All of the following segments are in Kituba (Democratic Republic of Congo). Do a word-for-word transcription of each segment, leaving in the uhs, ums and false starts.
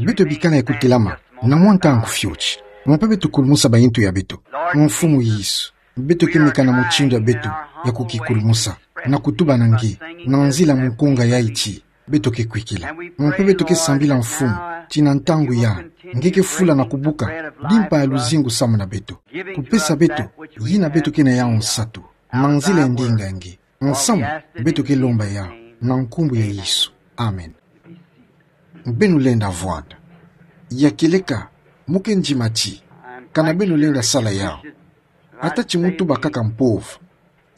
Beto bikana ya kutelama na mwa ntangu fioti, mpe beto kulumusa bayintu ya beto. Mfumu Yesu, beto ke meka na mutindu ya beto ya kukikulumusa, na kutuba na nge, na nzila mukunga yayi ti beto ke kwikila. Mpe beto ke sambila, Mfumu, ti na ntangu yayi, nge ke fula na kubuka dimpa ya luzingu samu na beto. Kupesa beto yina beto ke na yawu nsatu, na nzila ya ndinga ya nge. Nsamu beto ke lomba yawu na nkumbu ya Yesu. Amen. Beno lenda vwanda. Ya kieleka, mu ke ndima ti, kana beno lenda sala yawu. Ata ti mu tuba kaka mpova,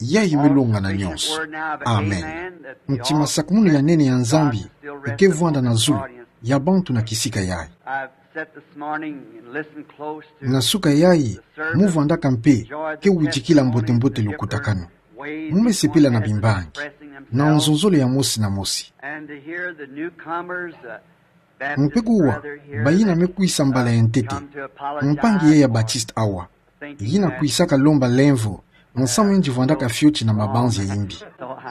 yayi me longana nyonso. Amen. Ntima sakumunu ya nene ya Nzambi ke vwanda na zulu ya bantu na kisika yayi. I've sat this morning and listened close to Na suka yayi, the service, mu vwandaka mpe enjoyed ke the wujikila testimonies, mbote-mbote the lukutakanu. Different ways Mu me sepela na each one has been bimbangi, expressing na themselves. Nzonzolo ya mosi na mosi. And to hear the newcomers, uh, Baptist Mpe kuwa, brother here bayina that, me kwisa mbala ya ntete, come to apologize mpangi ye ya for Baptiste awa, thinking yina that kwisaka lomba lemvo, nsamu yandi vwandaka fioti na mabanza ya yimbi.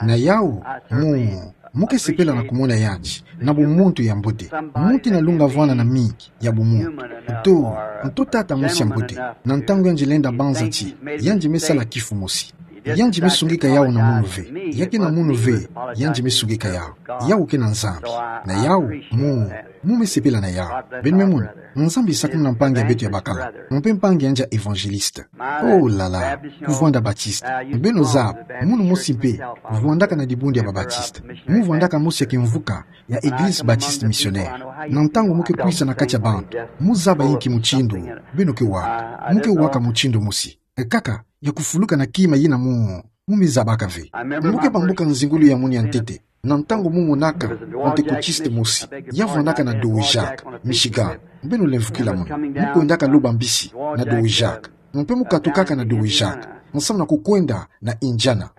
Na yawu, mu, mu ke sepela na kumona yandi na bumuntu ya mbote. Muntu yina lunga vwanda na mingi ya bumuntu. Nto, nto tata mosi ya mbote, na ntangu yandi lenda banza ti yandi me sala kifu mosi. Yandi me sungika yawu na munu ve. Ya ke na munu ve, yandi me sungika yawu. Yawu ke na Nzambi. Na yawu, mu, mu me sepela na yawu. Beno me mona, Nzambi sakumuna mpangi ya beto ya bakala. Mpe mpangi yandi ya évangéliste. Oh là là, kuvwanda Baptiste. Beno zaba, munu mosi mpe kuvwandaka na dibundu ya ba Baptiste. Mu vwandaka mosi ya kimvuka ya Église Baptiste Missionnaire. Na ntangu mu ke kwisa na kati ya bantu, mu zaba inki mutindu beno ke waka. Mu ke waka mutindu mosi. Kaka ya kufuluka na kima yina mu, mu me zabaka ve. Mu ke bambuka nzingulu ya munu ya ntete, na ntangu mu monaka Pantekotiste mosi ya vwandaka na Dowagiac, Michigan. Beno lemvukila munu. Mu kwendaka loba mbisi na Dowagiac. Mpe mu katukaka na Dowagiac, nsamu na kukwenda na Indiana.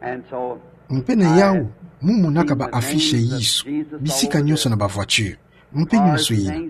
Mpe na yawu, mu monaka ba affiche ya Yesu bisika nyonso na ba voiture, mpe nyonso yina.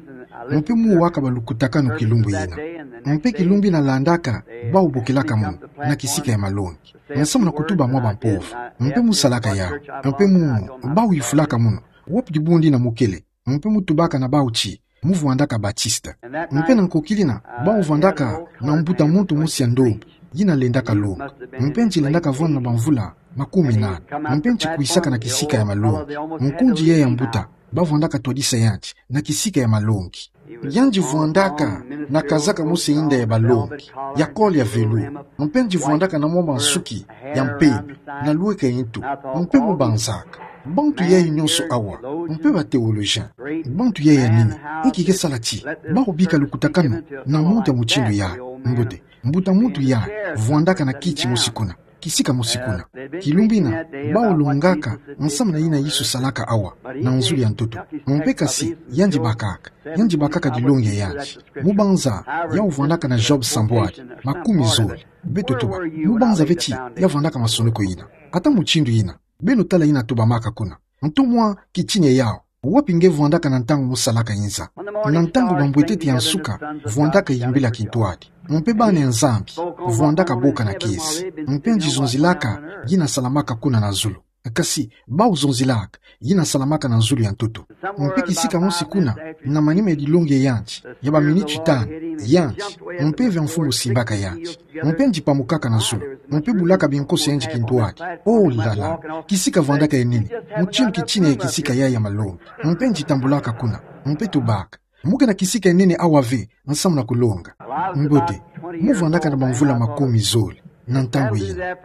Mpe mu waka balukutakanu kilumbu yina. Mpe kilumbu yina landaka, bawu bokelaka munu na kisika ya malongi, nsamu na kutuba mwa bampova. Mpe mu salaka yawu. Mpe mu, bawu yufulaka munu: Wapi dibundu yina mu kele? Mpe mu tubaka na bawu ti mu vwandaka Baptiste. Mpe na nkokila yina, bawu vwandaka na mbuta muntu mosi ya ndombi yina lendaka longa. Mpe yandi lendaka vwanda na bamvula makumi nana. Mpe yandi kwisaka na kisika ya malongi. Nkundi yayi ya mbuta, ba vwandaka twadisa yandi na kisika ya malongi. Yandi vwandaka na kazaka mosi ya inda ya balongi, ya col ya velours. Mpe yandi vwandaka na mwa mansuki ya mpembe, na lweka ya ntu. Mpe mu banzaka: Bantu yayi nyonso awa, mpe ba théologiens, bantu yayi ya nene, inki ke sala ti bawu bika lukutakanu na muntu ya mutindu yayi? Mbote, mbuta muntu yayi vwandaka na kiti mosi kuna, kisika mosi kuna. Kilumbu yina, bawu longaka nsamu na yina Yesu salaka awa na nzulu ya ntoto. Mpe kasi, yandi bakaka, yandi bakaka dilongi ya yandi. Mu banza, yawu vwandaka na job sambwadi makumi zole. Beto tuba, mu banza ve ti ya vwandaka masonoko yina? Ata mutindu yina, beno tala yina tubamaka kuna. Nto mwa kitini ya yawu: Wapi nge vwandaka na ntangu mu salaka inza? Na ntangu bambwetete ya nsuka vwandaka yimbila kintwadi, mpe bana ya Nzambi vwandaka boka na kiese. Mpe yandi zonzilaka yina salamaka kuna na zulu. Kasi bawu zonzilaka yina salamaka na zulu ya ntoto. Mpe kisika mosi kuna, na manima ya dilongi ya yandi ya baminiti tanu, yandi, mpeve ya Mfumu simbaka yandi. Mpe yandi pamukaka na zulu, mpe bulaka binkoso ya yandi kintwadi. Oh là là, kisika vwandaka ya nene, mutindu kitini ya kisika yayi ya malongi. Mpe yandi tambulaka kuna, mpe tubaka: Mu ke na kisika ya nene awa ve nsamu na kulonga? Mbote, mu vwandaka na bamvula makumi zole na ntangu yina.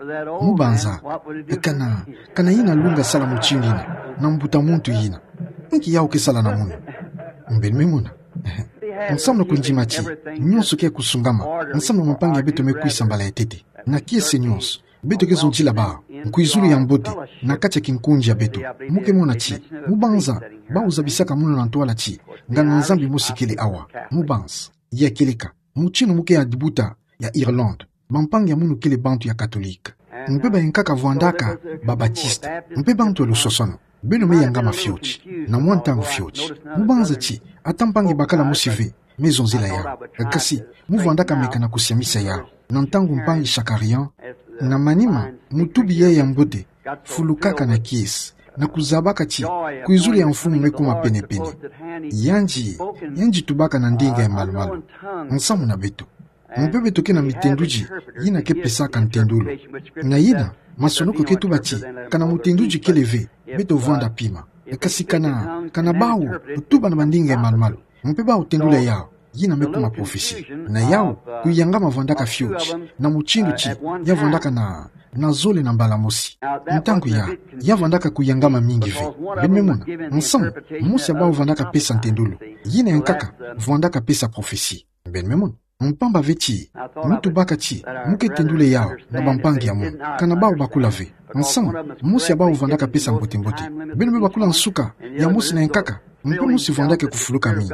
Mu banza, kana, kana yina lunga sala mutindu yina na mbuta muntu yina? Inki yawu ke sala na munu? Beno me mona. Nsamu na kundima ti nyonso ke kusungama, nsamu na bampangi ya beto me kwisa mbala ya ntete na kiese nyonso. Beto ke zonzila bawu nkwizulu ya mbote na kati ya kinkundi ya beto. Mu ke mona ti, mu banza, bawu zabisaka munu na ntwala ti nganga Nzambi mosi kele awa. Mu banza, ya kieleka, mutindu mu ke ya dibuta ya Irlande, bampangi ya munu kele bantu ya Katolika. Mpe bayankaka vwandaka ba Baptiste, mpe bantu ya lusosono. Beno me yangama fioti, na mwa ntangu fioti. Mu banza ti, ata mpangi bakala mosi ve me zonzila yawu. Kasi, mu vwandaka meka na kusiamisa yawu. Na ntangu mpangi Shakarian, na manima, mutubi yayi ya mbote fulukaka na kiese, na kuzabaka ti kwizulu ya mfumu mekuma pene-pene. Yandi, yandi tubaka na ndinga ya malu-malu, nsamu na beto. Mpe beto ke na mitendudi yina ke pesaka ntendolo. Na yina, masonoko ke tuba ti, kana mutendudi kele ve, beto vwanda pima. Kasi kana, kana bau tuba na bandinga ya malu-malu, mpe bau tendula yau, yina mekuma prophetie. Na yau, kuyangama vwandaka fioti, na mutindu ti, ya vwandaka na, na zole na mbala mosi. Ntangu ya, ya vwandaka kuyangama mingi ve. Beno me mona, nsamu, mosi ya bau vwandaka pesa ntendolo. Yina ya nkaka, vwandaka pesa prophetie. Beno me mona. Mpamba ve ti, mu tubaka ti, mu ke tendula yau, na bampangi ya munu. Kana bau bakula ve. Nsamu, mosi ya bau vwandaka pesa mbote-mbote. Beno me bakula nsuka, ya mosi na ya nkaka, mpe mosi vwandaka kufuluka mingi.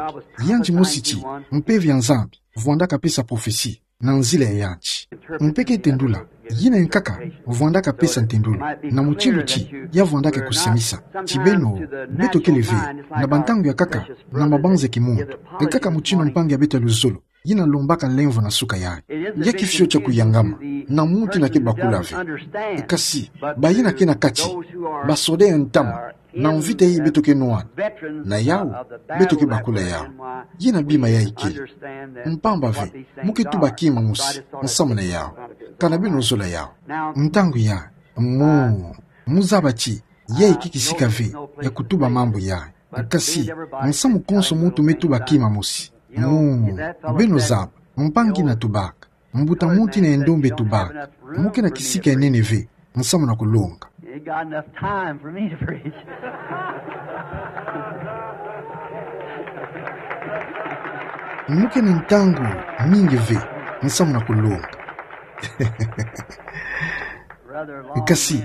Yandi mosi ti, mpeve ya Nzambi, vwandaka pesa prophetie, na nzila ya yandi. Mpe ke tendula, yina ya nkaka, vwandaka pesa ntendolo, na mutindu ti, ya vwandaka kusemisa, ti beno, beto kele ve, na bantangu ya nkaka, na mabanza ya kimuntu. Nkaka mutindu mpangi ya beto ya luzolo, yina lombaka lemvo na suka yayi. Ya ke fioti ya kuyangama, na muntu yina ke bakula ve. Kasi, bayina ke na kati, basoda ya ntama, na mvita yayi beto ke nwana. Na yau, beto ke bakula yau. Yina bima yayi kele. Mpamba ve, mu ke tuba kima mosi, nsamu na yau. Kana beno zola yau. Ntangu ya, mu, mu zaba ti, yayi ke kisika ve, ya kutuba mambu yayi. Kasi, nsamu konso muntu me tuba kima mosi. Mu, beno zaba, mpangi yina tubaka. Mbuta muntu yina ya ndombe tubaka. Mu ke na kisika ya nene ve, nsamu na kulonga. You got enough time for me to preach. Mu ke na ntangu mingi ve, nsamu na kulonga. Rather long-winded. Kasi,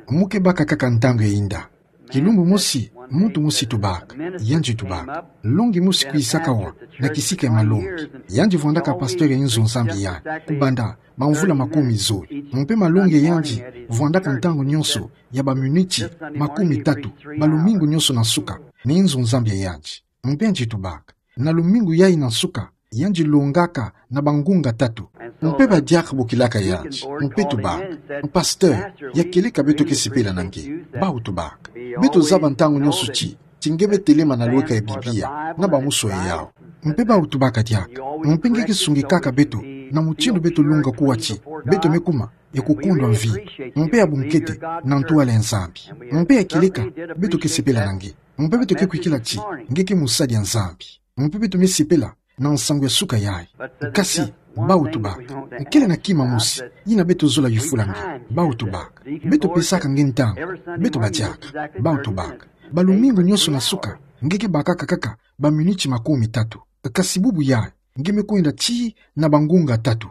mu ke baka kaka ntangu ya inda. Kilumbu mosi, muntu mosi tubaka, yandi tubaka. Longi mosi kwisaka awa, na kisika ya malongi. Yandi vwandaka pasteur ya inzo Nzambi yandi. Kubanda, bamvula makumi zole. Mpe malongi ya yandi, vwandaka ntangu nyonso, ya baminiti, makumi tatu, balumingu nyonso na nsuka, na inzo Nzambi ya yandi. Mpe yandi tubaka. Na lumingu yayi na nsuka, yandi longaka na bangunga tatu. Mpe badiaka bokilaka yandi. Mpe tubaka. Pasteur, ya kieleka beto ke sepela na nge. Bau tubaka. Beto zaba ntangu nyonso ti, ti nge me telema na lweka ya Biblia, na bamusu ya yau. Mpe bau tubaka diaka. Mpe nge ke sungikaka beto, na mutindu beto longa kuwa ti, beto me kuma, ya kukondwa mvi. Mpe ya bunkete, na ntwala ya Nzambi. Mpe ya kieleka, beto ke sepela na nge. Mpe beto ke kwikila ti, nge ke mosali ya Nzambi. Mpe beto me sepela, na nsangu ya suka yayi. Kasi, bau tubaka. Kele na kima mosi, yina beto zola yufula nge. Bau tubaka. Beto pesaka nge ntangu. Beto badiaka. Bau tubaka. Balumingu nyonso na nsuka, nge ke bakaka kaka, baminiti makumi tatu. Kasi bubu yayi, nge me kwenda tii na bangunga tatu.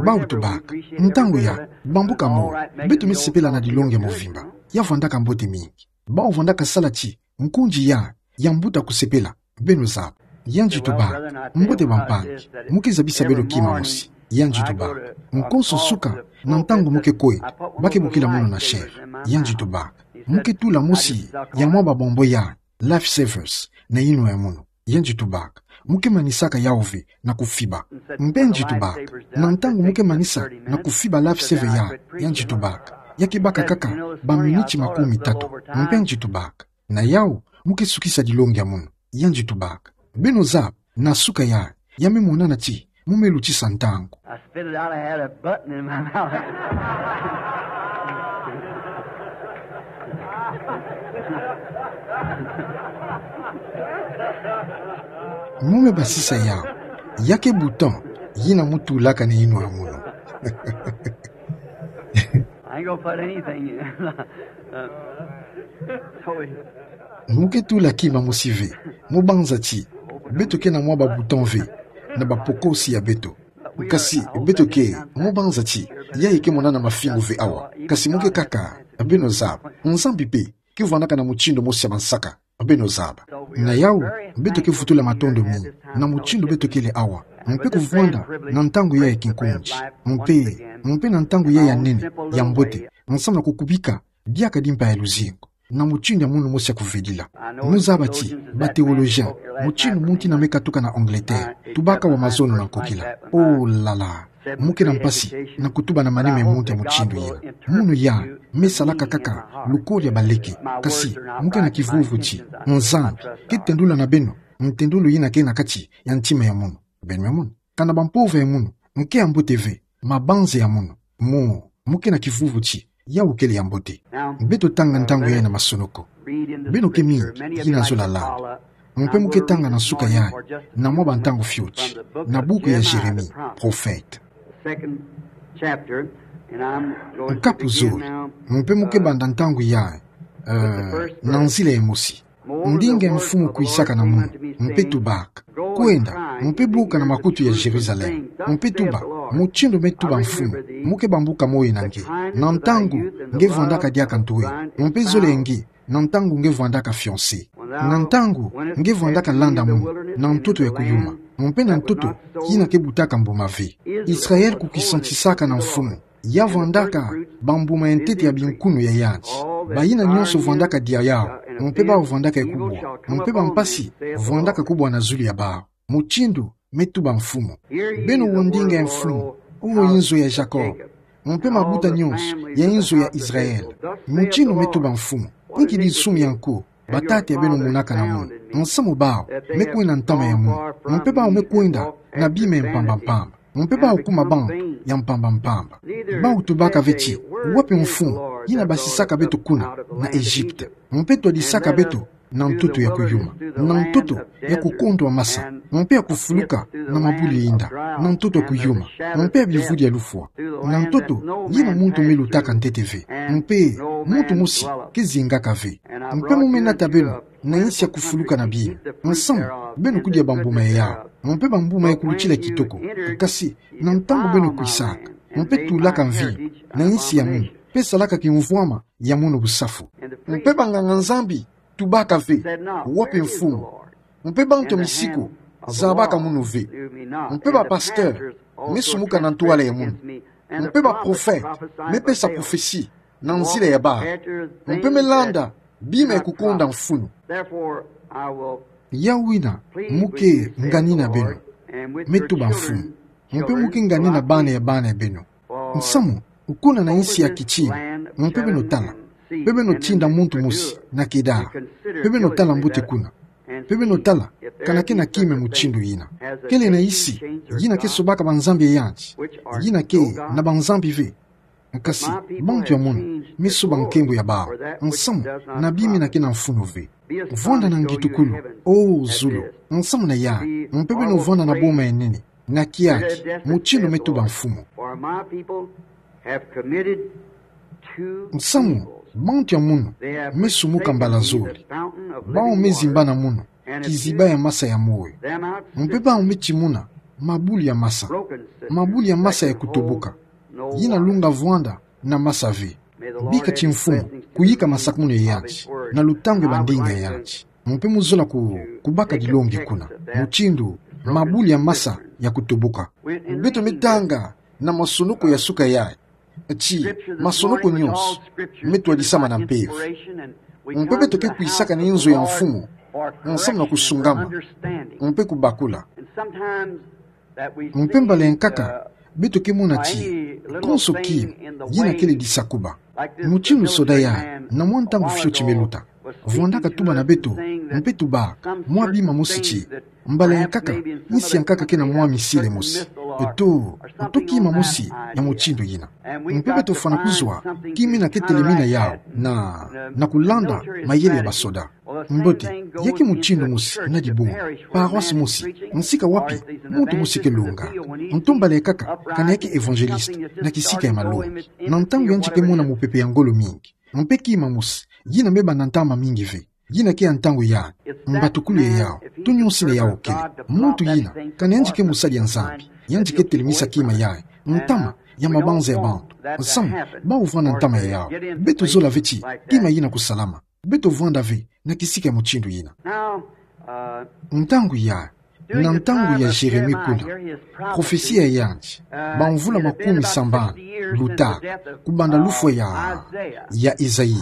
Bau tubaka. Ntangu ya, bambuka moyo. Beto me sepela na dilongi ya movimba. Ya vwandaka mbote mingi. Bau vwandaka sala ti, nkundi ya, ya mbuta kusepela, beno zaba. Yandi tubaka, mbote bampangi, mu ke zabisa beno kima mosi. Yandi tubaka, nkonso nsuka, na ntangu mu ke kwenda, ba ke bokila munu na chaire. Yandi tubaka, mu ke tula mosi, ya mwa babombo ya, life savers, na yinwa ya munu. Yandi tubaka, mu ke manisaka yau ve, na kufiba. Mpe yandi tubaka, na ntangu mu ke manisa, na kufiba life saver ya, yandi tubaka. Ya ke baka kaka, baminiti makumi tatu. Mpe yandi tubaka. Na yau, mu ke sukisa dilongi ya munu. Yandi tubaka. Beno zaba, na suka ya, ya me monana ti, mu me lutisa ntangu. I spit it out, I had a button in my mouth. Mu me basisa yau. Ya ke bouton, yina mu tulaka na yinwa ya munu. I ain't gonna put anything in. Uh, so we Mu ke tula kima mosi ve, mu banza ti, beto ke na mwa ba bouton ve, na bapokosi ya beto. Kasi, beto ke, mu banza ti, yayi ke monana mafingu ve awa. Kasi mu ke kaka, beno zaba, Nzambi mpe, ke vwandaka na mutindu mosi ya mansaka, beno zaba. Na yau, beto ke vutula matondo mingi, na mutindu beto kele awa, mpe kuvwanda, na ntangu yayi ya kinkundi, mpe, mpe na ntangu yayi ya nene, ya mbote, nsamu na kukubika, diaka dimpa ya luzingu, na mutindu ya munu mosi ya kuvedila. Mu zaba ti, ba théologiens, mutindu muntu yina me katuka na Angleterre, tubaka wa mazono na nkokila. Oh là là, Mu ke na mpasi na kutuba na manima ya muntu ya mutindu yina. Munu ya me salaka kaka lukori ya baleke. Kasi mu ke na kivuvu ti Nzambi ke tendula na beno ntendulu yina ke na kati ya ntima ya munu. Beno me mona, kana bampova ya munu nke ya mbote ve, mabanza ya munu. Mu, mu ke na kivuvu ti ya ukele ya mbote. Beto tanga ntangu yayi na masonoko. Beno ke mingi yina zola landa. Mpe mu ke tanga na suka yayi, na mwa bantangu fioti, na buku ya Jérémie, prophète. Nkapu zole, mpe mu ke banda ntangu yayi, eh, na nzila ya mosi. Ndinga ya mfumu kwisaka na munu, mpe tubaka: Kwenda, mpe buka na makutu ya Jérusalem, mpe tuba: Mutindu me tuba mfumu, mu ke bambuka moyo na nge, na ntangu nge vwandaka diaka ntue, mpe zole ya nge, na ntangu nge vwandaka fiancée, na ntangu nge vwandaka landa munu na ntoto ya kuyuma, mpe na ntoto yina ke butaka mbuma ve. Israël kukisantisaka na mfumu, ya vwandaka bambuma ya ntete ya binkunu ya yandi. Bayina nyonso vwandaka dia yawu, mpe bawu vwandaka ya kubwa, mpe bampasi vwandaka kubwa na zulu ya bawu. Mutindu me tuba mfumu. Beno wo ndinga ya mfumu, o inzo ya Jacob, mpe mabuta nyonso ya inzo ya Israël. Mutindu me tuba mfumu: Inki dinsumi ya nko batata ya beno monaka na munu, nsamu bawu me kwenda ntama ya munu, mpe bawu me kwenda na bima ya mpamba mpamba, mpe bawu kuma bantu ya mpamba mpamba? Bawu tubaka ve ti: Wapi mfumu yina basisaka beto kuna na Egypte, mpe twadisaka beto na ntoto ya kuyuma, na ntoto ya kukondwa masa, mpe ya kufuluka na mabuli ya inda, na ntoto ya kuyuma, mpe ya bivudi ya lufwa, na ntoto yina muntu me lutaka ntete ve, mpe muntu mosi ke zingaka ve? Mpe mu me nata beno na insi ya kufuluka na bima, nsamu beno kudia bambuma ya yawu, mpe bambuma ya kulutila kitoko. Kasi na ntangu beno kwisaka, mpe tulaka mvinyo na insi ya munu, mpe salaka kimvwama ya munu busafu, mpe banganga-Nzambi tubaka ve: Wapi mfumu? Mpe bantu ya misiku zabaka munu ve, mpe bapasteur me sumuka na ntwala ya munu, mpe baprophète me pesa prophetie na nzila ya bawu, mpe me landa bima ya kukonda mfunu. Yawu yina mu ke ngani na beno, me tuba mfumu, mpe mu ke ngani na bana ya bana ya beno. Nsamu, kuna na insi ya kitina, mpe beno tala, mpe beno tinda muntu mosi na Kedar, mpe beno tala mbote kuna, mpe beno tala kana ke na kima ya mutindu yina. Kele na insi yina ke sobaka banzambi ya yandi, yina ke na banzambi ve. Kasi bantu ya munu me soba nkembo ya bawu, nsamu na bima yina ke na mfunu ve. Vwanda na ngitukulu, o zulu, nsamu na yayi, mpe beno vwanda na boma ya nene, na kiaki, mutindu me tuba mfumu. Nsamu, bantu ya munu me sumuka mbala zole. Bawu me zimba na munu kiziba ya masa ya moyo, mpe bawu me timuna mabuli ya masa, mabuli ya masa ya kutoboka, yina lunga vwanda na masa ve. Bika ti mfumu kuyika masakumunu ya yandi na lutangu ya bandinga ya yandi, mpe mu zola ku, kubaka dilongi kuna, mutindu mabuli ya masa ya kutoboka. Beto me tanga na masonoko ya suka yayi ti masonoko nyonso me twadisama na mpeve. Mpe beto ke kwisaka na inzo ya mfumu, nsamu na kusungama, mpe kubakula. Mpe mbala ya nkaka beto ke mona ti konso kima yina kele disakuba. Mutindu soda yayi, na mwa ntangu fioti me luta, vwandaka tuba na beto, mpe tubaka mwa bima mosi ti, mbala ya nkaka, insi ya nkaka ke na mwa missile mosi, to, to kima mosi ya mutindu yina. Mpe beto fwana kuzwa kima yina ke telemina yawu na, na kulanda mayele ya basoda. Mbote, ya ke mutindu mosi na dibundu, paroisse mosi, nsika wapi muntu mosi ke longa. Nto mbala ya nkaka, kana ya ke évangéliste na kisika ya malongi. Na ntangu yandi ke mona mupepe ya ngolo mingi, mpe kima mosi yina me banda ntama mingi ve, yina ke ya ntangu ya mbatukulu ya yawu, to nyonso yina yawu kele. Muntu yina, kana yandi ke mosali ya Nzambi, yandi ke telemisa kima yayi, ntama ya mabanza ya bantu. Nsamu, bawu vwanda ntama ya yawu. Beto zola ve ti kima yina kusalama. Beto vwanda ve na kisika ya mutindu yina. Ntangu ya, na ntangu ya Jérémie kuna, prophetie ya yandi, bamvula makumi sambanu luta, kubanda lufwa ya, ya Esaïe,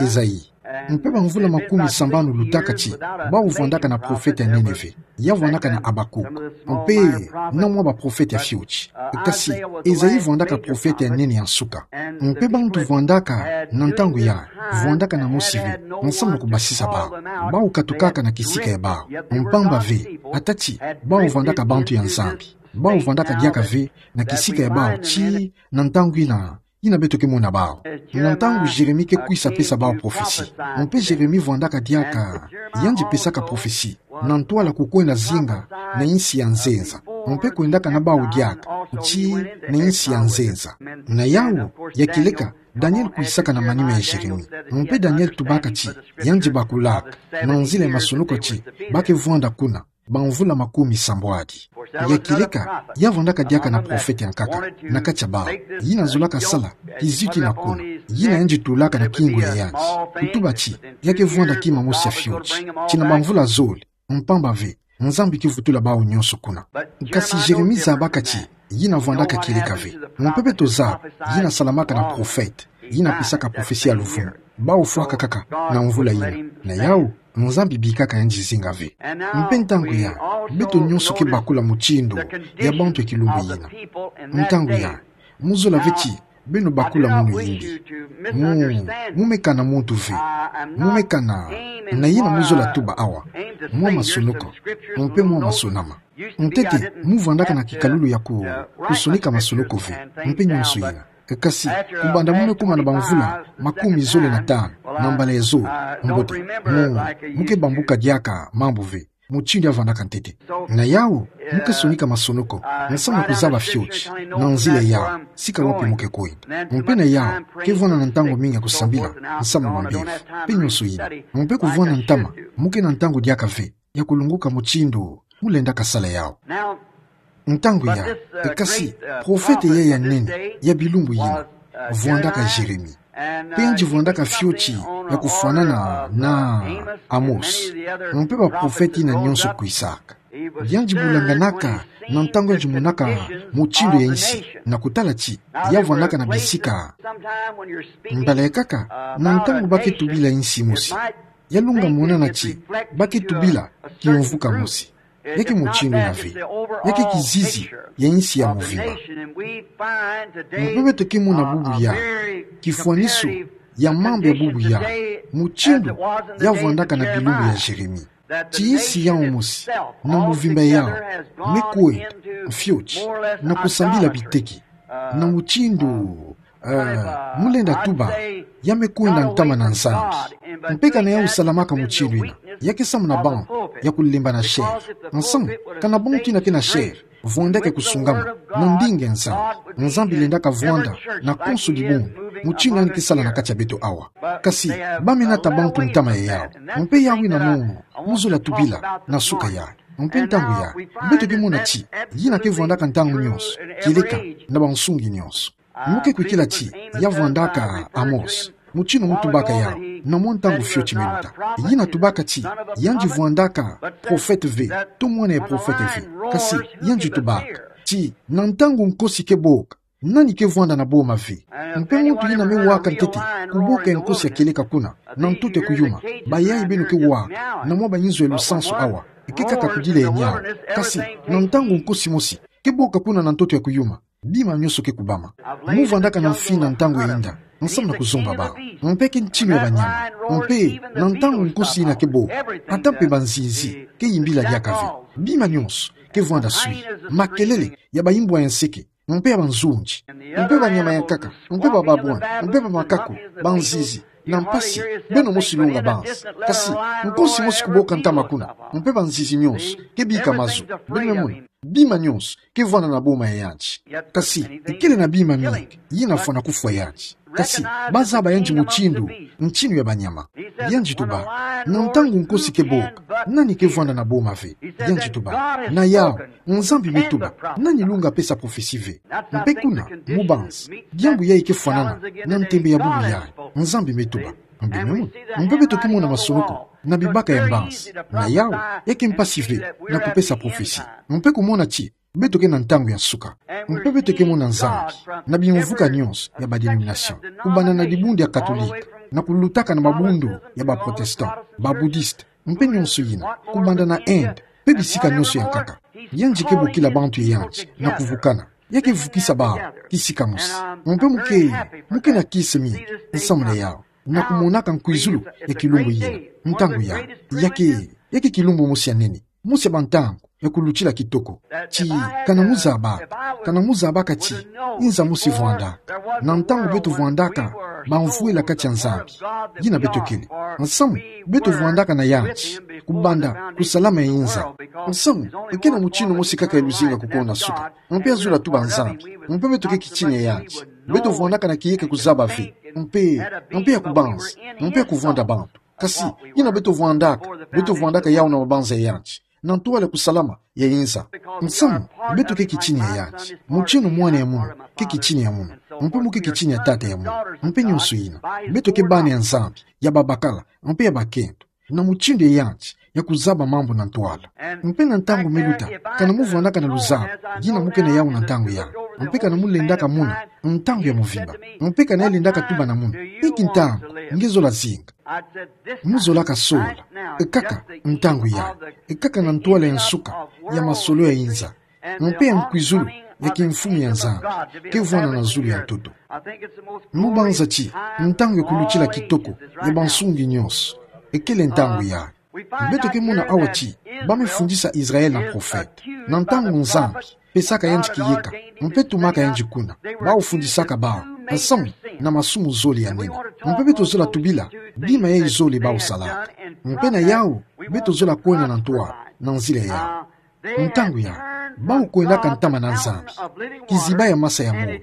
Esaïe. Mpe bamvula makumi sambanu lutaka ti bawu vwandaka na profete ya nene ve. Ya vwandaka na Habakuk. Mpe na mwa baprofete ya fioti. Kasi, Ezayi vwandaka profete ya nene ya nsuka. Mpe bantu vwandaka na ntangu yayi, vwandaka na mosi ve, nsamu na kubasisa bawu. Bawu katukaka na kisika ya bawu. Mpamba ve, ata ti bawu vwandaka bantu ya Nzambi. Bawu vwandaka diaka ve na kisika ya bawu ti na ntangu yina, yina beto ke mona bawu. Na ntangu Jérémie ke kwisa pesa bawu profesi. Mpe Jérémie vwandaka diaka yandi pesaka profesi na ntwala kukwenda zinga na insi ya nzenza. Mpe kwendaka na bawu diaka ti na insi ya nzenza. Na yawu, ya kieleka, Daniel kwisaka na manima ya Jérémie. Mpe Daniel tubaka ti yandi bakulaka, na nzila ya masonoko ti ba ke vwanda kuna bamvula makumi sambwadi. Ya kieleka, ya vwandaka diaka na profete ya nkaka na kati ya bawu. Yina zolaka sala kizitu yina kuna. Yina yandi tulaka na kingo ya yandi. Kutuba ti ya ke vwanda kima mosi ya fioti ti na bamvula zole. Mpamba ve, Nzambi ke vutula bawu nyonso kuna. Kasi Jérémie zabaka ti yina vwandaka kieleka ve. Mpe beto zaba, yina salamaka na profete. Yina pesaka profesi ya luvunu. Bawu fwaka kaka na mvula yina. Na yawu, Nzambi bikaka yandi zinga ve. Mpe ntangu yayi, beto nyonso ke bakula mutindu ya bantu ya kilumbu yina. Ntangu yayi, mu zola ve ti beno bakula munu yimbi. Mu, mu me kana muntu ve. Mu me kana, na yina mu zola tuba awa. Mwa masonoko, mpe mwa masonama. Ntete, mu vwandaka na kikalulu ya ku, kusonika masonoko ve, mpe nyonso yina. Kasi, kubanda mu me kuma na bamvula makumi zole na tanu, na mbala ya zole, mbote, mu, mu ke bambuka diaka mambu ve, mutindu ya vwandaka ntete. Na yawu, mu ke sonika masonoko, nsamu na kuzaba fioti na nzila yawu, sika wapi mu ke kwenda. Mpe na yawu, ke vwanda na ntangu mingi ya kusambila nsamu na mbevo, mpe nyonso yina. Mpe kuvwanda ntama, mu ke na ntangu diaka ve ya kulunguka mutindu mu lendaka sala yawu. Ntangu yayi, kasi, profete yayi ya nene ya bilumbu yina vwandaka Jérémie. Mpe yandi vwandaka fioti ya kufwanana na Amos. Mpe baprofete yina nyonso kwisaka. Yandi bulanganaka na ntangu yandi monaka mutindu ya insi, na kutala ti ya vwandaka na bisika. Mbala ya nkaka, na ntangu ba ke tubila insi mosi, ya lunga monana ti ba ke tubila kimvuka mosi. Ya ke mutindu yina ve. Ya ke kizizi ya insi ya muvimba. Mpe beto ke mona bubu yayi, kifwaniso ya mambu ya bubu yayi, mutindu ya vwandaka na bilumbu ya Jérémie. Ti insi yawu mosi, na muvimba yawu, me kwenda fioti na kusambila biteke, na mutindu, eh, mu lenda tuba, ya me kwenda ntama na Nzambi. Mpe kana yawu salamaka mutindu yina, ya ke samu na bantu ya kulemba na chair. Nsamu, kana bantu yina ke na chair vwandaka ya kusungama na ndinga ya Nzambi. Nzambi lendaka vwanda na konso dibundu, mutindu yandi ke sala na kati ya beto awa. Kasi, ba me nata bantu ntama ya yawu. Mpe yawu yina munu mu zola tubila na suka yayi. Mpe ntangu yayi, beto ke mona ti yina ke vwandaka ntangu nyonso, kieleka na bansungi nyonso. Mu ke kwikila ti ya vwandaka Amos, mutindu mu tubaka yawu na mwa ntangu fioti me luta. Yina tubaka ti yandi vwandaka profete ve, to mwana ya profete ve. Kasi, yandi tubaka ti na ntangu nkosi ke boka, nani ke vwanda na boma ve? Mpe muntu yina me waka ntete kuboka ya nkosi ya kieleka kuna na ntoto ya kuyuma, bayayi beno ke waka na mwa bayinzo ya lusansu awa, ke kaka kudila ya niawu. Kasi, na ntangu nkosi mosi ke boka kuna na ntoto ya kuyuma, bima nyonso ke kubama. Mu vwandaka na mfina ntangu ya inda, nsamu na kuzomba bawu. Mpe ke ntinu ya banyama. Mpe na ntangu nkosi yina ke boka, ata mpe banzinzi ke yimbila diaka ve. Bima nyonso ke vwanda swi. Makelele ya bayimbwa ya nseke, mpe ya banzunzi, mpe banyama ya nkaka, mpe bababwana, mpe bamakaku, banzinzi, na mpasi, beno mosi lunga banzi. Kasi, nkosi mosi kuboka ntama kuna, mpe banzinzi nyonso ke bika mazu. Beno me mona, bima nyonso ke vwanda na boma ya yandi. Kasi, ikele na bima mingi yina fwana kufwa yandi. Kasi, ba zaba yandi mutindu ntinu ya banyama. Yandi tuba, na ntangu nkosi ke boka, nani ke vwanda na boma ve? Yandi tuba, na yawu, Nzambi me tuba, nani lunga pesa profesi ve? Mpe kuna, mu banzi, diambu yayi ke fwanana na ntembe ya bubu yayi. Nzambi me tuba. Mpe me mona, mpe beto ke mona masonoko na bibaka ya mbanzi. Na yawu, ya ke mpasi ve na kupesa profesi. Mpe kumona ti beto ke na ntangu ya nsuka. Mpe beto ke mona Nzambi na bimvuka nyonso ya ba dénomination, kubanda na dibundu ya Katolika, na kulutaka na mabundu ya ba Protestant, ba Bouddhiste, mpe nionso yina, kubanda na Inde, mpe bisika nionso yankaka. Yandi ke bokila bantu ya yandi na kuvukana. Ya ke vukisa bawu kisika mosi. Mpe mu ke, mu ke na kiese mingi nsamu na yawu, na kumonaka nkwizulu ya kilumbu yina. Ntangu yawu, ya ke, ya ke kilumbu mosi ya nene, mosi ya bantangu ya kulutila kitoko. Ti, kana mu zabaka, kana mu zabaka ti inza mosi vwandaka, na ntangu beto vwandaka bamvwela kati ya Nzambi, yina beto kele. Nsamu, beto vwandaka na yandi kubanda kusalama ya inza. Nsamu, ke na mutindu mosi kaka ya luzinga kukona suka. Mpe azola tuba Nzambi. Mpe beto ke kitina ya yandi. Beto vwandaka na kiyeke kuzaba ve. Mpe, mpe ya kubanza, mpe ya kuvwanda bantu. Kasi, yina beto vwandaka, beto vwandaka yawu na mabanza ya yandi, na ntwala ya kusalama ya inza. Nsamu, beto ke kitina ya yandi. Mutindu mwana ya munu ke kitina ya munu, mpe mu ke kitina ya tata ya munu, mpe nionso yina. Beto ke bana ya Nzambi, ya babakala, mpe ya bakento, na mutindu ya yandi ya kuzaba mambu na ntwala. Mpe na ntangu me luta, kana mu vwandaka na luzabu, yina mu ke na yawu na ntangu yawu, mpe kana mu lendaka mona ntangu ya mvimba, mpe kana ya lendaka tuba na munu: Inki ntangu nge zola zinga? Mu zolaka sola, e kaka ntangu yayi, e kaka na ntwala ya nsuka ya masolo ya inza, mpe ya nkwizulu ya kimfumu ya Nzambi ke vwanda na zulu ya ntoto. Mu banza ti ntangu ya kulutila kitoko ya bansungi nionso, e kele ntangu yayi. Beto ke mona awa ti ba me fundisa Israël na profete, na ntangu Nzambi pesaka yandi kiyeka, mpe tumaka yandi kuna, bawu fundisaka bawu, nsamu, na masumu zole ya nene. Mpe beto zola tubila bima yayi zole bawu salaka. Mpe na yawu, beto zola kwenda na ntwala, na nzila yawu. Ntangu yayi, bawu kwendaka ntama na Nzambi, kiziba ya masa ya moyo.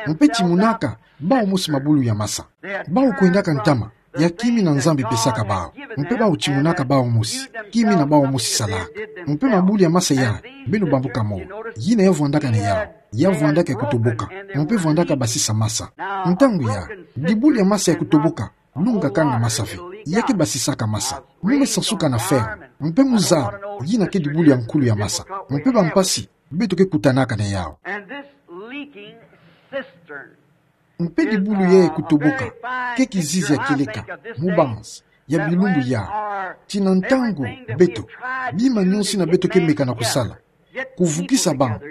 Mpe timonaka bawu mosi mabulu ya masa. Bawu kwendaka ntama ya kimi na Nzambi pesaka bawu. Mpe bawu timonaka bawu mosi kimi na bawu mosi salaka. Mpe mabulu ya masa yayi, beno bambuka moyo, yina ya vwandaka na yawu, ya vwandaka ya kutoboka, mpe vwandaka basisa masa. Ntangu yayi, dibulu ya masa ya kutoboka, lunga kanga masa ve, ya ke basisaka masa. Mu me sansuka na ferme, mpe mu zaba, yina ke dibulu ya nkulu ya masa. Mpe bampasi beto ke kutanaka na yawu. And this leaking cistern Mpe dibulu yayi ya kutoboka ke kizizi ya kieleka, mu banza ya bilumbu yayi, ti na ntangu beto, bima nionso yina beto ke meka na kusala, kuvukisa bantu,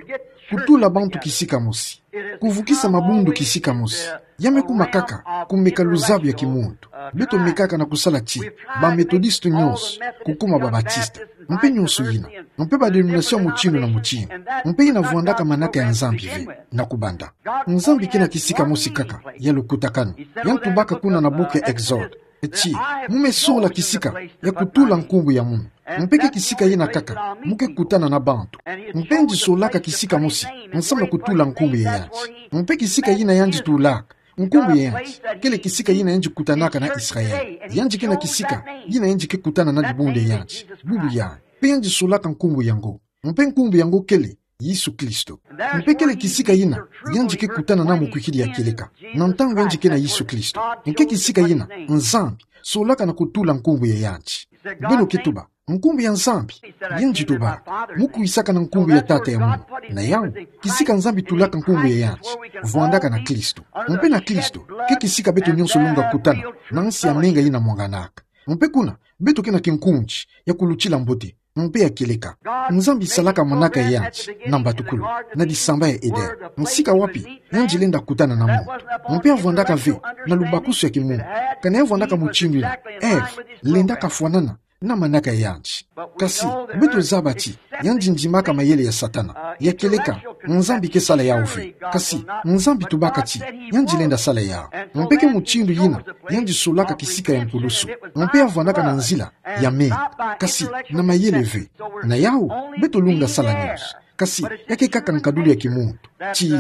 kutula bantu kisika mosi, kuvukisa mabundu kisika mosi, ya me kuma kaka kumeka luzabu ya kimuntu. Beto mekaka na kusala ti ba Methodiste nionso kukuma ba Baptiste, mpe nionso yina, mpe ba dénomination mutindu na mutindu, mpe yina vwandaka manaka ya Nzambi ve. Na kubanda, Nzambi ke na kisika mosi kaka ya lukutakanu. Ya tubaka kuna na buku ya Exode ti: Mu me sola kisika ya kutula nkumbu ya munu. Mpe ke kisika yina kaka mu ke kutana na bantu. Mpe yandi solaka kisika mosi nsamu na kutula nkumbu ya yandi. Mpe kisika yina yandi tulaka nkumbu ya yandi, kele kisika yina yandi kutanaka na Israël. Yandi ke na kisika yina yandi ke kutana na dibundu ya yandi, bubu yandi. Mpe yandi solaka nkumbu yango. Mpe nkumbu yango kele Yesu Kristo. Mpe kele kisika yina yandi ke kutana na mukwikidi ya kieleka, na ntangu yandi ke na Yesu Kristo. Mpe kisika yina Nzambi solaka na kutula nkumbu ya yandi. Beno ke tuba: Nkumbu ya Nzambi? Yandi tuba: Mu kwisaka na nkumbu ya Tata ya munu. Na yawu, kisika Nzambi tulaka nkumbu ya yandi, vwandaka na Kristo. Mpe na Kristo ke kisika beto nionso lunga kutana na nsi ya menga yina mwanganaka. Mpe kuna, beto ke na kinkundi ya kulutila mbote mpe ya kieleka. Nzambi salaka manaka ya yandi na mbatukulu, na disamba ya Eden, sika wapi yandi lenda kutana na muntu. Mpe avwandaka ve na lubakusu ya kimuntu. Kana ya vwandaka mutindu yina, Ève lendaka fwanana na manaka ya yandi. Kasi beto zaba ti yandi ndimaka mayele ya Satana, ya kieleka. Nzambi ke sala yawu ve. Kasi Nzambi tubaka ti yandi lenda sala yawu. Mpe ke mutindu yina yandi solaka kisika ya nkulusu. Mpe avwandaka na nzila ya menga, kasi na mayele ve. Na yawu, beto lunga sala nionso. Kasi ya ke kaka nkadulu ya kimuntu. Ti,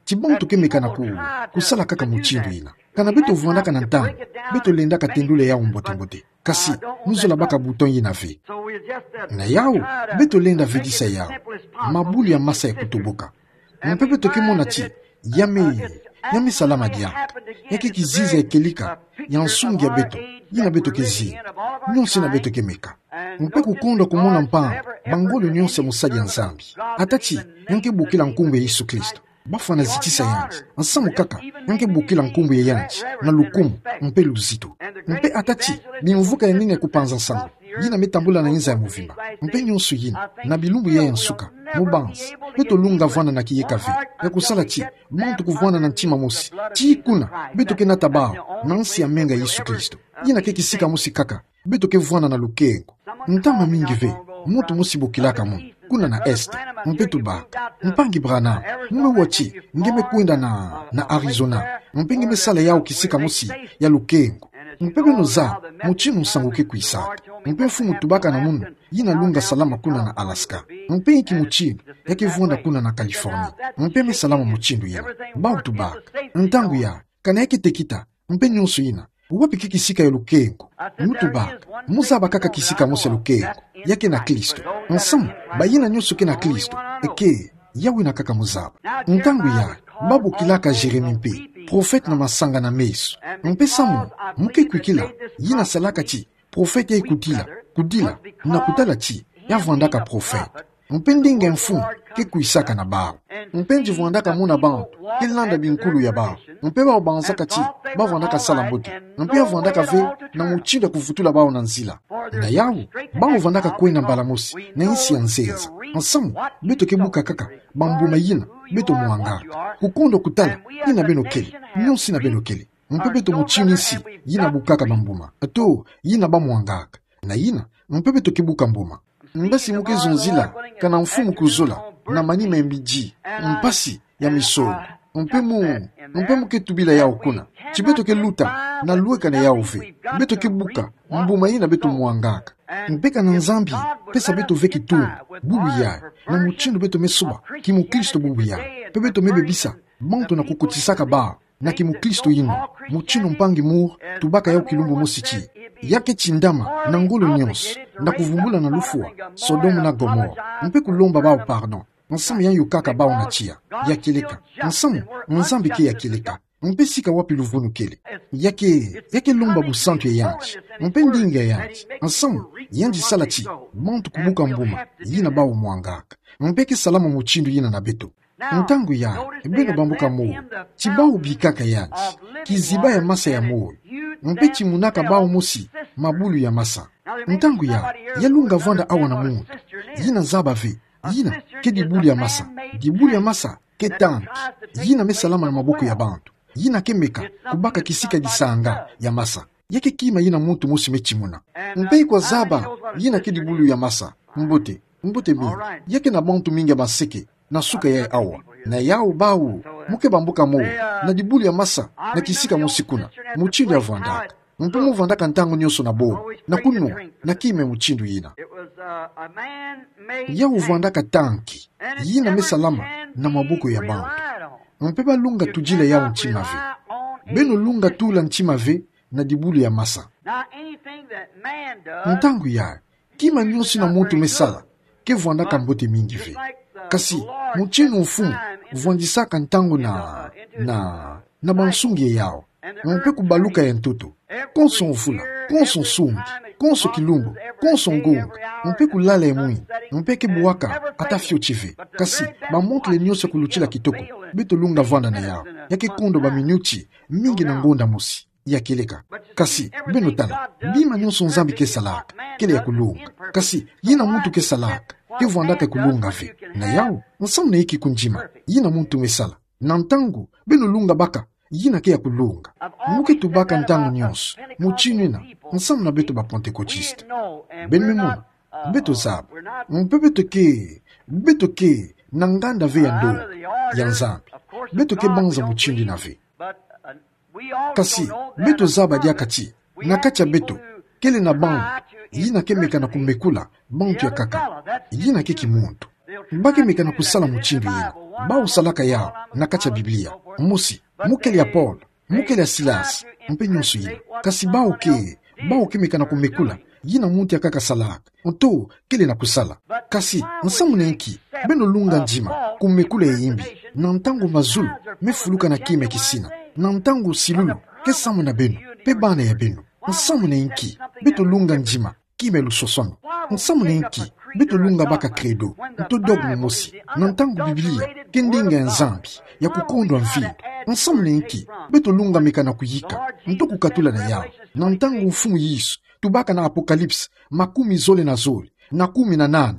ti bantu ke meka na ku, kusala kaka mutindu yina. Kana beto vwandaka na ntangu, beto lendaka tendula yawu mbote-mbote. Kasi mu zola baka bouton yina ve. Na yawu, beto lenda vedisa yawu mabulu ya masa ya kutoboka. Mpe beto ke mona ti ya me, ya me salama diaka. Ya ke kizizi ya kieleka ya nsungi ya beto, yina beto ke zinga, nionso yina beto ke meka. Mpe kukondwa kumona mpandu bangolo nionso ya mosadi ya Nzambi, ata ti ya ke bokila nkumbu ya Yesu Kristo. bafwana zitisa yandi, nsamu kaka ya nge bokila nkumbu ya yandi na lukumu mpe luzito. Mpe ata ti bimvuka ya nene ya kupanza nsangu yina me tambula na inza ya mvimba, mpe nyonso yina, na bilumbu ya nsuka, mubanzi beto lunga vwanda na kiyeka ve ya kusala ti bantu kuvwanda na ntima mosi, tii kuna beto ke nata bawu na nsi ya menga Yesu Kristo. Yina ke kisika mosi kaka beto ke vwanda na lukengo. Ntama mingi ve, muntu mosi bokilaka mono kuna na Est, mpe tubaka: Mpangi Branham, mu me wa ti nge me kwenda na, na Arizona, mpe nge me sala yawu kisika mosi ya lukengo. Mpe beno zaba mutindu nsangu ke kwisaka. Mpe mfumu tubaka na mono yina lunga salama kuna na Alaska. Mpe inki mutindu ya ke vwanda kuna na Californie? Mpe me salama mutindu yina. Bawu tubaka: Ntangu ya, kana ya ke tekita, mpe nyonso yina, wapi ke kisika ya lukengo? Mu tubaka: Mu zaba kaka kisika mosi ya lukengo, ya ke na Kristo. Nsamu, bayina nyonso ke na Kristo, eke, ya wina kaka mu zaba. Ntangu ya, ba bokilaka Jérémie mpe profete na masanga na meso. Mpe samu mu ke kwikila, yina salaka ti profete ya kudila, kudila, na kutala ti ya vwandaka profete. Mpe ndinga ya mfumu ke kwisaka na bawu. Mpe nge vwandaka mona bantu ke landa binkulu ya bawu. Mpe bawu banzaka ti ba vwandaka sala mbote. Mpe ya vwandaka ve na mutindu ya kuvutula bawu na nzila. Na yawu, bawu vwandaka kwenda mbala mosi na insi ya nzenza. Nsamu, beto ke buka kaka bambuma yina beto mwangaka. Kukondwa kutala yina beno kele, nyonso yina beno kele. Mpe beto mutindu insi yina bukaka bambuma, to yina ba mwangaka. Na yina, mpe beto ke buka mbuma. Mpe si mu ke zonzila, kana mfumu kuzola na manima ya midi, mpasi ya misolo, mpe mu, mpe mu ke tubila yawu kuna, ti beto ke luta na lweka na yawu ve, beto ke buka mbuma yina beto mwangaka. Mpe kana Nzambi pesa beto ve kitunga, bubu yayi, na mutindu beto me soba kimukristo bubu yayi, mpe beto me bebisa bantu na kukotisaka bawu na kimukristo yina, mutindu mpangi Moore tubaka yawu kilumbu mosi ti: Ya ke tindama na ngolo nyonso, na kuvumbula na lufwa Sodome na Gomore, mpe kulomba bawu pardon, nsamu ya yokaka bawu na tiya. Ya kieleka. Nsamu, Nzambi ke ya kieleka. Mpe sika wapi luvunu kele, ya ke, ya ke lomba busantu ya yandi, mpe ndinga ya yandi. Nsamu, yandi sala ti bantu kubuka mbuma yina bawu mwangaka. Mpe ke salama mutindu yina na beto. Ntangu ya, beno bambuka moyo, ti bawu bikaka yandi kiziba ya masa ya moyo, mpe ti monaka bawu mosi mabulu ya masa. Ntangu ya, ya lunga vwanda awa na muntu yina zaba ve, yina ke dibulu ya masa. Dibulu ya masa ke tanki yina me salama na maboko ya bantu, yina ke meka kubaka kisika disanga ya masa. Ya ke kima yina muntu mosi me timuna. Mpe kwa zaba yina ke dibulu ya masa. Mbote, mbote mingi. Ya ke na bantu mingi ya maseke na suka yayi awa. Na yawu bawu, mu ke bambuka moyo na dibulu ya masa na kisika mosi kuna, mutindu ya vwandaka. Mpe mu vwandaka ntangu nyonso na bobo, na kunwa na kima ya mutindu yina. Yawu vwandaka tanki yina me salama na maboko ya bantu. Mpe ba lunga tudila yawu ntima ve. Beno lunga tula ntima ve na dibulu ya masa. Ntangu ya, kima nyonso yina muntu me sala ke vwandaka mbote mingi ve. Kasi mutindu mfumu vwandisaka ntangu na, na, na bansungi ya yawu, mpe kubaluka ya ntoto, konso mvula, konso nsungi, konso kilumbu, konso ngonga, mpe kulala ya mwini, mpe ke bwaka ata fioti ve. Kasi bamontre nyonso ya kulutila kitoko, beto lunga vwanda na yawu. Ya ke kondwa baminiti mingi na ngonda mosi. Ya kieleka. Kasi beno tala, bima nyonso Nzambi ke salaka kele ya kulunga. Kasi yina muntu ke salaka ke vwandaka ya kulunga ve. Na yawu, nsamu na inki kundima yina muntu me sala? Na ntangu beno lunga baka yina ke ya kulunga. Mu ke tubaka ntangu nyonso mutindu yina nsamu na beto ba Pantekotiste. Beno me mona, beto zaba, mpe beto ke, beto ke na nganda ve ya ndonga ya Nzambi. Beto ke banza mutindu yina ve. Kasi beto zaba diaka ti na kati ya beto kele na bantu yina ke meka na kumekula bantu ya nkaka. Yina ke kimuntu. Ba ke meka na kusala mutindu yina. Bawu salaka yawu na kati ya Biblia. Mosi, mu kele ya Paul, mu kele ya Silas, mpe nyonso yina. Kasi bawu ke, bawu ke meka na kumekula yina muntu ya nkaka salaka, nto kele na kusala. Kasi nsamu na inki beno lunga ndima kumekula ya imbi, na ntangu mazulu me fuluka na kima ya kisina, na ntangu silulu ke samu na beno mpe bana ya beno? Nsamu na inki beto lunga ndima kima e lusosono. Nsamu na nki beto lunga baka credo, nto dogme mosi, na ntangu Biblia ke ndinga ya Nzambi ya kukondwa mvindu? Nsamu na nki beto lunga meka na kuyika, nto kukatula na yawu, na ntangu Mfumu Yesu tubaka na Apocalypse makumi zole na zole, na kumi na nana: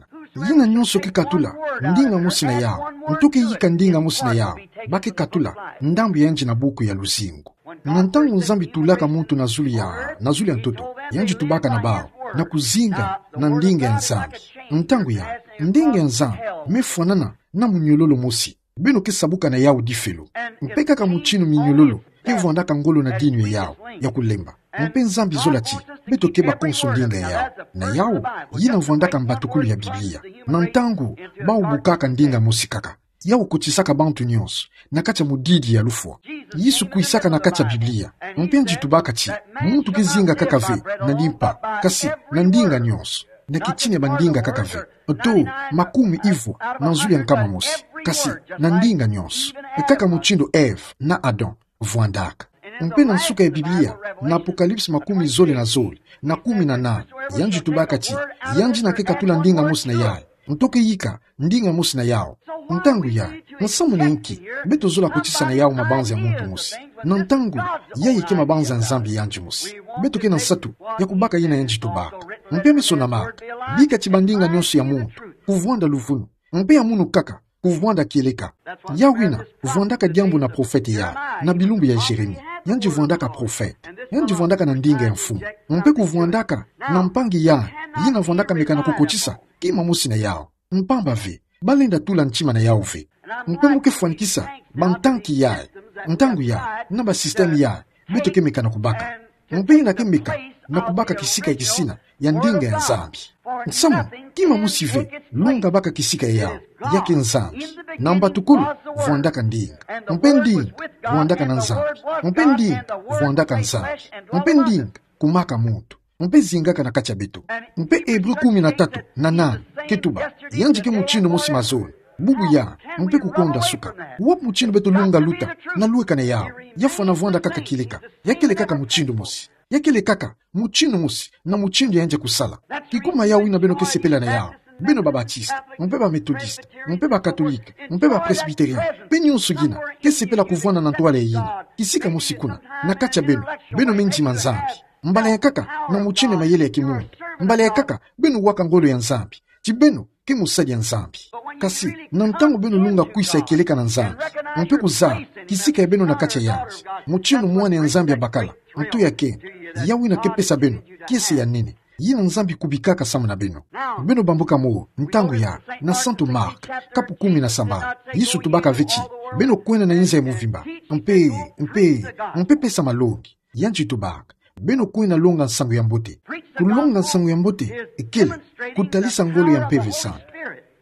Yina nyonso ke katula ndinga mosi na yawu, nto ke yika ndinga mosi na yawu, ba ke katula ndambu ya yandi na buku ya luzingu. Na ntangu Nzambi tulaka muntu na zulu ya, na zulu ya ntoto, yandi tubaka na bawu na kuzinga na ndinga ya Nzambi. Ntangu ya, ndinga ya Nzambi me fwanana na muniololo mosi. Beno ke sabuka na yawu difelo. Mpe kaka mutindu miniololo ke vwandaka ngolo na dinu ya yawu ya kulemba. Mpe Nzambi zola ti beto keba konso ndinga ya yawu. Na yawu, yina vwandaka mbatukulu ya Biblia. Na ntangu bawu bukaka ndinga mosi kaka, yawu kotisaka bantu nyonso na kati ya mudidi ya lufwa. Yesu kwisaka na kati ya Biblia, mpe yandi tubaka ti muntu ke zinga kaka ve na limpa, kasi na ndinga nyonso, na kitini ya bandinga kaka ve, to makumi ivwa na zulu ya nkama mosi, kasi na ndinga nyonso, kaka mutindu Ève na Adam vwandaka. Mpe na nsuka ya Biblia, na Apocalypse makumi zole na zole, na kumi na nana, yandi tubaka ti yandi na ke katula ndinga mosi na yayi, nto ke yika ndinga mosi na yawu. Ntangu yayi, nsamu na nki beto zola kotisa na yawu mabanza ya muntu mosi, na ntangu yayi ke mabanza ya Nzambi yandi mosi? Beto ke na nsatu ya kubaka yina yandi tubaka. Mpe meso na maka, bika ti bandinga nyonso ya muntu kuvwanda luvunu, mpe ya munu kaka kuvwanda kieleka. Yawu yina vwandaka diambu na profete yayi, na bilumbu ya Jérémie. Yandi vwandaka profete, yandi vwandaka na ndinga ya mfumu, mpe kuvwandaka na mpangi yayi, yina vwandaka meka na kukotisa kima mosi na yawu. Mpamba ve, balenda tula ntima na yawu ve. Mpe mu ke fwanikisa bantanki yayi, ntangu yayi, na basystème yayi beto ke meka na kubaka. Mpe yina ke meka na kubaka kisika ya kisina ya ndinga ya Nzambi. Nsamu, kima mosi ve lunga baka kisika ya yawu, ya ke Nzambi. Na mbatukulu vwandaka ndinga, mpe ndinga vwandaka na Nzambi, mpe ndinga vwandaka Nzambi, mpe ndinga kumaka muntu, mpe zingaka na kati ya beto. Mpe Hébreu kumi na tatu na nana ke tuba, yandi ke mutindu mosi mazono, bubu yayi, mpe kukonda suka. Wapi mutindu beto lunga luta na lweka na yawu? Ya fwana vwanda kaka kieleka. Ya kele kaka mutindu mosi. Ya kele kaka mutindu mosi na mutindu ya yandi kusala. Kikuma yawu yina beno ke sepela na yawu, beno ba Baptiste, mpe ba Methodiste, mpe ba Catholique, mpe ba Presbytérien, mpe nyonso yina ke sepela kuvwanda na ntwala ya yina, kisika mosi kuna, na kati ya beno, beno me ndima Nzambi. Mbala ya nkaka na mutindu ya mayele ya kimuntu. Mbala ya nkaka beno waka ngolo ya Nzambi ti beno ke mosali ya Nzambi. Kasi na ntangu beno lunga kwisa ya kieleka na Nzambi, mpe kuzaba kisika ya beno na kati ya yandi, mutindu mwana ya Nzambi abakala, nto ya keno, yawu yina ke pesa beno kiese ya nene, yina Nzambi kubikaka samu na beno. Beno bambuka mo, ntangu yayi, na Santu Marc, kapu kumi na sambanu, Yesu tubaka ve ti beno kwenda na inza ya muvimba, mpe, mpe, mpe pesa malongi. Yandi tubaka beno kwenda longa nsangu ya mbote. Kulonga nsangu ya mbote kele kutalisa ngolo ya Mpeve Santu.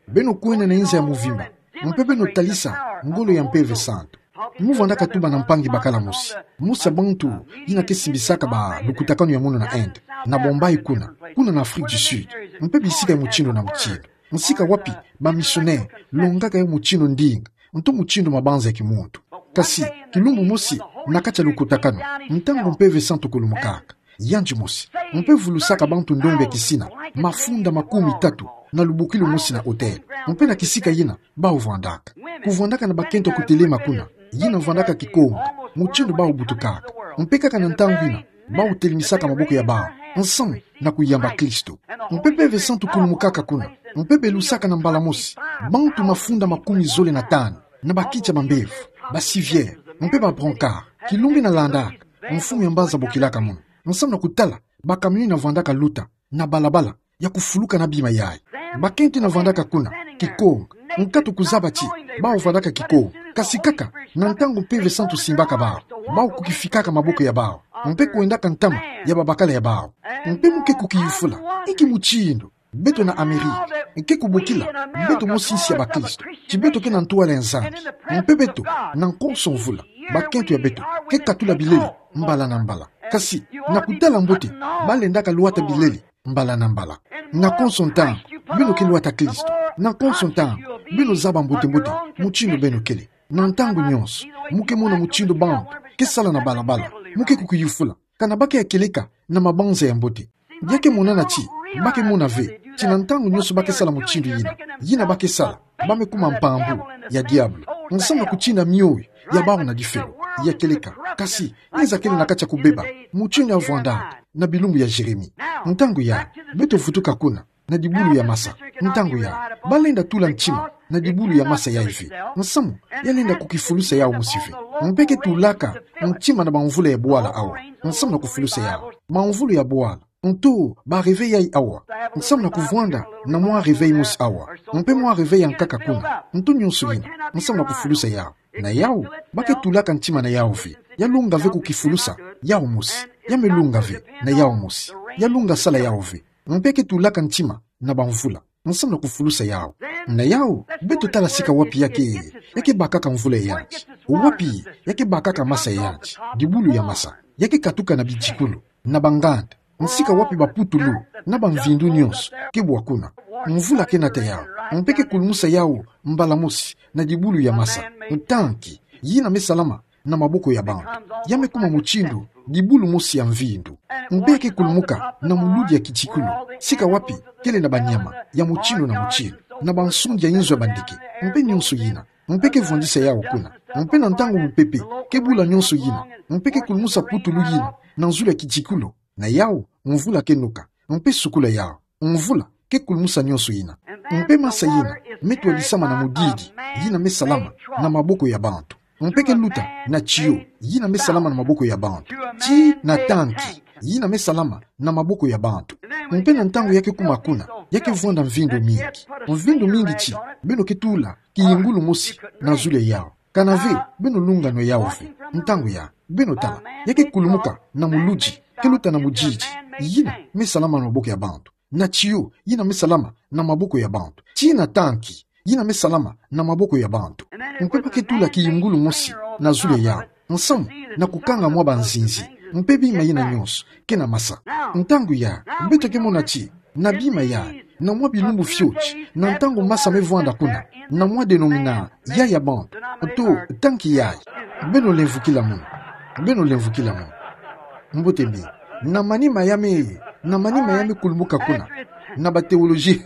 Beno kwenda na inza ya muvimba, mpe beno talisa ngolo ya Mpeve Santu. Mu vwandaka tuba na mpangi bakala mosi, mosi ya bantu yina ke simbisaka balukutakanu ya munu na Inde, na Bombay kuna, kuna na Afrique du Sud, mpe bisika ya mutindu na mutindu. Nsika wapi bamisionere longaka yo mutindu ndinga, nto mutindu mabanza ya kimuntu. Kasi kilumbu mosi, na kati ya lukutakanu, ntangu Mpeve Santu kulumukaka, yandi mosi, mpe vulusaka bantu ndombe ya kisina mafunda makumi tatu na lubukilu mosi na hotel, mpe na kisika yina bawu vwandaka. Kuvwandaka na bakento kutelema kuna, yina vwandaka kikonga, mutindu bawu butukaka. Mpe kaka na ntangu yina, bawu telemisaka maboko ya bawu nsamu na kuyamba Kristo. Mpe Mpeve Santu kulumukaka kuna, mpe belusaka na mbala mosi bantu mafunda makumi zole na tanu, na bakiti ya bambevo, ba civière, mpe ba brancard. Kilumbu yina landaka, mfumu ya mbanza bokilaka munu, nsamu na kutala bakamion yina vwandaka luta na balabala ya kufuluka na bima yayi. Bakento yina vwandaka kuna, kikonga, nkatu kuzaba ti bawu vwandaka kikonga. Kasi kaka na ntangu Mpeve Santu simbaka bawu, bawu kukifikaka maboko ya bawu, mpe kwendaka ntama ya babakala ya bawu. Mpe mu ke kukiyufula: Inki mutindu beto na Amérique ke kubokila beto mosi nsi ya bakristo, ti beto ke na ntwala ya Nzambi, mpe beto, na konso mvula, bakento ya beto ke katula bilele mbala na mbala? Kasi na kutala mbote, balendaka lwata bilele mbala na mbala. Na konso ntangu beno ke lwata Kristo, na konso ntangu beno zaba mbote-mbote mutindu beno kele. Na ntangu nyonso mu ke mona mutindu bantu ke sala na balabala, mu ke kukiyufula: Kana ba ke ya kieleka na mabanza ya mbote? Ya ke monana ti Ba ke mona ve ti na ntangu nyonso ba ke sala mutindu yina, yina ba ke sala, ba me kuma mpambu ya diabolo, nsamu na kutina mioyo ya bawu na difelo, ya kieleka. Kasi nza kele na kati ya kubeba, mutindu ya vwanda na bilumbu ya Jérémie. Ntangu ya, beto vutuka kuna na dibulu ya masa. Ntangu ya, ba lenda tula ntima na dibulu ya masa yai ve, nsamu ya lenda kukifulusa yawu mosi ve. Mpe ke tulaka ntima na bamvula ya bwala awa, nsamu na kufulusa yawu. Bamvula ya bwala, nto ba réveil yai awa, nsamu na kuvwanda na mwa réveil mosi awa, mpe mwa réveil ya nkaka kuna, nto nyonso yina, nsamu na kufulusa yawu. Na yawu, ba ke tulaka ntima na yawu ve, ya lunga ve kukifulusa yawu mosi, ya me lunga ve na yawu mosi, ya lunga sala yawu ve. Mpe ke tulaka ntima na bamvula, nsamu na kufulusa yawu. Na yawu, beto tala sika wapi ya ke, ya ke bakaka mvula ya yanti, wapi ya ke bakaka masa ya yanti, dibulu ya masa, ya ke katuka na bitikulu, na banganda, nsika wapi baputulu na bamvindu nyonso ke bwa kuna. Mvula ke nata yawu, mpe ke kulumusa yawu mbala mosi na dibulu ya masa. Ntanki yina me salama na maboko ya bantu, ya me kuma mutindu dibulu mosi ya mvindu. Mpe ya ke kulumuka na muludi ya kitikulu, sika wapi kele na banyama ya mutindu na mutindu, na bansundi ya inzo ya bandeke, mpe nyonso yina. Mpe ke vwandisa yawu kuna. Mpe na ntangu mupepe ke bula nyonso yina, mpe ke kulumusa putulu yina na zulu ya kitikulu, na yawu, mvula ke noka, mpe sukula yawu. Mvula ke kulumusa nyonso yina. Mpe masa yina me twadisama na mudidi yina me salama na maboko ya bantu. Mpe ke luta na tiyo yina me salama na maboko ya bantu, tii na tanki yina me salama na maboko ya bantu. Mpe na ntangu ya ke kuma kuna, ya ke vwanda mvindu mingi. Mvindu mingi ti beno ke tula kiyungulu mosi na zulu ya yawu. Kana ve beno lunga nwe yawu ve. Ntangu ya, beno tala, ya ke kulumuka na muludi ke luta na mudidi yina me salama na maboko ya bantu, na tiyo yina me salama na maboko ya bantu, tii na tanki yina me salama na maboko ya bantu. Mpe ba ke tula kiyungulu mosi na zulu ya yawu, nsamu na kukanga mwa banzinzi, mpe bima yina nyonso ke na masa. Ntangu ya, beto ke mona ti na bima yai, na mwa bilumbu fioti, na ntangu masa me vwanda kuna, na mwa dénomination ya bantu, nto tanki yai. Beno lemvukila munu. Beno lemvukila munu. Mbote mingi. Na manima ya me, na manima ya me kulumuka kuna, na bathéologie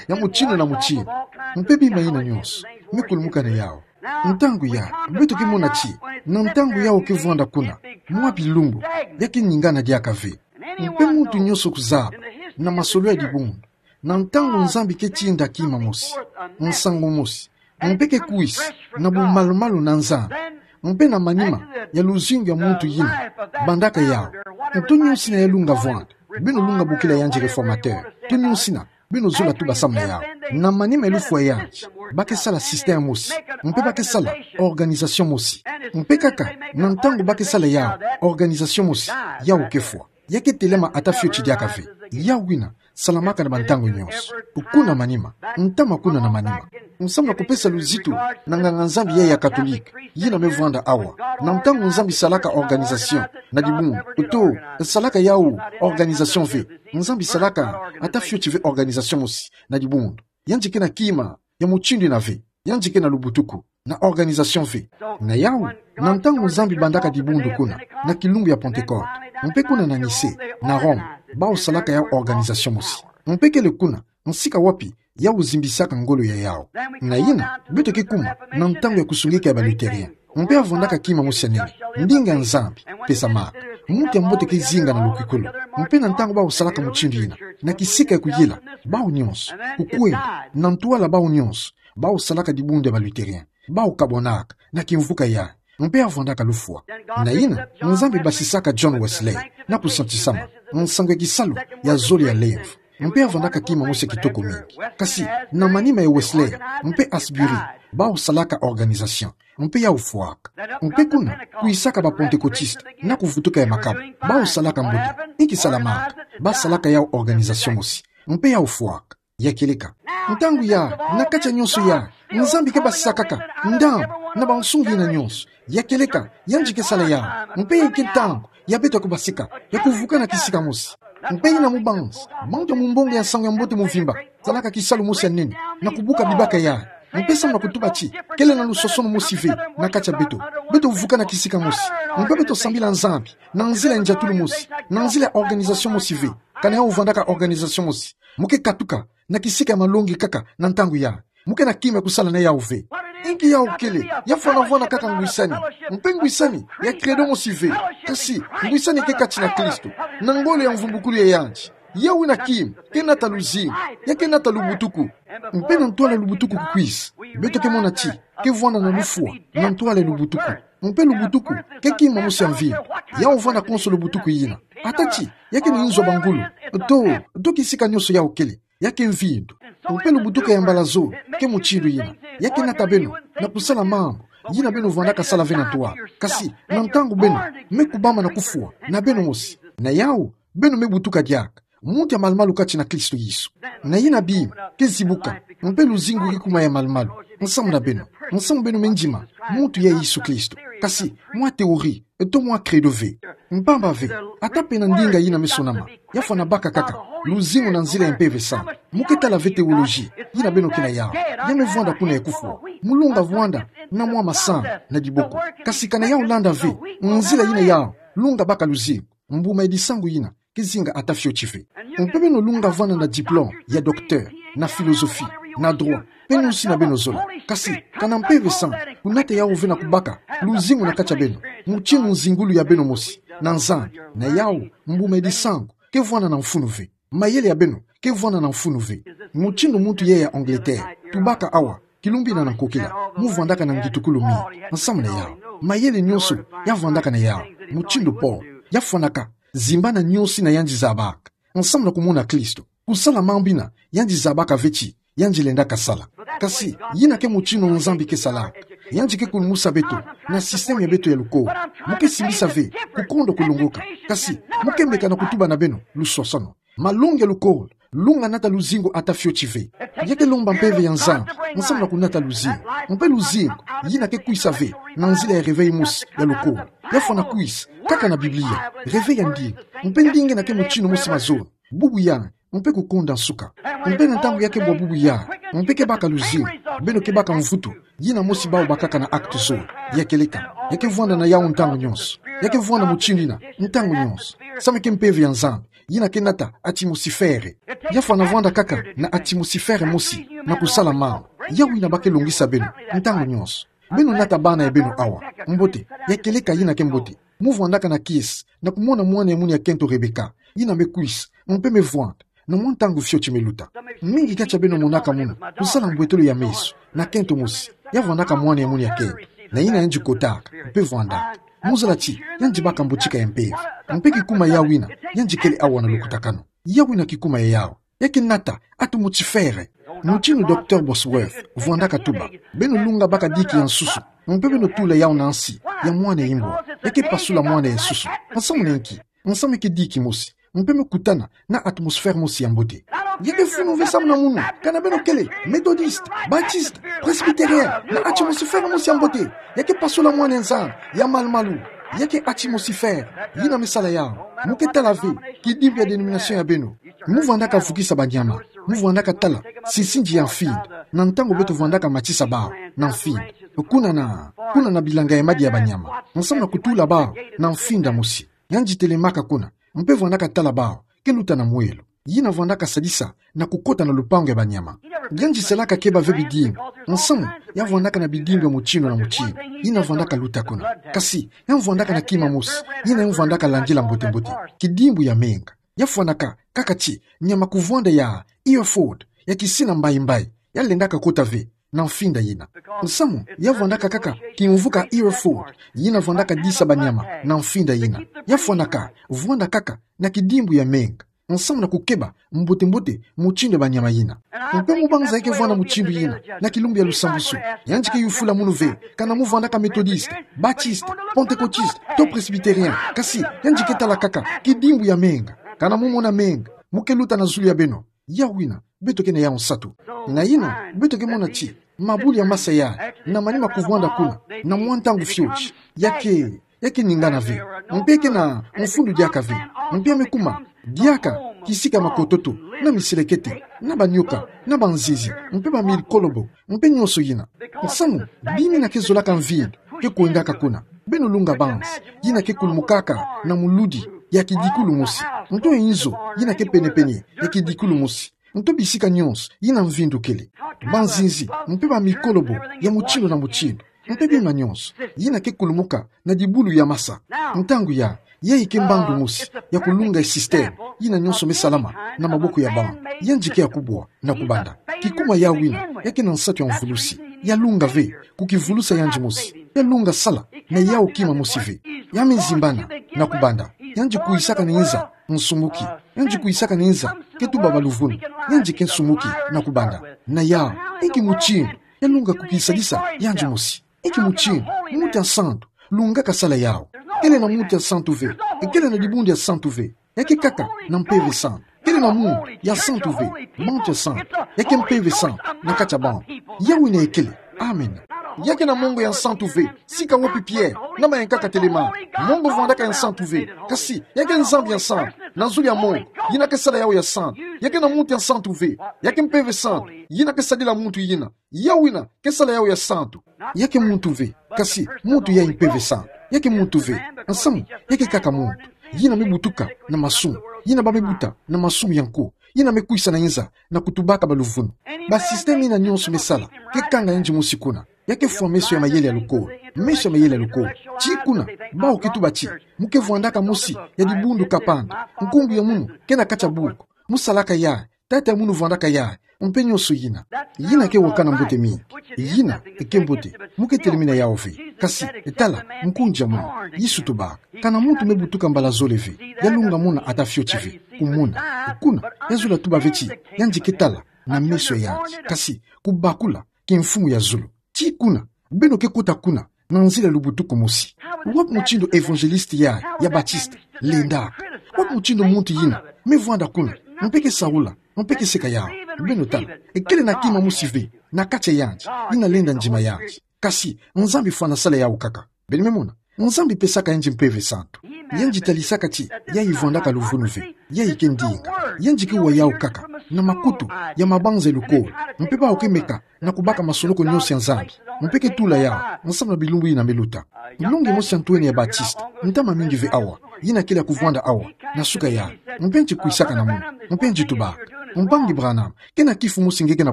ya mutindu na mutindu, mpe bima yina nyonso me kulumuka na yawu. Ntangu ya, beto ke mona ti na ntangu yawu ke vwanda kuna, mwa bilumbu ya ke ningana diaka ve. Mpe muntu nyonso kuzaba, na masolo ya dibundu, na ntangu Nzambi ke tinda kima mosi, nsangu mosi, mpe ke kwisa na bumalumalu na Nzambi, mpe na manima ya luzingu ya muntu yina bandaka yawu, nto nyonso yina ya lunga vwanda. Beno lunga bokila yandi réformateur, nto nyonso yina, beno zola tuba samu na yawu. Na manima ya lufwa yandi, ba ke sala système mosi, mpe ba ke sala organisation mosi. Mpe kaka na ntangu ba ke sala yawu, organisation mosi, yawu ke fwa. Ya ke telama ata fioti diaka ve. Yawu yina salamaka na bantangu nyonso. Kuna manima, ntama kuna na manima, nsamu na kupesa luzitu na nganga-Nzambi yai ya Katolike yina me vwanda awa. Na ntangu Nzambi salaka organisation na dibundu, nto salaka yawu organisation ve. Nzambi salaka ata fioti ve organisation mosi na dibundu. Yandi ke na kima ya mutindu yina ve. Yandi ke na lubutuku na organisation ve. Na yawu, na ntangu Nzambi bandaka dibundu kuna, na kilumbu ya Pentecôte, mpe kuna na Nicée, na Rome, bawu salaka yawu organisation mosi. Mpe kele kuna nsika wapi yawu zimbisaka ngolo ya yawu. Na yina, beto ke kuma na ntangu ya kusungika ya ba Lutherien. Mpe ya vwandaka kima mosi ya nene, ndinga ya Nzambi pesamaka. Muntu ya mbote ke zinga na lukikulu. Mpe na ntangu bawu salaka mutindu yina, na kisika ya kuyila, bawu nyonso, kukwenda na ntwala, bawu nyonso, bawu salaka dibundu ya ba Lutherien, bawu kabwanaka na kimvuka yai. Mpe ya vwandaka lufwa. Na yina, Nzambi basisaka John Wesley na kusantisama, nsangu ya kisalu ya zole ya lemvo. Mpe ya vwandaka kima mosi ya kitoko mingi. Kasi na manima ya Wesley mpe Asbury, bawu salaka organisation, mpe yawu fwaka. Mpe kuna kwisaka ba Pentecôtiste na kuvutuka ya makabu, bawu salaka mbote, inki salamaka? Ba salaka yawu organisation mosi, mpe yawu fwaka. Ya kieleka. Ntangu ya, na kati ya nyonso ya, Nzambi ke basisakaka ndambu na bansungi yina nyonso. Ya kieleka, yandi ke sala yawu. Mpe inki ntangu ya beto ya kubasika, ya kuvuka na kisika mosi? Mpe yina mubanzi, bantu ya mumbongo ya nsangu ya mbote muvimba salaka kisalu mosi ya nene na kubuka bibaka yai. Mpe samu na kutuba ti kele na lusosono mosi ve na kati ya beto, beto vuka na kisika mosi. Mpe beto sambila Nzambi na nzila ya ndiatulu mosi, na nzila ya organisation mosi ve. Kana yau vwandaka organisation mosi. Mo ke katuka na kisika ya malongi kaka na ntangu ya. Mo ke na kima kusala na yau ve. Inki yau kele, ya fana vwanda kaka ngwisani. Mpe ngwisani ya credo mosi ve. Kasi, ngwisani ke kati na Kristo. Na ngolo ya mvumbukulu ya yandi. Yau ina kima, ke nata luzingu, ya ke nata lubutuku. Mpe na ntwala lubutuku kukwisa. Beto ke mona ti, ke vwanda na lufwa, na ntwala lubutuku. Mpe lubutuku, ke kima mosi ya mvindu. Yau vwanda konso lubutuku yina. Ata ti, ya ke ni nzo bangulu. To, to kisika nyonso yau kele. Ya ke mvindu. Mpe lubutuku ya mbala zole, ke mutindu yina. Ya ke nata beno, na kusala mambu. Yina beno vwandaka sala ve na ntwala. Kasi, na ntangu beno, me kubama na kufwa, na beno mosi. Na yau, beno me butuka diaka. Muntu ya malumalu kati na Kristo Yesu. Na yina bima, ke zibuka. Mpe luzingu ke kuma ya malumalu. Nsamu na beno. Nsamu beno me ndima. Muntu ya Yesu Kristo. Kasi, mwa théorie. To mwa credo ve. Mpamba ve. Ata pe na ndinga yina me sonama. Ya fana baka kaka. Luzingu na nzila ya Mpeve Santu. Mo ke tala ve théologie. Yina beno ke na yau. Ya me vwanda kuna ya kufwa. Mo lunga vwanda. Na mwa masana. Na diboko. Kasi kana yau landa ve. Nzila yina yau. Lunga baka luzingu. Mbuma ya disangu yina. Ke zinga ata fioti ve. Mpe beno lunga vwanda na diplôme, ya docteur, na philosophie, na droit. Pe nyonso yina beno zola. Kasi, kana Mpeve Santu, kunata yau ve na kubaka, luzingu na kati ya beno. Mutindu nzingulu ya beno mosi. Na Nzambi, na yau, mbuma ya disangu, ke vwanda na mfunu ve. Mayele ya beno, ke vwanda na mfunu ve. Mutindu muntu yeye ya Angleterre, tubaka awa, kilumbu yina na nkokila, mo vwandaka na ngitukulu mingi. Nsamu na yau. Mayele nyonso, ya vwandaka na yau. Mutindu Paul, ya fwanaka. Zimbana nyonso yina yandi zabaka. Nsamu na kumona Kristo. Kusala mambu yina, yandi zabaka ve ti, yandi lendaka sala. Kasi, yina ke mutindu Nzambi ke salaka. Yandi ke kulumusa beto, na système ya beto ya lukolo. Mo ke simbisa ve, kukondo kulongoka. Kasi, mo ke meka na kutuba na beno, lusosono. Malongi ya lukolo, lunga nata luzingu ata fioti ve. Ya ke lomba Mpeve ya Nzambi, nsamu na kunata luzingu. Mpe luzingu, yina ke kwisa ve, na nzila ya réveil mosi, ya lukolo. Ya fwana kwisa, kaka na Biblia, réveil ya ndinga. Mpe ndinga yina ke mutindu mosi mazono. Bubu yandi, mpe kukonda nsuka. Mpe na ntangu ya ke bwa bubu yandi, mpe ke baka luzingu, beno ke baka mvutu, yina mosi bawu bakaka na acte zole, ya kieleka, ya ke vwanda na yawu ntangu nyonso, ya ke vwanda mutindu yina, ntangu nyonso. Samu ke Mpeve ya Nzambi, yina ke nata atmosphère. Ya fwana vwanda kaka na atmosphère mosi, na kusala mambu. Yawu yina ba ke longisa beno, ntangu nyonso. Beno nata bana ya beno awa. Mbote, ya kieleka yina ke mbote. Mo vwandaka na kiese, na kumona mwana ya munu ya kento Rebecca, yina me kwisa, mpe me vwanda, na mwa ntangu fioti me luta. Mingi kati ya beno monaka munu, kusala mbwetolo ya meso, na kento mosi, ya vwandaka mwana ya munu ya kento, na yina yandi kotaka, mpe vwandaka. Mo zala ti, yandi baka mbotika ya mpeve, mpe kikuma yawu yina, yandi kele awa na lukutakanu. Yawu yina kikuma ya yawu. Ya ke nata, atmosphère. Mutindu Docteur Bosworth, vwandaka tuba. Beno lunga baka diki ya nsusu. Mpe beno tula yawu na nsi, ya mwana ya imbwa. Ya ke pasula mwana ya nsusu. Nsamu na nki? Nsamu ke diki mosi. Mpe me kutana, na atmosphère mosi ya mbote. Ya ke funu ve samu na munu. Kana beno kele, Methodiste, Baptiste, Presbytérien, na atmosphère mosi ya mbote. Ya ke pasula mwana ya Nzambi, ya malumalu. Ya ke atmosphère, yina me sala yawu. Mo ke tala ve, kidimbu ya dénomination ya beno. Mo vwandaka vukisa banyama, mo vwandaka tala, sinsinzi ya mfinda, na ntangu beto vwandaka matisa bawu, na mfinda. Kuna na, kuna na bilanga ya madi ya banyama, nsamu na kutula bawu, na mfinda mosi. Yandi telemaka kuna, mpe vwandaka tala bawu, ke luta na mwelo. Yina vwandaka sadisa, na kukota na lupangu ya banyama. Yandi salaka keba ve bidimbu, nsamu, ya vwandaka na bidimbu ya mutindu na mutindu, yina vwandaka luta kuna. Kasi, ya vwandaka na kima mosi, yina ya vwandaka landila mbote mbote, kidimbu ya menga. Ya fwanaka, kaka ti, nyama kuvwanda ya Hereford, ya kisina mbayi mbayi, ya lendaka kota ve, na mfinda yina. Nsamu, ya vwandaka kaka, kimvu kia Hereford, yina vwandaka disa banyama, na mfinda yina. Ya fwanaka, vwanda kaka, na kidimbu ya menga. Nsamu na kukeba, mbote mbote, mutindu ya banyama yina. Mpe mo banza ya ke vwanda mutindu yina, na kilumbu ya lusambusu. Yandi ke yufula munu ve, kana mo vwandaka Methodiste, Baptiste, Pentecôtiste, to Presbytérien, kasi, yandi ke tala kaka, kidimbu ya menga. Kana mo mona menga, mo ke luta na zulu ya beno. Yawu yina, beto ke na yawu nsatu. Na yina, beto ke mona ti, mabuli ya masa ya, na manima kuvwanda kuna, na mwa ntangu fioti. Ya ke, ya ke ningana ve. Mpe ke na mfundu diaka ve. Mpe ya me kuma, diaka, kisika makototo, na miselekete, na banyoka, na banzizi, mpe bamilikolobo, mpe nyonso yina. Nsamu, bima yina ke zolaka mvindu, ke kwendaka kuna. Beno lunga banzi, yina ke kulumukaka, na muludi, ya kidikulu mosi. Nto e nzo yina ke penepene ya kidikulu mosi. Nto bisika nyonso yina mvindu kele. Banzinzi mpe bamikolobo ya mutindu na mutindu. Mpe bima nyonso yina ke kulumuka na dibulu ya masa. Ntangu ya, yayi ke mbandu mosi ya kulunga e système yina nyonso me salama na maboko ya bana. Yandi ke ya kubwa na kubanda. Kikuma ya wina, ya ke na nsatu ya mvulusi. Ya lunga ve kukivulusa yandi mosi. Ya lunga sala na yawu kima mosi ve. Ya me zimbana na kubanda. Yandi kwisaka na nza nsumuki. Yandi kwisaka na nza ke tuba baluvunu. Yandi ke nsumuki na kubanda. Na yawu, inki mutindu ya lunga kukisadisa yandi mosi? Inki mutindu muntu ya santu lungaka sala yawu? Kele na muntu ya santu ve. Kele na dibundu ya santu ve. Ya ke kaka na Mpeve Santu. Kele na muntu ya santu ve, muntu ya santu. Ya ke Mpeve Santu na kati ya bantu. Yawu yina kele. Amen. Ya ke na mongo ya santu ve. Sika wapi Pierre na mayankaka telema? Mongo vwandaka ya santu ve. Kasi ya ke Nzambi ya santu na zulu ya mongo yina ke sala yawu ya santu. Ya ke na muntu ya santu ve. Ya ke Mpeve Santu yina ke sadila muntu yina. Yawu yina ke sala yawu ya santu. Ya ke muntu ve, kasi muntu ya Mpeve Santu. Ya ke muntu ve, nsamu, ya ke kaka muntu yina me butuka na masumu, yina ba me buta na masumu ya nko, yina me kwisa na nza na kutubaka baluvunu. Ba système yina nyonso me sala ke kanga yandi mosi kuna. Ya ke fwa meso ya mayele ya lukolo. Meso ya mayele ya lukolo. Ti kuna, bawu ke tuba ti mu ke vwandaka mosi ya dibundu kapanda. Nkumbu ya munu ke na kati ya buku. Mu salaka yayi, tata ya munu vwandaka yayi, mpe nyonso yina. Yina ke wakana mbote mingi. Yina ke mbote. Mu ke telemina yawu ve. Kasi tala, nkundi ya munu. Yesu tubaka, kana muntu me butuka mbala zole ve, ya lunga mona ata fioti ve. Kumona. Kuna, ya zola tuba ve ti yandi ke tala na meso ya yandi, kasi kubakula kimfumu ya zulu. Ti kuna, beno ke kota kuna na nzila ya lubutuku mosi. Wapi mutindu évangéliste yayi ya Baptiste lendaka? Wapi mutindu muntu yina me vwanda kuna, mpe ke saula, mpe ke seka yawu? Beno tala, kele na kima mosi ve na kati ya yandi yina lenda ndima yandi. Kasi Nzambi fwana sala yawu kaka. Beno me mona, Nzambi pesaka yandi Mpeve Santu. Yandi talisaka ti yayi vwandaka luvunu ve. Yayi ke ndinga. Yandi ke wa yawu kaka na makutu ya mabanza ya lukolo. Mpe bawu ke meka na kubaka masonoko nyonso ya Nzambi. Mpe ke tula yawu nsamu na bilumbu yina me luta. Longi mosi ya ntwenia ya Baptiste, ntama mingi ve awa, yina kele ya kuvwanda awa na suka yayi. Mpe yandi kwisaka na munu. Mpe yandi tubaka, Mpangi Branham, ke na kifu mosi nge ke na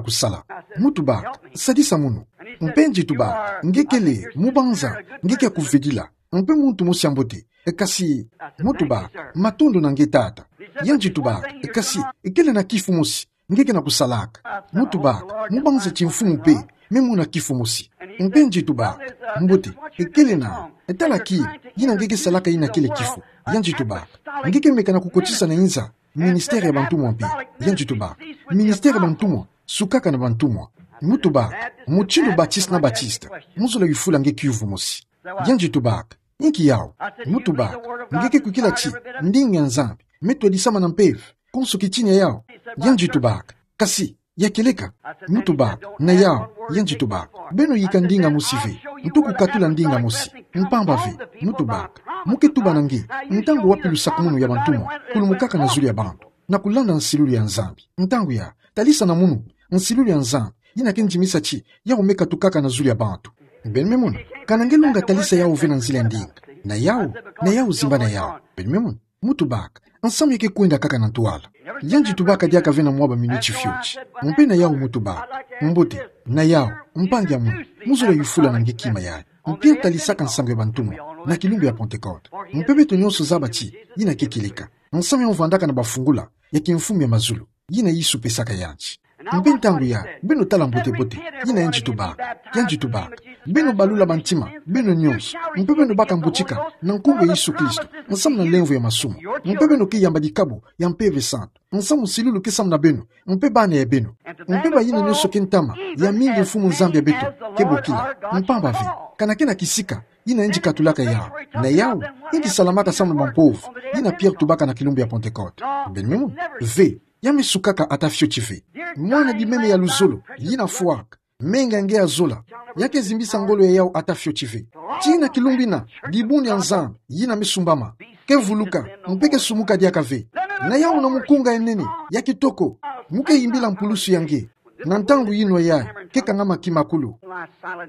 kusala. Mu tubaka, sadisa munu. Mpe yandi tubaka, nge kele mubanza, nge ke ya kuvedila. Mpe muntu mosi ya mbote. Kasi mu tubaka, matondo na nge tata. Yandi tubaka, kasi kele na kifu mosi nge ke na kusalaka. Mu tubaka, mubanza ti mfumu mpe me mona kifu mosi. Mpe yandi tubaka, mbote, kele na, tala kima yina nge ke salaka yina kele kifu. Yandi tubaka, nge ke meka na kukotisa na nza ministère ya bantumwa mpe. Yandi tubaka, ministère ya bantumwa sukaka na bantumwa. Mu tubaka, mutindu Baptiste na Baptiste mu zola yufula nge kiuvu mosi. Yandi tubaka, inki yawu? Mu tubaka, nge ke kwikila ti ndinga ya Nzambi me twadisama na mpeve, konso kitinia yawu? Yandi tubaka, kasi ya kieleka? Mu tubaka, na yawu. Yandi tubaka, beno yika ndinga mosi ve, nto kukatula ndinga mosi. Mpamba ve, mu tubaka, mu ke tuba na nge, ntangu wapi lusakumunu ya bantumwa kulumukaka na zulu ya bantu na kulanda nsilulu ya Nzambi? Ntangu ya, talisa na munu nsilulu ya Nzambi yina ke ndimisa ti yawu me katukaka na zulu ya bantu. Beno me mona, kana nge longa talisa yawu ve na nzila ya ndinga. Na yawu, na yawu zimbana yawu. Beno me mona, mu tubaka, nsamu ya ke kwenda kaka na ntwala. Yandi tubaka diaka ve na mwa ba minuti fioti. Mpe na yawu mu tubaka, mbote, na yawu, mpangi ya munu, mu zola yufula na nge kima yayi. Mpe talisaka nsangu ya bantumwa na kilumbu ya Pentecôte. Mpe beto nyonso zaba ti yina ke kieleka. Nsamu ya vwandaka na bafungula ya kimfumu ya mazulu, yina Yesu pesaka yandi. Mpe ntangu ya, beno tala mbote-mbote yina yandi tubaka. Yandi tubaka, beno balula bantima beno nyonso, mpe beno baka mbutika na nkumbu ya Yesu Kristo, nsamu na lemvo ya masumu. Mpe beno ke yamba dikabu ya Mpeve Santu, nsamu nsilulu ke samu na beno, mpe bana ya beno. Mpe bayina nyonso ke ntama ya mingi Mfumu Nzambi ya beto ke bokila. Mpamba ve, kana ke na kisika yina yandi katulaka yawu. Na yawu, yandi salamaka samu na bampovu, yina Pierre tubaka na kilumbu ya Pentecôte. Beno me mona, ve, ya me sukaka ata fioti ve. Mwana bimeme ya luzolo yina fwaka, menga nge ya zola, ya ke zimbisa ngolo ya yawu ata fioti ve. Tii na kilumbu yina, dibundu ya Nzambi yina me sumbama ke vuluka, mpe ke sumuka diaka ve. Na yawu na mukunga ya nene ya kitoko, mu ke yimbila mpulusu ya nge. Na ntangu yinwa yayi ke kangama kimakulu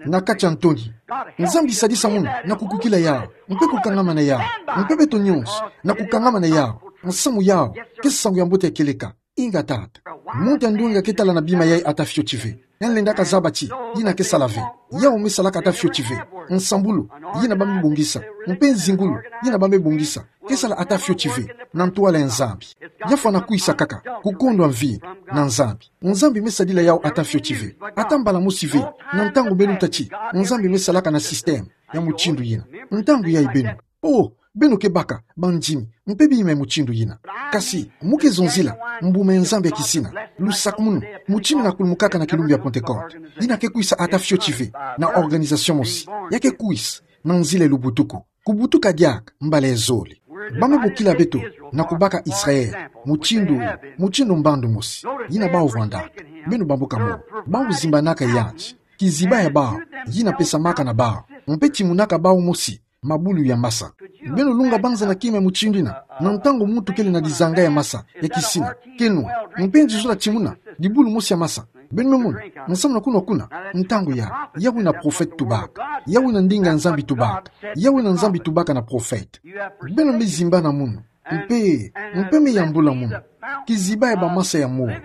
na kati ya ntoni. Nzambi sadisa munu na kukwikila yawu, mpe kukangama na yawu, mpe beto nyonso na kukangama na yawu. Nsamu yau ke nsangu ya mbote ya kieleka. Inga tata. Muntu ya ndwenga ke tala na bima yai ata fioti ve. Ya nlenda kazaba ti yina ke sala ve. Yau me salaka ata fioti ve. Nsambulu, yina ba me bongisa. Mpe nzingulu, yina ba me bongisa, ke sala ata fioti ve na ntwala ya Nzambi. Ya fwana kwisa kaka, kukondwa mvindu na Nzambi. Nzambi me sadila yau ata fioti ve. Ata mbala mosi ve, na ntangu beno tâ ti Nzambi me salaka na système ya mutindu yina. Ntangu yai beno, oh, beno ke baka bandimi, mpe bima ya mutindu yina. Kasi, mu ke zonzila mbuma ya Nzambi ya kisina, lusakumunu, mutindu yina kulumukaka na kilumbu ya Pentecôte, yina ke kwisa ata fioti ve na organisation mosi. Ya ke kwisa na nzila ya lubutuku. Kubutuka diaka mbala ya zole. Ba me bokila beto na kubaka Israël mutindu, mutindu mbandu mosi. Yina bau vwandaka. Beno bambuka mo. Bau zimbanaka yandi. Kiziba ya bau, yina pesamaka na bau. Mpe timunaka bau mosi mabulu ya masa. Beno lunga banza na kima ya mutindu yina, na ntangu muntu kele na dizanga ya masa ya kisina, ke nwa, mpe yandi zola timuna dibulu mosi ya masa. Beno me mona, nsamu na kunwa kuna, ntangu ya, yau yina prophète tubaka. Yau yina ndinga ya Nzambi tubaka. Yau yina Nzambi tubaka na prophète. Beno me zimbana munu. Mpe, mpe me yambula munu. Kiziba ya bamasa ya moyo.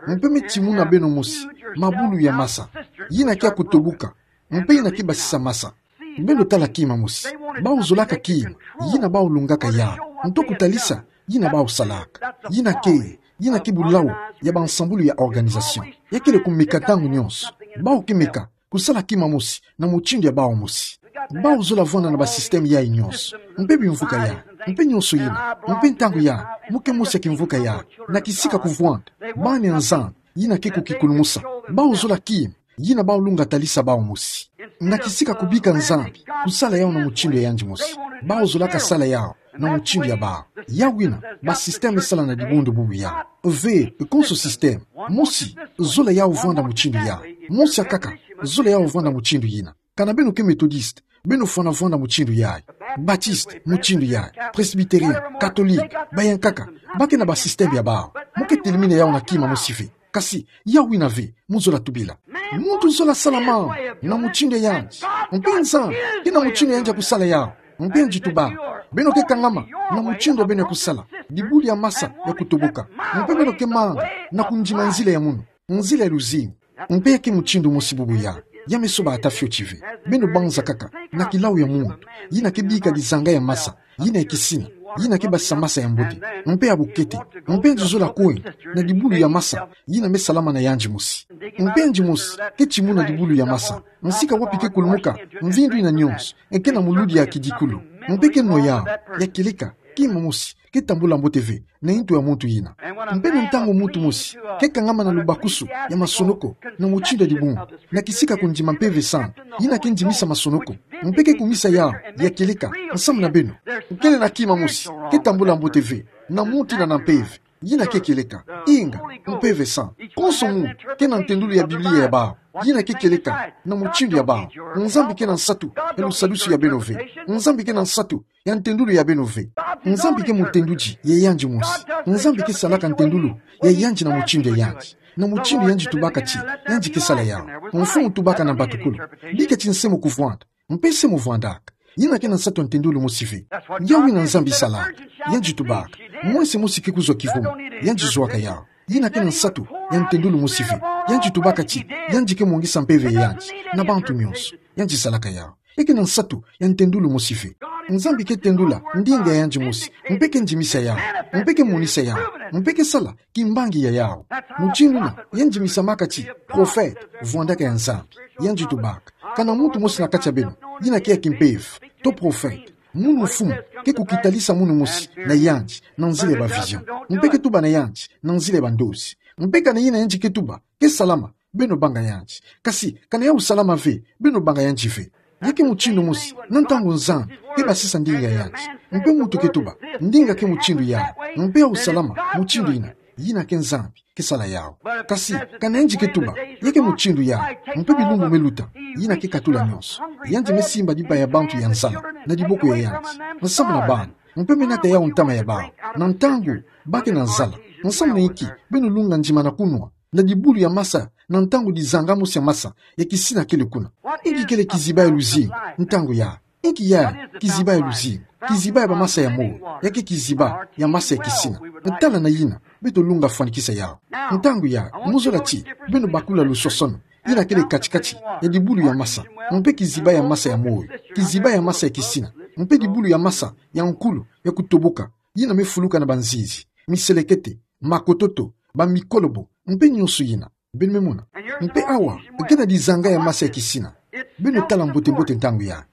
Mpe me timuna beno mosi mabulu ya masa. Yina ke ya kutoboka. Mpe yina ke basisa masa. Beno tala kima mosi. Bau zolaka kima yina bau lungaka yau. Nto kutalisa yina bau salaka. Yina ke, yina ke bulau ya bansambulu ya organisation. Ya kele kumeka ntangu nyonso. Bau ke meka kusala kima mosi na mutindu ya bau mosi. Bau zola vwanda na ba système yai nyonso. Mpe bimvuka yai. Mpe nyonso yina. Mpe ntangu yai, mu ke mosi ya kimvuka yai. Na kisika kuvwanda bana ya Nzambi, yina ke kukikulumusa. Bau zola kima yina bau lunga talisa bau mosi. Na kisika kubika Nzambi kusala yau na mutindu ya yandi mosi. Bau zolaka sala yau na mutindu ya bau. Yau yina, ba système sala na dibundu bubu yai. Ve, konso système mosi zola yau vwanda mutindu yai. Mosi akaka zola yau vwanda mutindu yina. Kana beno ke Méthodiste, beno fwana vwanda mutindu yai. Baptiste, mutindu yai. Presbytérien, catholique, bayankaka, ba ke na ba système ya bau. Mu ke telimina yau na kima mosi ve. Kasi, yau yina ve, mu zola tubila. Muntu zola sala mambu na mutindu ya yandi. Mpe Nzambi ke na mutindu ya yandi ya kusala yau. Mpe yandi tubaka. Beno ke kangama na mutindu ya beno ya kusala. Dibulu ya masa ya kutoboka. Mpe beno ke manga na kundima nzila ya munu. Nzila ya luzingu. Mpe ya ke mutindu mosi bubu yai. Ya me soba ata fioti ve. Beno banza kaka na kilau ya muntu yina ke bika dizanga ya masa, yina ya kisina, yina ke basisa masa ya mbote, mpe ya bukete, mpe yandi zola kwenda na dibulu ya masa yina me salama na yandi mosi. Mpe yandi mosi ke timuna dibulu ya masa, nsika wapi ke kulumuka mvindu yina nyonso, e ke na muludi ya kidikulu, mpe ke nwa yau, ya kieleka, kima mosi ke tambula mbote ve na ntu ya muntu yina. Mpe na ntangu muntu mosi ke kangama na lubakusu ya masonoko na mutindu ya dibundu, na kisika kundima Mpeve Santu, yina ke ndimisa masonoko, mpe ke kumisa yau, ya kieleka, nsamu na beno. Kele na kima mosi ke tambula mbote ve na muntu yina na mpeve, yina ke kieleka, inga, Mpeve Santu. Konso muntu ke na ntendulu ya Biblia ya bau, yina ke kieleka na mutindu ya bau. Nzambi ke na nsatu ya lusadusu ya beno ve. Nzambi ke na nsatu ya ntendulu ya beno ve. Nzambi ke mutendudi ya yandi mosi. Nzambi ke salaka ntendulu ya yandi na mutindu ya yandi. Na mutindu yandi tubaka ti yandi ke sala yau. Mfumu tubaka na mbatukulu: Bika ti nse mu kuvwanda, mpe nse mu vwandaka. Yina ke na nsatu ya ntendulu mosi ve. Yau yina Nzambi salaka. Yandi tubaka: Mwense mosi ke kuzwa kivumu, yandi zwaka yau. Yina ke na nsatu ya ntendulu mosi ve. Yandi tubaka ti yandi ke mongisa mpeve ya yandi na bantu nyonso. Yandi salaka yau. E ke na nsatu ya ntendulu mosi ve. Nzambi ke tendula ndinga ya yandi mosi, mpe ke ndimisa yau, mpe ke monisa yau, mpe ke sala kimbangi ya yau. Mutindu yina yandi misamaka ti prophète, vwandaka ya Nzambi. Yandi tubaka: Kana muntu mosi na kati ya beno yina ke ya kimpeve, to prophète, munu mfumu ke kukitalisa munu mosi na yandi na nzila ya ba vision, mpe ke tuba na yandi na nzila ya bandozi, mpe kana yina yandi ke tuba ke salama, beno banga yandi. Kasi kana yau salama ve, beno banga yandi ve. Ya ke mutindu mosi na ntangu Nzambi ke basisa ndinga ya yandi, mpe muntu ke tuba: Ndinga ke mutindu yau, mpe yau salama mutindu yina, yina ke Nzambi ke sala yau. Kasi kana yandi ke tuba: Ya ke mutindu yau, mpe bilumbu me luta, yina ke katula nyonso, yandi me simba diba ya bantu ya nzala na diboko ya yandi, nsamu na bana, mpe me nata yau ntama ya bau na ntangu ba ke na nzala. Nsamu na inki beno lunga ndima na kunwa na dibulu ya masa na ntangu dizanga mosi ya masa ya kisina kele kuna? Inki kele kiziba ya luzingu ntangu yau? Inki ya kiziba ya luzingu, kiziba ya bamasa ya moyo, ya ke kiziba ya masa ya kisina. Tala na yina beto lunga fwanikisa yawu. Ntangu ya, muzola ti beno bakula luswaswanu yina kele kati-kati ya dibulu ya masa, mpe kiziba ya masa ya moyo, kiziba ya masa ya kisina, mpe dibulu ya masa ya nkulu ya kutoboka, yina me fuluka na banzinzi, miselekete, makototo, bamikolobo, mpe nyonso yina. Beno me mona. Mpe awa, ke na dizanga ya masa ya kisina. Beno tala mbote-mbote ntangu ya,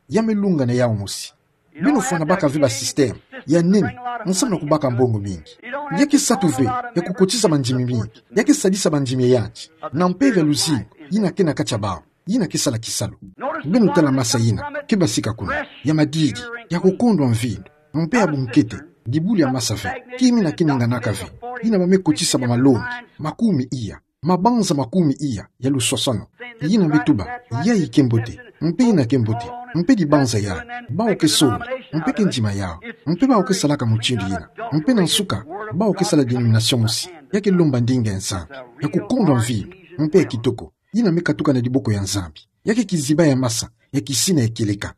ya me lunga na yawu mosi. Beno fwana baka ve basystème ya nene, nsamu na kubaka mbongo mingi. Ya ke satu ve ya kukotisa bandimi mingi. Ya ke sadisa bandimi ya yanti na mpeve ya luzingu yina ke na kati ya bawu, yina ke sala kisalu. Beno tala masa yina ke basika kuna, ya madidi, ya kukondwa mvindu, mpe ya bunkete, dibulu ya masa ve, ki yina ke ninganaka ve, yina ba me kotisa bamalongi makumi iya, mabanza makumi iya ya luswaswanu. Yina me tuba, yayi ke mbote, mpe yina ke mbote, mpe dibanza yayi, bawu ke sola, mpe ke ndima yawu, mpe bawu ke salaka mutindu yina, mpe na nsuka, bawu ke sala dénomination mosi, ya ke lomba ndinga ya Nzambi, ya kukondwa mvindu, mpe ya kitoko, yina me katuka na diboko ya Nzambi. Ya ke kiziba ya masa ya kisina ya kieleka.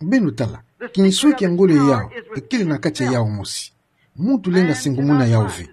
Beno tala, kinswe kia ngolo ya yawu kele na kati ya yawu mosi. Muntu lenda sengumuna yawu ve.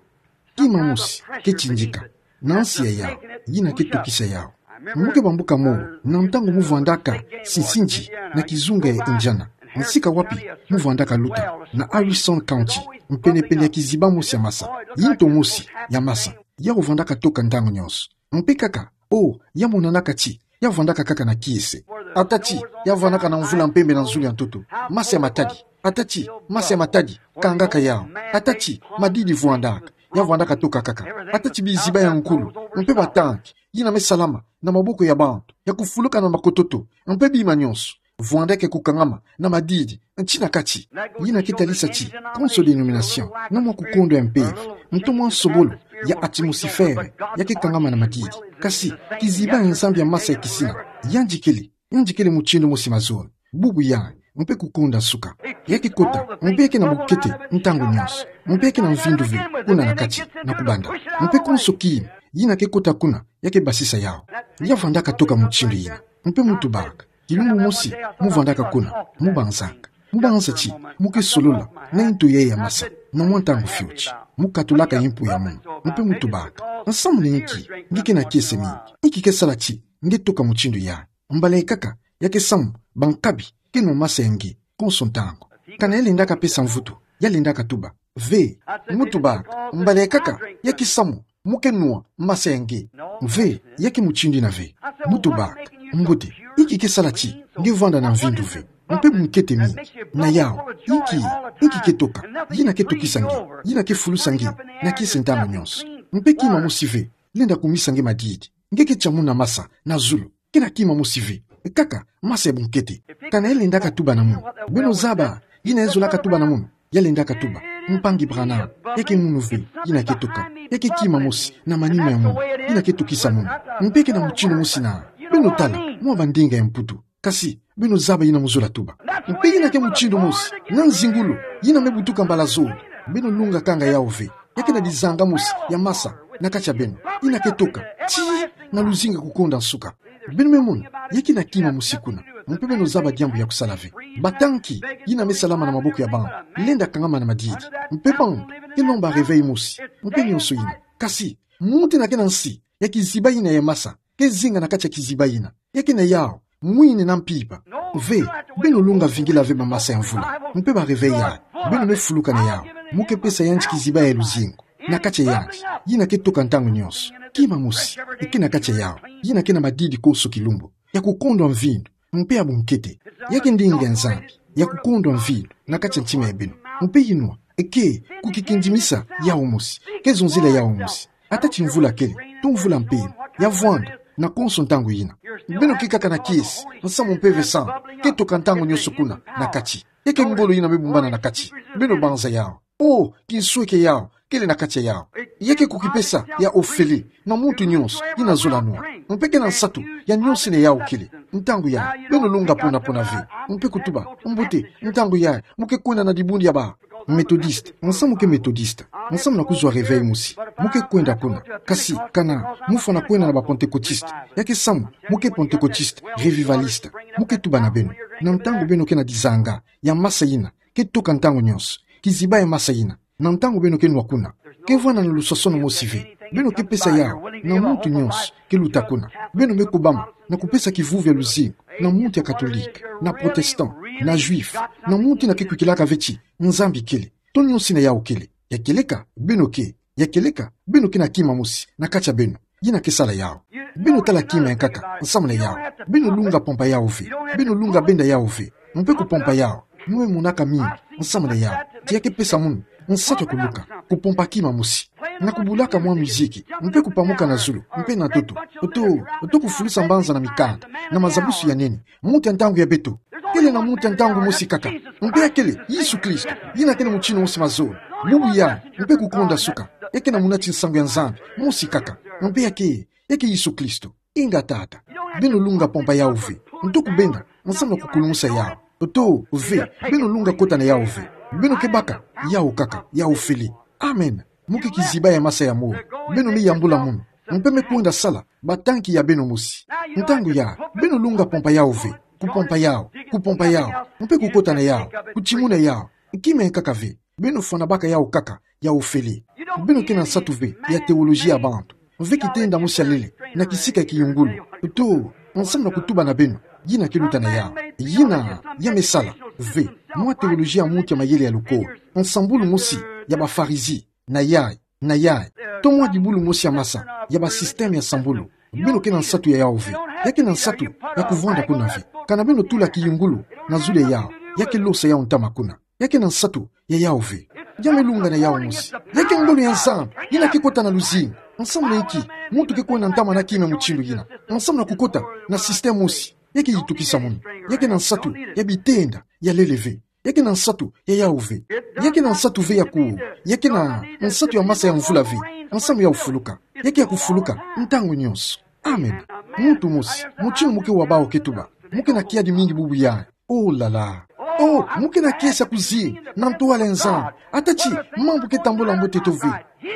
Kima mosi ke tindika na nsi ya yawu, yina ke tokisa yawu. Mu ke bambuka mo, na ntangu mu vwandaka sinsinzi na kizunga ya Indiana, nsika wapi mu vwandaka luta, na Harrison County, mpene-pene ya kiziba mosi ya masa, yinto mosi ya masa, yawu vwandaka toka ntangu nyonso. Mpe kaka, o, ya monanaka ti ya vwandaka kaka na kiese. Ata ti ya vwandaka na mvula mpembe na nzulu ya ntoto, masa ya matadi. Ata ti masa ya matadi kangaka yawu. Ata ti madidi vwandaka, ya vwandaka toka kaka. Ata ti biziba ya nkulu, mpe batanki yina me salama na maboko ya bantu, ya kufuluka na makototo, mpe bima nyonso, vwandaka kukangama na madidi, nti na kati. Yina ke talisa ti konso dénomination, na mwa kukondwa ya mpeve, nto mwa nsobolo ya atmosifere, ya ke kangama na madidi. Kasi kiziba ya Nzambi ya masa ya kisina, yandi kele, yandi kele mutindu mosi mazono, bubu yandi, mpe kukonda nsuka. Ya ke kota, mpe ya ke na bukete ntangu nyonso, mpe ya ke na mvindu ve kuna na kati na kubanda. Mpe konso kima yina ke kota kuna, ya ke basisa yawu. Ya vwandaka toka mutindu yina. Mpe mu tubaka, kilumbu mosi mu vwandaka kuna, mu banzaka, mu banza ti mu ke solola na yinto yayi ya masa, na mwa ntangu fioti, mu katulaka yimpu ya munu. Mpe mu tubaka, nsamu na inki nge ke na kiese mingi? Inki ke sala ti nge toka mutindu yayi? Mbala ikaka, ya ke samu bankabi ke nwa masa ya nge konso ntangu. Kana ya lendaka pesa mvutu, ya lendaka tuba, ve. Mu tubaka, mbala ikaka, ya ke samu mu ke nwa masa ya nge? Ve, ya ke mutindu yina ve. Mu tubaka, mbote, inki ke sala ti nge vwanda na mvindu ve, mpe bunkete mingi? Na yawu, inki, inki ke toka? Yina ke tokisa nge, yina ke fulusa nge na kiese ntangu nyonso. Mpe kima mosi ve lenda kumisa nge madidi. Nge ke tia muna masa na zulu. Ke na kima mosi ve, kaka masa ya bunkete. Kana ya lendaka tuba na munu? Beno zaba yina ya zolaka tuba na munu? Ya lendaka tuba, Mpangi Branham, ya ke munu ve yina ke toka. Ya ke kima mosi na manima ya munu yina ke tokisa munu. Mpe ke na mutindu mosi na. Beno tala mwa bandinga ya Mputu. Kasi beno zaba yina mu zola tuba. Mpe yina ke mutindu mosi na nzingulu yina me butuka mbala zole. Beno lunga kanga yawu ve. Ya ke na dizanga mosi ya masa na kati ya beno, yina ke toka tii na luzingu ya kukonda nsuka. Beno me mona, ya ke na kima mosi kuna. Mpe beno zaba diambu ya kusala ve. Batanki yina me salama na maboko ya bantu, lenda kangama na madidi. Mpe bantu ke lomba réveil mosi, mpe nyonso yina. Kasi muntu yina ke na nsi ya kiziba yina ya masa ke zinga na kati ya kiziba yina. Ya ke na yawu mwini na mpimpa. Ve, beno lunga vingila ve bamasa ya mvula, mpe ba réveil yayi. Beno me fuluka na yawu. Mu ke pesa yandi kiziba ya luzingu na kati ya yandi, yina ke toka ntangu nyonso. Kima mosi ke na kati ya yawu, yina ke na madidi konso kilumbu, ya kukondwa mvindu, mpe ya bunkete. Ya ke ndinga ya Nzambi ya kukondwa mvindu na kati ya ntima ya beno. Mpe yinwa ke kukikindimisa yawu mosi, ke zonzila yawu mosi. Ata ti mvula kele, to mvula mpemba, ya vwanda na konso ntangu yina. Beno ke kaka na kiese nsamu mpeve santu ke toka ntangu nyonso kuna na kati. Ya ke ngolo yina me bumbana na kati. Beno banza yawu. O, kinswe kia yawu kele na kati ya yawu. Ya ke kukipesa ya ofele na muntu nyonso yina zola nwa. Mpe ke na nsatu ya nyonso yina yawu kele. Ntangu yayi, beno lunga pona-pona ve, mpe kutuba, mbote, ntangu yayi mu ke kwenda na dibundu ya ba Methodiste, nsamu ke Methodiste, nsamu na kuzwa réveil mosi, mu ke kwenda kuna. Kasi kana mu fwana kwenda na ba Pentecôtiste, ya ke samu mu ke Pentecôtiste, Revivaliste, mu ke tuba na beno. Na ntangu beno ke na dizanga, ya masa yina ke tuka ntangu nyonso, kiziba ya masa yina. Na ntangu beno ke nwa kuna, ke vwanda na lusosono mosi ve. Beno ke pesa yawu na muntu nyonso ke luta kuna. Beno me kubama na kupesa kivuvu ya luzingu na muntu ya catholique, na protestant, na juif, na muntu yina ke kwikilaka ve ti Nzambi kele. To nyonso yina yawu kele. Ya kieleka, beno ke, ya kieleka, beno ke na kima mosi na kati ya beno yina ke sala yawu. Beno tala kima ya nkaka nsamu na yawu. Beno lunga pompa yawu ve. Beno lunga benda yawu ve. Mpe kupompa yawu, mu me monaka mingi nsamu na yawu. Ti ya ke pesa munu nsatu ya kuluka, kupompa kima mosi, na kubulaka mwa miziki, mpe kupamuka na zulu mpe na ntoto, oto, oto kufulusa mbanza na mikanda, na mazabusu ya nene. Muntu ya ntangu ya beto, kele na muntu ya ntangu mosi kaka, mpe ya kele Yesu Kristo, yina kele mutindu mosi mazono, bubu yayi, mpe kukonda suka. Ya ke na muna ti nsangu ya Nzambi mosi kaka, mpe ya ke, ya ke Yesu Kristo. Inga tata, beno lunga pompa yawu ve. Nto kubenda nsamu na kukulumusa yawu, oto ve. Beno lunga kota na yawu ve. Beno ke baka yawu kaka, ya ofele. Amen. Mu ke kiziba ya masa ya moyo. Beno me yambula munu, mpe me kwenda sala batanki ya beno mosi. Ntangu yayi, beno lunga pompa yawu ve. Kupompa yawu, kupompa yawu, mpe kukota na yawu, kutimuna yawu. Kima ya nkaka ve. Beno fwana baka yawu kaka, ya ofele. Beno ke na nsatu ve ya théologie ya bantu ve, kitenda mosi ya lele na kisika ya kiyungulu, oto nsamu na kutuba na beno yina ke luta na yawu. Yina ya me sala ve mwa théologie ya muntu ya mayele ya lukolo, nsambulu mosi ya ba Farizi, na yayi, na yayi, to mwa dibulu mosi ya masa ya ba système ya sambulu. Beno ke na nsatu ya yawu ve. Ya ke na nsatu ya kuvwanda kuna ve. Kana beno tula kiyungulu na zulu ya yawu, ya ke losa yawu ntama kuna. Ya ke na nsatu ya yawu ve. Ya me lunga na yawu mosi. Ya ke ngolo ya Nzambi yina ke kota na luzingu. Nsamu na inki muntu ke kwenda ntama na kima mutindu yina? Nsamu na kukota na système mosi. Ya ke yitukisa munu. Ya ke na nsatu ya bitenda ya lele ve. Ya ke na nsatu ya yawu ve. Ya ke na nsatu ve ya ku, ya ke na nsatu ya masa ya mvula ve. Nsamu ya ofuluka. Ya ke ya kufuluka ntangu nyonso. Amen. Muntu mosi, mutindu mu ke wa bawu ke tuba, mu ke na kiadi mingi bubu yayi. Oh là là. Oh, mu ke na kiese ya kuzinga na ntwala ya Nzambi. Ata ti mambu ke tambula mbote to ve.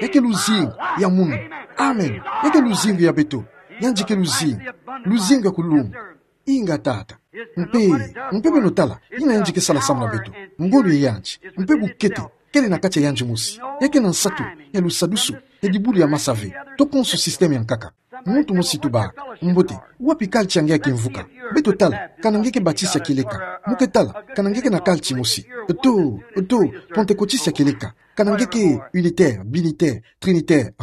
Ya ke luzingu ya munu. Amen. Ya ke luzingu ya beto. Yandi ke luzingu. Luzingu ya kulunga. Inga tata. Mpe, mpe beno tala yina yandi ke sala nsamu na beto. Ngolo ya yandi, mpe bukete, kele na kati ya yandi mosi. Ya ke na nsatu ya lusadusu ya dibulu ya masa ve. To konso système ya nkaka. Muntu mosi tuba, mbote, wapi culture ya nge ya kimvuka? Beto tala kana nge ke Baptiste ya kieleka. Mu ke tala kana nge ke na culture mosi. Oto, oto, Pentecôtiste ya kieleka. Kana nge ke unitaire, binitaire, trinitaire.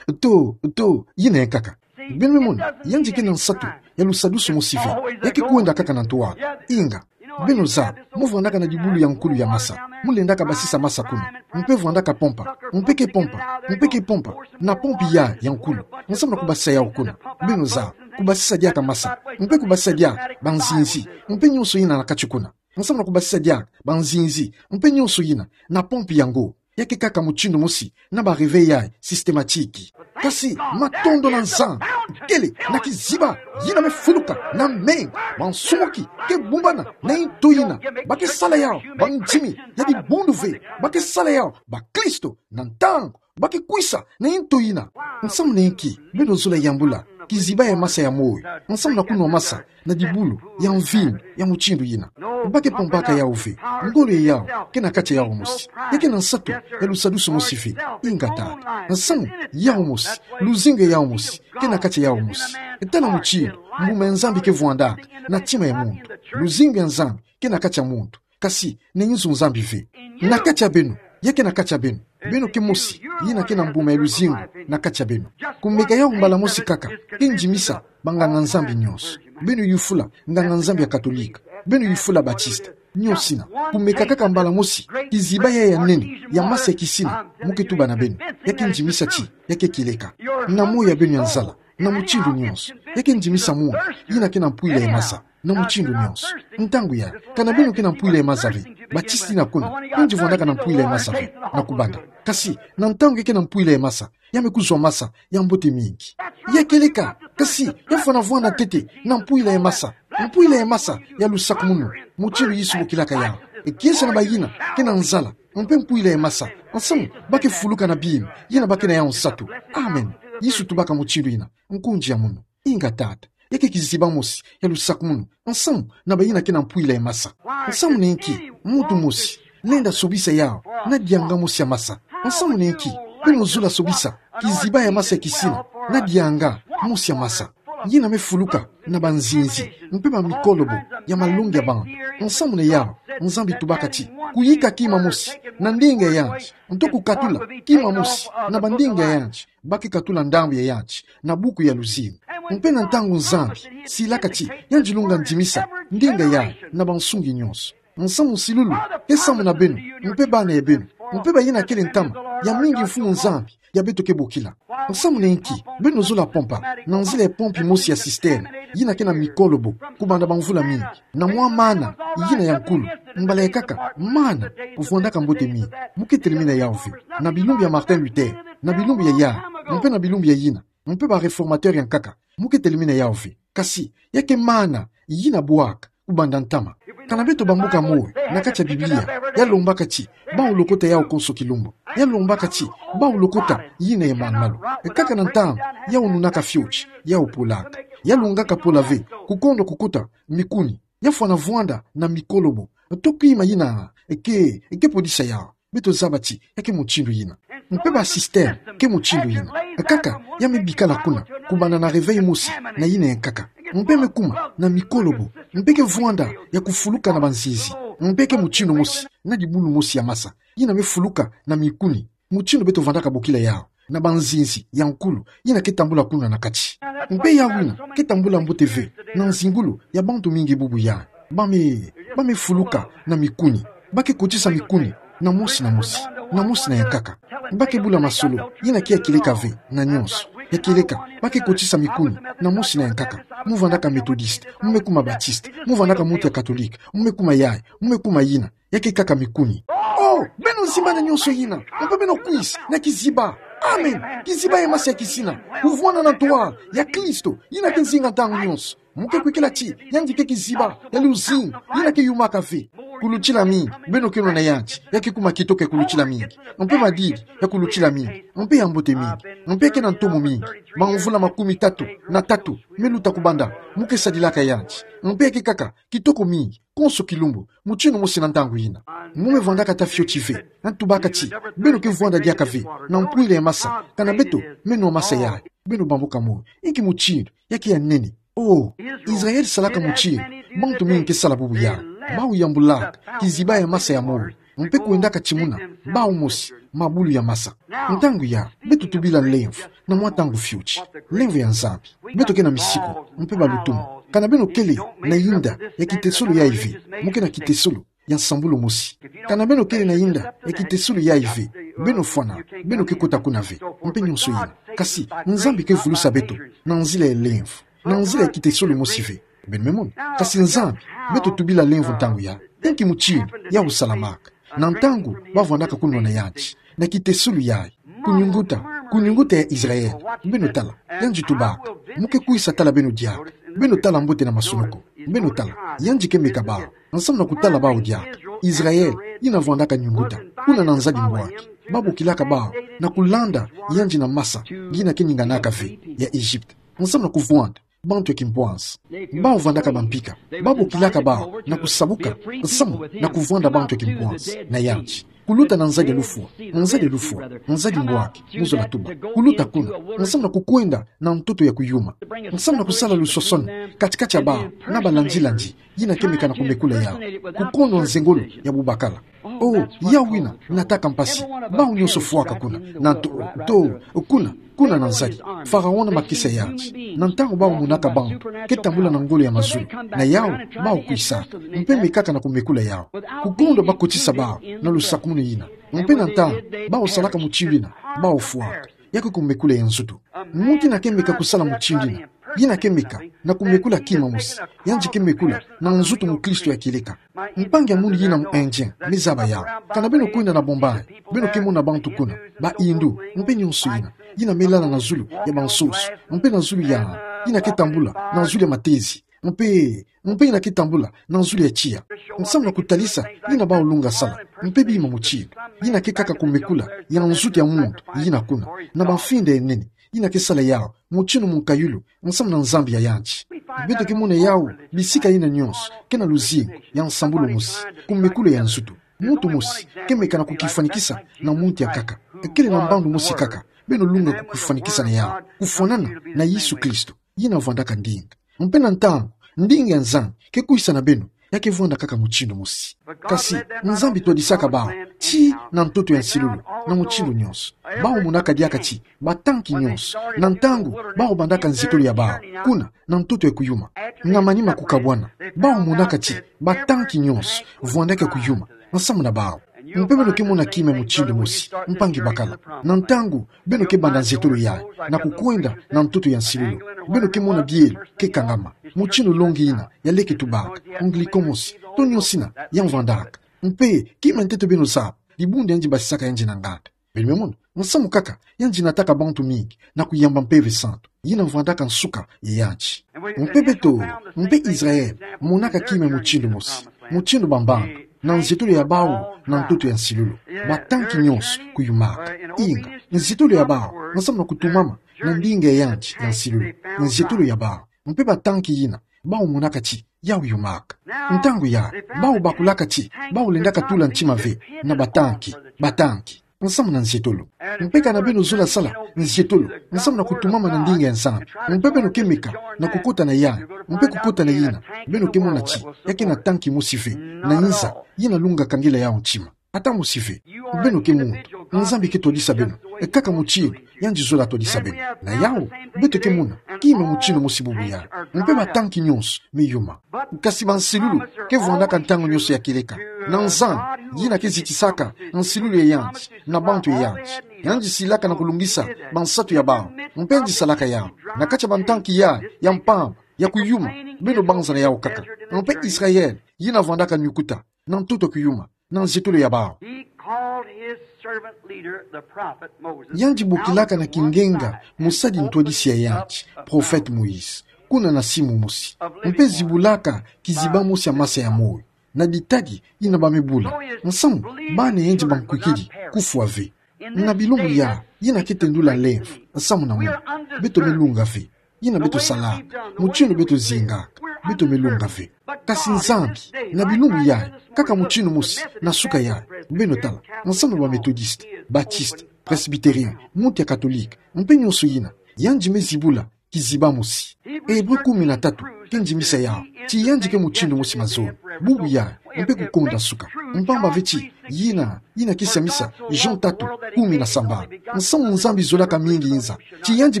Oto, oto, yina ya nkaka. Beno me mona, yandi ke na nsatu ya lusadusu mosi ve. Ya ke kwenda kaka na ntwala. Inga. Beno zaba, mu vwandaka na dibulu ya nkulu ya masa. Mu lendaka basisa masa kuna. Mpe vwandaka pompa. Mpe ke pompa. Mpe ke pompa. Na pompe yayi ya nkulu. Nsamu na kubasisa yawu kuna. Beno zaba, kubasisa diaka masa. Mpe kubasisa diaka banzinzi. Mpe nyonso yina na kati kuna. Nsamu na kubasisa diaka banzinzi. Mpe nyonso yina na pompe yango. Ya ke kaka mutindu mosi na ba réveil yayi systématique. Kasi matondo na Nzambi, kele na kiziba yina me fuluka na menga, bansumuki ke bumbana na yinto yina. Ba ke sala yawu bandimi ya dibundu ve. Ba ke sala yawu bakristo na ntangu ba ke kwisa na yinto yina. Nsamu na inki beno zola yambula kiziba ya masa ya moyo nsamu na kunwa masa na dibulu ya mvinyo ya mutindu yina? Ba ke pompaka yawu ve. Ngolo ya yawu ke na kati ya yawu mosi. Ya ke na nsatu ya lusadusu mosi ve. Inga tata. Nsamu yawu mosi, luzingu ya yawu mosi ke na kati ya yawu mosi. Tala mutindu mbuma ya Nzambi ke vwandaka na ntima ya muntu. Luzingu ya Nzambi ke na kati ya muntu. Kasi na inzo Nzambi ve. Na kati ya beno. Ya ke na kati ya beno. Beno ke mosi yina ke na mbuma ya luzingu na kati ya beno. Kumeka yawu mbala mosi kaka ke ndimisa banganga-Nzambi nyonso. Beno yufula nganga-Nzambi ya Katolika. Beno yufula Baptiste. Nyonso yina. Kumeka kaka mbala mosi kiziba yayi ya nene ya masa ya kisina mu ke tuba na beno. Ya ke ndimisa ti ya ke kieleka na moyo ya beno ya nzala. Na mutindu nyonso. Ya ke ndimisa munu yina ke na mpwila ya masa na mutindu nyonso. Ntangu yayi, kana beno ke na mpwila ya masa ve. Baptiste yina kuna yandi vwandaka na mpwila ya masa ve na kubanda. Kasi na ntangu ya ke na mpwila ya masa, ya me kuzwa masa ya mbote mingi. Ya kieleka, kasi ya fwana vwanda ntete na mpwila ya masa. Mpwila ya masa ya lusakumunu, mutindu Yesu bokilaka yawu. E kiese na bayina ke na nzala mpe mpwila ya masa, nsamu ba ke fuluka na bima yina ba ke na yawu nsatu. Amen. Yesu tubaka mutindu yina. Nkunzi ya munu. Inga tata. Ya ke kiziba mosi ya lusakumunu, nsamu na bayina ke na mpwila ya masa. Nsamu na inki muntu mosi lenda sobisa yawu na dianga mosi ya masa? Nsamu na inki beno zola sobisa kiziba ya masa ya kisina na dianga mosi ya masa? Yina me fuluka na banzinzi mpe bamikolobo ya malongi ya bantu. Nsamu na yawu, Nzambi tubaka ti kuyika kima mosi na ndinga ya yanti, nto kukatula kima mosi na bandinga ya yanti, ba ke katula ndambu ya yanti na buku ya luzingu. Mpe na ntangu Nzambi silaka ti yandi lunga ndimisa ndinga yayi na bansungi nyonso, nsamu nsilulu ke samu na beno mpe bana ya beno mpe bayina kele ntama ya mingi Mfumu Nzambi ya beto ke bokila. Nsamu na inki beno zola pompa na nzila ya pompi mosi ya cisterne yina ke na mikolobo kubanda bamvula mingi, na mwa mana yina ya nkulu, mbala ya nkaka mana vwandaka mbote mingi? Mu ke telemena yawu ve. Na bilumbu ya Martin Luther, na bilumbu ya yandi, mpe na bilumbu ya yina, mpe ba réformateur ya nkaka, mu ke telemena yawu ve. Kasi ya ke mana yina bwaka kubanda ntama. Kana beto bambuka moyo na kati ya Biblia, ya lombaka ti bawu lokota yawu konso kilumbu. Ya lombaka ti bawu lokota yina ya malu-malu. Kaka na ntangu yawu nunaka fioti, yawu polaka. Ya lungaka pola ve kukondwa kukota mikuni. Ya fwana vwanda na mikolobo to kima yina ke, ke podisa yawu. Beto zaba ti ya ke mutindu yina. Mpe ba cisterne ke mutindu yina. Kaka ya me bikala kuna kubanda na réveil mosi na yina ya nkaka. Mpe me kuma na mikolobo. Mpe ke vwanda ya kufuluka na banzinzi. Mpe ke mutindu mosi na dibulu mosi ya masa yina me fuluka na mikuni, mutindu beto vandaka bokila yawu, na banzinzi ya nkulu yina ke tambula kuna na kati. Mpe yawu yina ke tambula mbote ve na nzingulu ya bantu mingi bubu yayi. Ba me, ba me fuluka na mikuni. Ba ke kotisa mikuni na mosi na mosi, na mosi na ya nkaka. Ba ke bula masolo yina ke ya kieleka ve na nyonso. Ya kieleka, ba ke kotisa mikuni na mosi na ya nkaka. Mu vandaka Methodiste, mu me kuma Baptiste, mu vandaka muntu ya Catholique, mu me kuma yayi, mu me kuma yina. Ya ke kaka mikuni. Oh, beno zimbana nyonso yina, mpe beno kwisa na kiziba. Amen. Kiziba ya masa ya kisina, kuvwanda na ntwala ya Kristo yina ke nzinga ntangu nyonso. Mu ke kwikila ti yandi ke kiziba ya luzingu yina ke yumaka ve. Kulutila mingi beno ke nwana yandi, ya ke kuma kitoko ya kulutila mingi, mpe madidi ya kulutila mingi, mpe ya mbote mingi, mpe ke na ntomo mingi. Bamvula makumi tatu na tatu me luta kubanda mu ke sadilaka yandi, mpe ya ke kaka kitoko mingi konso kilumbu, mutindu mosi na ntangu yina. Mu me vwandaka ata fioti ve. Nantubaka ti beno ke vwanda diaka ve na mpwila ya masa kana beto me nwa masa yayi. Beno bambuka moyo, inki mutindu ya ke ya nene. Oh, Israël salaka mutindu bantu mingi ke sala bubu yayi. Bawu yambulaka kiziba ya masa ya moyo, mpe kwendaka timuna bawu mosi mabulu ya masa. Ntangu yayi beto tubila lemvo na mwa ntangu fioti, lemvo ya Nzambi. Beto ke na misiku mpe balutumu. Kana beno kele na yinda ya kitesolo yayi ve, mu ke na kitesolo ya nsambulu mosi. Kana beno kele na yinda ya kitesolo yayi ve, beno fwana, beno ke kota kuna ve, mpe nyonso yina. Kasi Nzambi ke vulusa beto na nzila ya lemvo, na nzila ya kitesolo mosi ve. Beno me mona. Kasi Nzambi, beto tubila lemvo ntangu yayi. Inki mutindu yawu salamaka na ntangu ba vwandaka kunwana yandi na kitesolo yayi? Kunyunguta, kunyunguta ya Israël. Beno tala, yandi tubaka: Mu ke kwisa tala beno diaka. Beno tala mbote na masunuku. Beno tala, yandi ke meka bawu, nsamu na kutala bawu diaka. Israël yina vwandaka nyunguta kuna na nzadi mbwaki. Ba bokilaka bawu na kulanda yandi na masa yina ke ninganaka ve ya Egypte, nsamu na kuvwanda bantu ya kimpwanza. Bawu vwandaka bampika. Ba bokilaka bawu na kusabuka nsamu na kuvwanda bantu ya kimpwanza na yandi. Kuluta na nzadi ya lufwa, na nzadi ya lufwa, na nzadi mbwaki, mu zola tuba. Kuluta kuna nsamu na kukwenda na ntoto ya kuyuma, nsamu na kusala lusosoni kati-kati ya bawu na balandilandi yina ke meka na kumekula yawu, kukondwa nzengolo ya bubakala. Oh, yawu yina nataka mpasi. Bawu nyonso fwaka kuna, na nto, nto, kuna, kuna na nzadi. Pharaon na makesa ya yandi. Na ntangu bawu monaka bantu ke tambula na ngolo ya mazulu, na yawu bawu kwisaka, mpe mekaka na kumekula yawu. Kukondwa ba kotisa bawu na lusakumunu yina. Mpe na ntangu bawu salaka mutindu yina, bawu fwaka. Ya ke kumekula ya nzutu. Muntu yina ke meka kusala mutindu yina, yina ke meka na kumekula kima mosi. Yandi ke mekula na nzutu mukristo ya kieleka. Mpangi ya munu yina mu Indien me zaba yawu. Kana beno kwenda na Bombay, beno ke mona bantu kuna, ba Hindu mpe nyonso yina, yina me lala na zulu ya bansoso, mpe na zulu ya, yina ke tambula na zulu ya matezi, mpe, mpe yina ke tambula na zulu ya tiya, nsamu na kutalisa yina bawu lunga sala. Mpe bima mutindu, yina ke kaka kumekula ya nzutu ya muntu yina kuna, na bamfinda ya nene yina ke sala yawu mutindu munkayulu nsamu na Nzambi ya yandi. Beto ke mona yawu bisika yina nyonso, kena luzingu ya nsambulu mosi, ku mekulu ya nzutu. Muntu mosi ke meka na kukifwanikisa na muntu ya nkaka, kele na mbandu mosi kaka. Beno lunga kukifwanikisa na yawu, kufwanana na Yesu Kristo, yina vwandaka ndinga. Mpe na ntangu ndinga ya Nzambi ke kwisa na beno, ya ke vwanda kaka mutindu mosi. Kasi Nzambi twadisaka bawu ti na ntoto ya nsilulu, na mutindu nyonso. Bawu monaka diaka ti batanki nyonso, na ntangu bawu bandaka nzietolo ya bawu kuna na ntoto ya kuyuma, na manima kukabwana, bawu monaka ti batanki nyonso vwandaka kuyuma nsamu na bawu. Mpe beno ke mona kima ya mutindu mosi, mpangi bakala, na ntangu beno ke banda nzietolo yayi na kukwenda na ntoto ya nsilulu, beno ke mona bielo ke kangama, mutindu longi yina ya leke tubaka, ongliko mosi, to nyonso yina ya vwandaka. Mpe kima ya ntete beno zaba, dibundu yandi basisaka yandi na nganda. Beno me mona, nsamu kaka yandi nataka bantu mingi na kuyamba Mpeve Santu, yina vwandaka nsuka ya yandi. Mpe beto, mpe Israele, monaka kima ya mutindu mosi, mutindu bambanga, na nzietolo ya bawu na ntoto ya nsilulu, batanki nyonso kuyumaka. Inga, nzietolo ya bawu nsamu na kutumama na ndinga ya yandi ya nsilulu, nzietolo ya bawu, mpe batanki yina bawu monaka ti yawu yumaka. Ntangu yayi, bawu bakulaka ti bawu lendaka tula ntima ve na batanki, batanki nsamu na nzietolo. Mpe kana beno zola sala nzietolo nsamu na kutumama na ndinga ya Nzambi, mpe beno ke meka na kukota na yayi, mpe kukota na yina, beno ke mona ti ya ke na tanki mosi ve na nza, yina lunga kangela yawu ntima. Ata mosi ve. Beno ke muntu. Nzambi ke twadisa beno, e, kaka mutindu yandi zola twadisa beno. Na yawu, beto ke mona kima ya mutindu mosi bubu yayi. Mpe batanki nyonso me yuma. Kasi bansilulu ke vwandaka ntangu nyonso ya kieleka. Na Nzambi, yina ke zitisaka nsilulu ya yandi na bantu ya yandi, yandi silaka na kulungisa bansatu ya bawu, mpe yandi salaka yawu na kati ya bantanki yayi ya mpamba ya kuyuma. Beno banza na yawu kaka. Mpe Israele, yina vwandaka nyukuta na ntoto ya kuyuma, na nzietolo ya bawu. He called his servant leader, the prophet Moses, yandi bokilaka na kingenga mosadi ntwadisi ya yandi, prophète Moïse, kuna na simu mosi, mpe zibulaka kiziba mosi ya masa ya moyo, na ditadi yina ba me bula. Nsamu bana ya yandi bankwikidi kufwa ve. Na bilumbu yayi, yina ke tendula lemvo nsamu na muna. Beto me lunga ve yina beto salaka, mutindu beto zingaka, beto me lunga ve. Kasi Nzambi, na bilumbu yayi, kaka mutindu mosi na suka yayi, beno tala, nsamu na ba Méthodistes, Baptistes, Presbytériens, muntu ya Catholique, mpe nyonso yina, yandi me zibula kiziba mosi. Hébreux kumi na tatu ke ndimisa yawu ti yandi ke mutindu mosi mazono, bubu yayi, mpe kukonda suka. Mpamba ve ti yina, yina ke siamisa Jean tatu, kumi na sambanu. Nsamu Nzambi zolaka mingi nza, ti yandi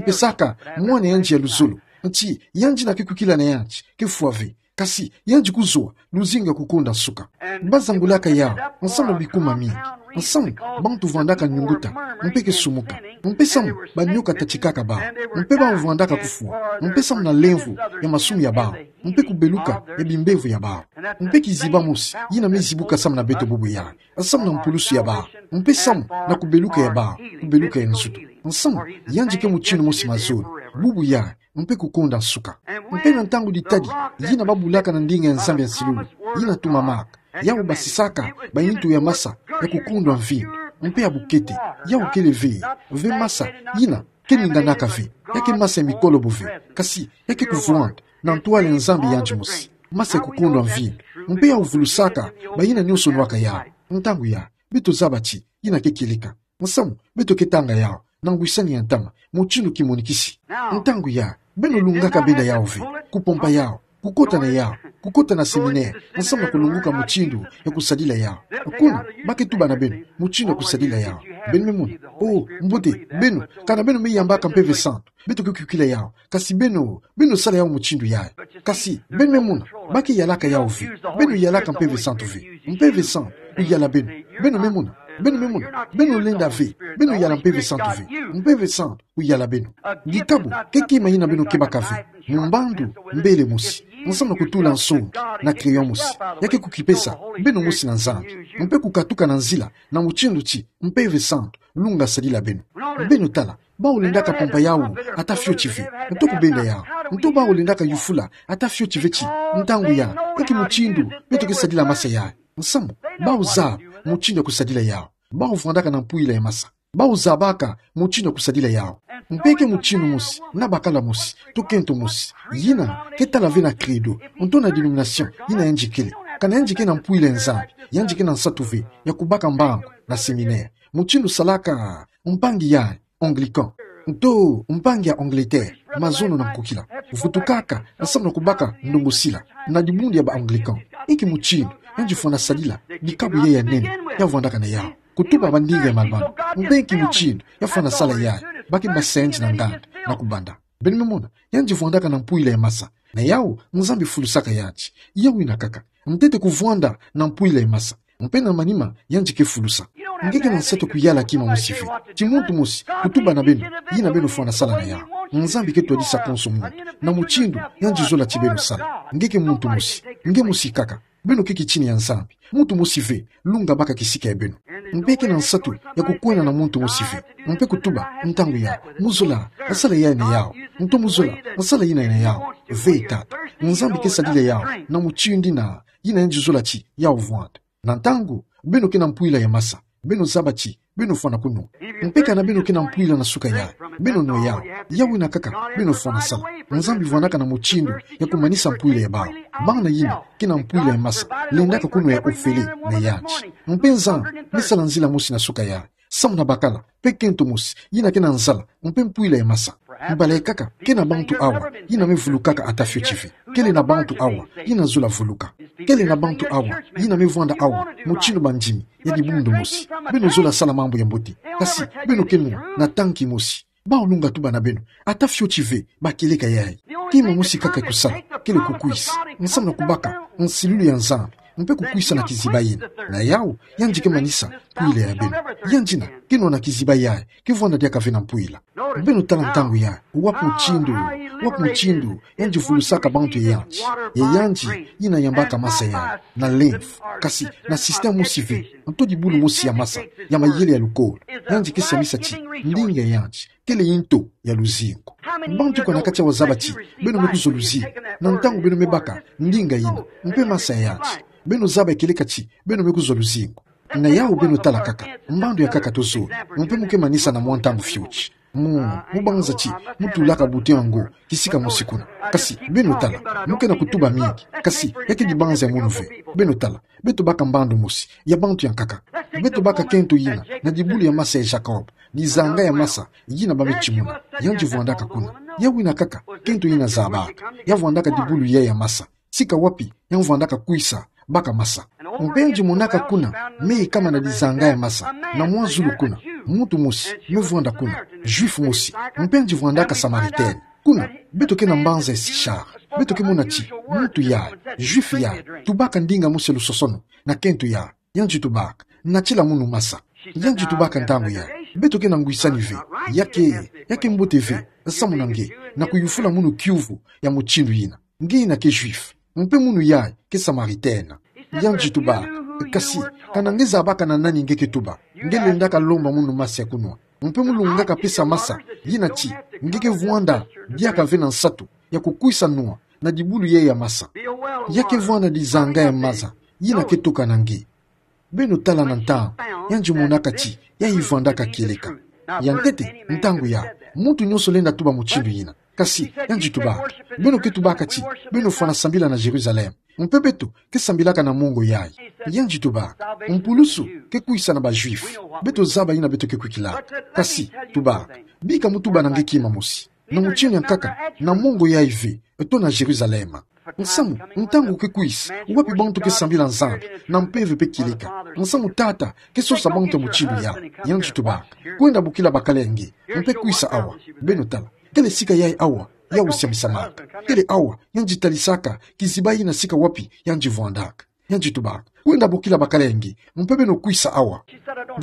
pesaka Mwana yandi ya luzolo, ti yandi na ke kwikila na yandi ke fwa ve, kasi yandi kuzowa luzingu ya kukonda suka. Ba zangulaka yawu nsamu na bikuma mingi, nsamu bantu vwandaka nyunguta, mpe ke sumuka, mpe samu banyoka tatikaka bawu, mpe bawu vwandaka kufwa, mpe samu na lemvo ya masumu ya bawu, mpe kubeluka ya bimbevo ya bawu. Mpe kiziba mosi yina me zibuka samu na beto bubu yayi, samu na mpulusu ya bawu, mpe samu na kubeluka ya bawu, kubeluka ya nzutu. Nsamu yandi ke mutindu mosi mazono, bubu yayi, mpe kukonda suka. Mpe na ntangu ditadi yina ba bulaka na ndinga ya Nzambi ya nsilulu, yina tumamaka, yawu basisaka bayintu ya masa ya kukondwa mvindu, mpe ya bukete, yawu kele ve, ve masa yina ke ninganaka ve, ya ke masa ya mikolobo ve, kasi ya ke kuvwanda na ntwala ya Nzambi yandi mosi, masa ya kukondwa mvindu, mpe yawu vulusaka bayina nyonso nwaka yawu. Ntangu yayi, beto zaba ti yina ke kieleka. Nsamu beto ke tanga yawu na ngwisani ya ntama, mutindu kimonikisi. Ntangu yayi, beno lungaka benda yawu ve, kupompa yawu, kukota na yawu, kukota na séminaire, nsamu na kulunguka mutindu ya kusadila yawu. Kuna ba ke tuba na beno mutindu ya kusadila yawu. Beno me mona. Oh, mbote, beno, kana beno me yambaka Mpeve Santu, beto ke kwikila yawu. Kasi beno, beno sala yawu mutindu yayi. Kasi beno me mona, ba ke yalaka yawu ve. Beno yalaka Mpeve Santu ve. Mpeve Santu kuyala beno. Beno me mona. Beno me mona. Beno lenda ve beno yala Mpeve Santu ve. Mpeve Santu kuyala beno. Dikabu ke kima yina beno kebaka ve. Mu mbandu mbele mosi, nsamu na kutula nsongi na crayon mosi, ya ke kukipesa beno mosi na Nzambi, mpe kukatuka na nzila na mutindu ti Mpeve Santu lunga sadila beno. Beno tala, bawu lendaka pompa yawu ata fioti ve, nto kubenda yawu, nto bawu lendaka yufula ata fioti ve ti ntangu yayi, ya ke mutindu beto ke sadila masa yayi. Nsamu bawu zaba mutindu ya kusadila yawu. Bawu vwandaka na mpwila ya masa. Bawu zabaka mutindu ya kusadila yawu. Mpe ke mutindu mosi, na bakala mosi, to kento mosi, yina ke tala ve na credo, nto na dénomination yina yandi kele. Kana yandi ke na mpwila ya Nzambi, yandi ke na nsatu ve ya kubaka mbangu na séminaire, mutindu salaka mpangi ya Anglican, nto mpangi ya Angleterre, mazono na nkokila, vutukaka nsamu na kubaka ndongosila na dibundu ya ba Anglican. Inki mutindu yandi fwana sadila bikabu yayi ya nene? Ya vwandaka na yawu kutuba ba ndinga ya malumalu. Mpe inki mutindu ya fwana sala yayi? Baki mbasi yandi na nganda na kubanda. Beno me mona, yandi vwandaka na mpwila ya masa. Na yawu, Nzambi fulusaka yandi. Yawu ina kaka. Ntete kuvwanda na mpwila ya masa. Mpe na manima, yandi ke fulusa. Nge ke na nsatu kuyala kima mosi ve. Ti muntu mosi kutuba na beno yina beno fwana sala na yawu. Nzambi ke twadisa konso muntu na mutindu yandi zola ti beno sala. Nge ke muntu mosi. Nge mosi kaka. Beno ke kitini ya Nzambi. Muntu mosi ve lunga baka kisika ya beno. Mpe ke na nsatu ya kukwenda na muntu mosi ve, mpe kutuba ntangu yayi: Mu zola sala yayi na yawu, nto mu zola sala yina na yawu. Ve, tata. Nzambi ke sadila yawu na mutindu yina, yina yandi zola ti yawu vwanda. Na ntangu beno ke na mpwila ya masa, beno zaba ti beno fwana kunwa. Mpe kana beno ke na mpwila na suka yayi, beno nwa yawu. Yawu ina kaka beno fwana sala. Nzambi vwandaka na mutindu ya kumanisa mpwila ya bawu. Bana yina ke na mpwila ya masa lendaka kunwa ya ofele na yandi. Mpe Nzambi me sala nzila mosi na suka yayi, samu na bakala mpe kento mosi yina ke na nzala mpe mpwila ya masa. Mbala ikaka, ke na bantu awa yina me vulukaka ata fioti ve. Kele na bantu awa yina zola vuluka. Kele na bantu awa yina me vwanda awa mutindu bandimi ya dibundu mosi. Beno zola sala mambu ya mbote, kasi beno ke nwa na tanki mosi. Bawu lunga tuba na beno ata fioti ve ba kieleka yayi. Kima mosi kaka ya kusala kele kukwisa nsamu na kubaka nsilulu ya Nzambi, mpe kukwisa na kiziba yina. Na yawu, yandi ke manisa mpwila ya beno. Yandi yina ke nwa na kiziba yayi ke vwanda diaka ve na mpwila. Beno tala ntangu yayi, wapi mutindu, wapi mutindu yandi vulusaka bantu ya yandi, ya yandi yina yambaka masa yayi na lymphe, kasi na système mosi ve, nto dibulu mosi ya masa ya mayele ya lukolo. Yandi ke siamisa ti ndinga ya yandi kele nto ya luzingu. Bantu kô na kati awa zaba ti beno me kuzwa luzingu na ntangu beno me baka ndinga yina mpe masa ya yandi? Beno zaba ya kieleka ti beno me kuzwa luzingu. Na yawu, beno tala kaka mbandu ya nkaka tozolo, mpe mu ke manisa na mwa ntangu fioti. Mu, mu banza ti mu tulaka bouton yango kisika mosi kuna. Kasi beno tala, mu ke na kutuba mingi, kasi ya ke dibanza ya munu ve. Beno tala, beto baka mbandu mosi ya bantu ya nkaka. Beto baka kento yina na dibulu ya masa ya Jacob, dizanga ya masa yina ba me timuna. Yandi vwandaka kuna. Yawu ina kaka kento yina zabaka. Ya vwandaka dibulu yayi ya masa sika wapi ya vwandaka kwisa baka masa. Mpe yandi monaka kuna, me yikama na dizanga ya masa, na mwa zulu kuna, muntu mosi me vwanda kuna, Juif mosi. Mpe yandi vwandaka Samaritaine. Kuna, beto ke na mbanza ya Sichar. Beto ke mona ti muntu yayi, Juif yayi, tubaka ndinga mosi ya lusosono na kento yayi. Yandi tubaka: Natila munu masa. Yandi tubaka ntangu yayi: Beto ke na ngwisani ve. Ya ke, ya ke mbote ve samu na nge na kuyufula munu kiuvu ya mutindu yina, nge yina ke Juif, mpe munu yayi ke Samaritaine. Yandi tubaka: Kasi kana nge zabaka na nani nge ke tuba, nge lendaka lomba munu masa ya kunwa, mpe mu lungaka pesa masa yina ti nge ke vwanda diaka ve na nsatu ya kukwisa nwa na dibulu yayi ya masa. Ya ke vwanda dizanga ya masa yina ke toka na nge. Beno tala na ntangu yandi monaka ti yayi vwandaka kieleka. Ya ntete, ntangu yayi, muntu nyonso lenda tuba mutindu yina. Kasi yandi tubaka: Beno ke tubaka ti beno fwana sambila na Jérusalem, mpe beto ke sambilaka na mongo yayi. Yandi tubaka: Mpulusu ke kwisa na ba Juif. Beto zaba yina beto ke kwikilaka. Kasi tubaka, bika mu tuba na nge kima mosi. Na mutindu ya nkaka, na mongo yayi ve, to na Jérusalem. Nsamu, ntangu ke kwisa wapi bantu ke sambila Nzambi na mpeve mpe kieleka. Nsamu Tata ke sosa bantu ya mutindu yayi. Yandi tubaka: Kwenda bokila bakala ya nge, mpe kwisa awa. Beno tala, kele sika yayi awa yawu siamisamaka. Kele awa yandi talisaka kiziba yina sika wapi yandi vwandaka. Yandi tubaka: Kwenda bokila bakala ya nge, mpe beno kwisa awa.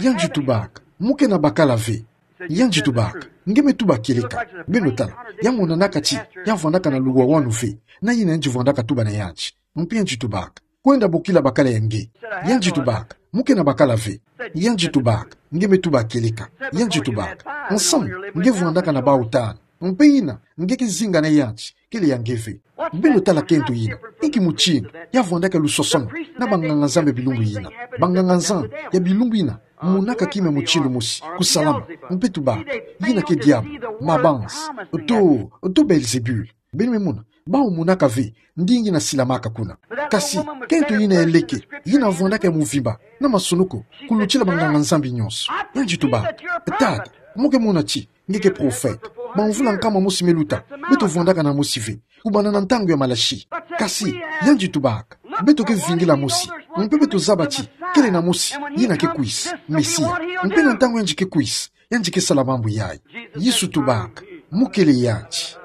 Yandi tubaka: Mu ke na bakala ve. Yandi tubaka: Nge me tuba kieleka. Beno tala, ya monanaka ti ya vwandaka na luwawanu ve na yina yandi vwandaka tuba na yandi. Mpe yandi tubaka: Kwenda bokila bakala ya nge. Yandi tubaka: Mu ke na bakala ve. Yandi tubaka: Nge me tuba kieleka. Yandi tubaka: Nsamu nge vwandaka na bawu tanu, mpe yina nge ke zinga na yandi kele ya nge ve. Beno tala kento yina, inki mutindu ya vwandaka lusosono na banganga-Nzambi ya bilumbu yina. Banganga-Nzambi ya bilumbu yina Monaka kima mutindu mosi, kusalama, mpe tubaka, yina ke diabo, mabanza, to, to Belzebule. Beno me mona, bawu monaka ve, ndinga ina silamaka kuna. Kasi, kento yina ya leke, yina vwandaka ya mvimba, na masonoko, kulutila banganga-Nzambi nyonso. Yandi tubaka, tata, mo ke mona ti, nge ke profeta. Bamvula nkama mosi me luta, beto vwandaka na mosi ve, kubanda na ntangu ya Malaki. Kasi, yandi tubaka, beto ke vingila mosi, mpe beto zaba ti, kele na mosi, yina ke kwisa, Mesia. Mpe na ntangu yandi ke kwisa, yandi ke sala mambu yayi. Yesu tubaka, mo kele yandi.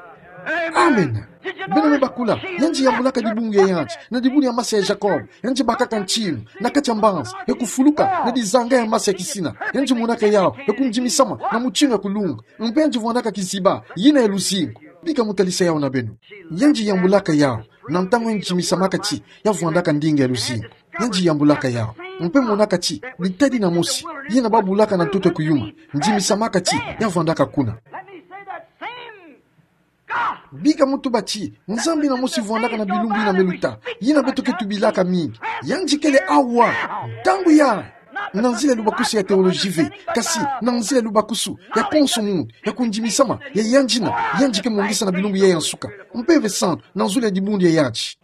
Amen. Beno me bakula, yandi yambulaka dibungu ya yandi, na dibungu ya masa ya Jacob, yandi bakaka ntinu, na kati ya mbanza, ya kufuluka, na dizanga ya masa ya kisina, yandi monaka yawu, ya kundimisama, na mutindu ya kulunga, mpe yandi vwandaka kiziba, yina ya luzingu. Bika mo talisa yawu na beno. Yandi yambulaka yawu, na ntangu yandi dimisamaka ti, ya vwandaka ndinga ya luzingu. Yandi yambulaka yawu, mpe monaka ti, ditadi na mosi, yina babulaka na ntoto ya kuyuma, ndimisamaka ti, ya vwandaka kuna. Bika mo tuba ti, Nzambi ina mosi vwandaka na bilumbu ina me luta, yina beto ke tubilaka mingi. Yandi kele awa, ntangu yayi. Na nzila ya lubakusu ya teoloji ve, kasi, na nzila ya lubakusu, ya konso muntu, ya kundimisama, ya yandi ina, yandi ke mongesa na bilumbu yayi ya nsuka. Mpeve Santu, na nzila ya dibundu ya yandi.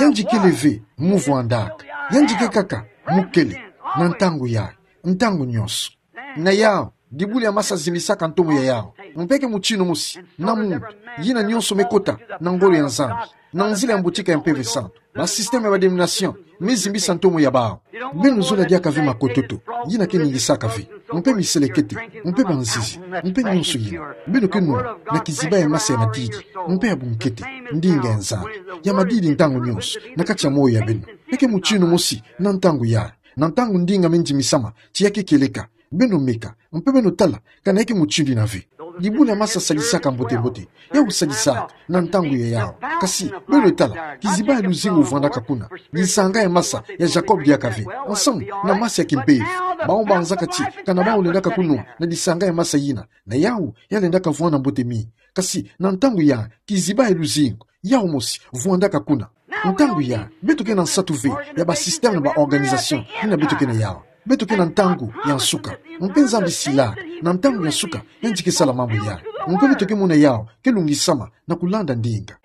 Yandi kele ve, mo vwandaka. Yandi ke kaka, mo kele, na ntangu yayi, ntangu nyonso. Na yawu, dibundu ya masa zimisaka ntomo ya yawu. Mpe ke mutindu mosi, na muntu, yina nyonso me kota, na ngolo ya Nzambi. Na nzila ya mbotika ya Mpeve Santu. Ba système ya ba dénomination, me zimbisa ntomo ya bawu. Beno zola diaka ve makototo, yina ke ningisaka ve. Mpe miselekete, mpe banzizi, mpe nyonso yina. Beno ke nwana, na kiziba ya masa ya madidi, mpe ya bunkete, ndinga ya Nzambi. Ya madidi ntangu nyonso, na kati ya moyo ya beno. Eke mutindu mosi, na ntangu yayi. Na ntangu ndinga me ndimisama, ti ya ke kieleka. Beno meka, mpe beno tala, kana eke mutindu ina ve. Dibundu ya masa sadisaka mbote-mbote, yawu sadisaka, na ntangu ya yawu. Kasi, beno tala, kiziba ya luzingu vwandaka kuna. Disanga ya masa, ya Jacob diaka ve. Ensemble, na masa ya kimpeve. Bawu banzaka ti, kana bawu lendaka kunwana, na disanga ya masa yina. Na yawu, ya lendaka vwanda mbote mingi. Kasi, na ntangu yayi, kiziba ya luzingu. Yawu mosi, vwandaka kuna. Ntangu yayi, beto ke na nsatu ve, ya ba système na ba organisation, yina beto ke na yawu. Beto ke na ntangu ya nsuka. Mpe Nzambi silaka, na ntangu ya nsuka, yandi ke sala mambu yayi. Mpe beto ke mona yawu, ke lungisama, na kulanda ndinga.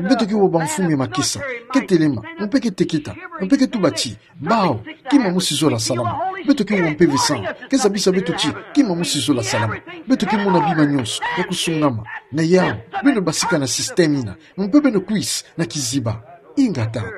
Beto ke wa bamfumu ya makesa, ke telema, mpe ke teketa, mpe ke tuba ti, bawu, kima mosi zola salama. Beto ke wa Mpeve Santu, ke zabisa beto ti, kima mosi zola salama. Beto ke mona bima nyonso, ya kusungama. Na yawu, beno basika na système ina, mpe beno kwisa, na kiziba. Inga tata.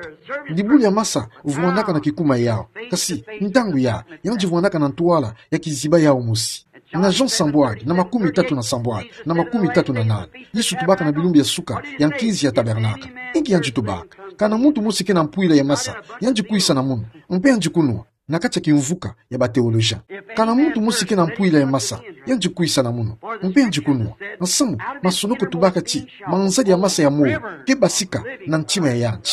Dibundu ya masa, vwandaka na kikuma yawu. Kasi, ntangu yayi, yandi vwandaka na ntwala, ya kiziba yawu mosi. Na Jean sambwadi, na makumi tatu na sambwadi, na makumi tatu na nani. Yesu tubaka na bilumbu ya nsuka, ya nkinzi ya tabernakle. Inki yandi tubaka. Kana muntu mosi ke na mpwila ya masa, yandi kwisa na munu. Mpe yandi kunwana. Na kati ya kimvuka ya ba théologien. Kana muntu mosi ke na mpwila ya masa, yandi kwisa na munu. Mpe yandi kunwana. Ensemble, masonoko tubaka ti, manzadi ya masa ya moyo, ke basika na ntima ya yandi.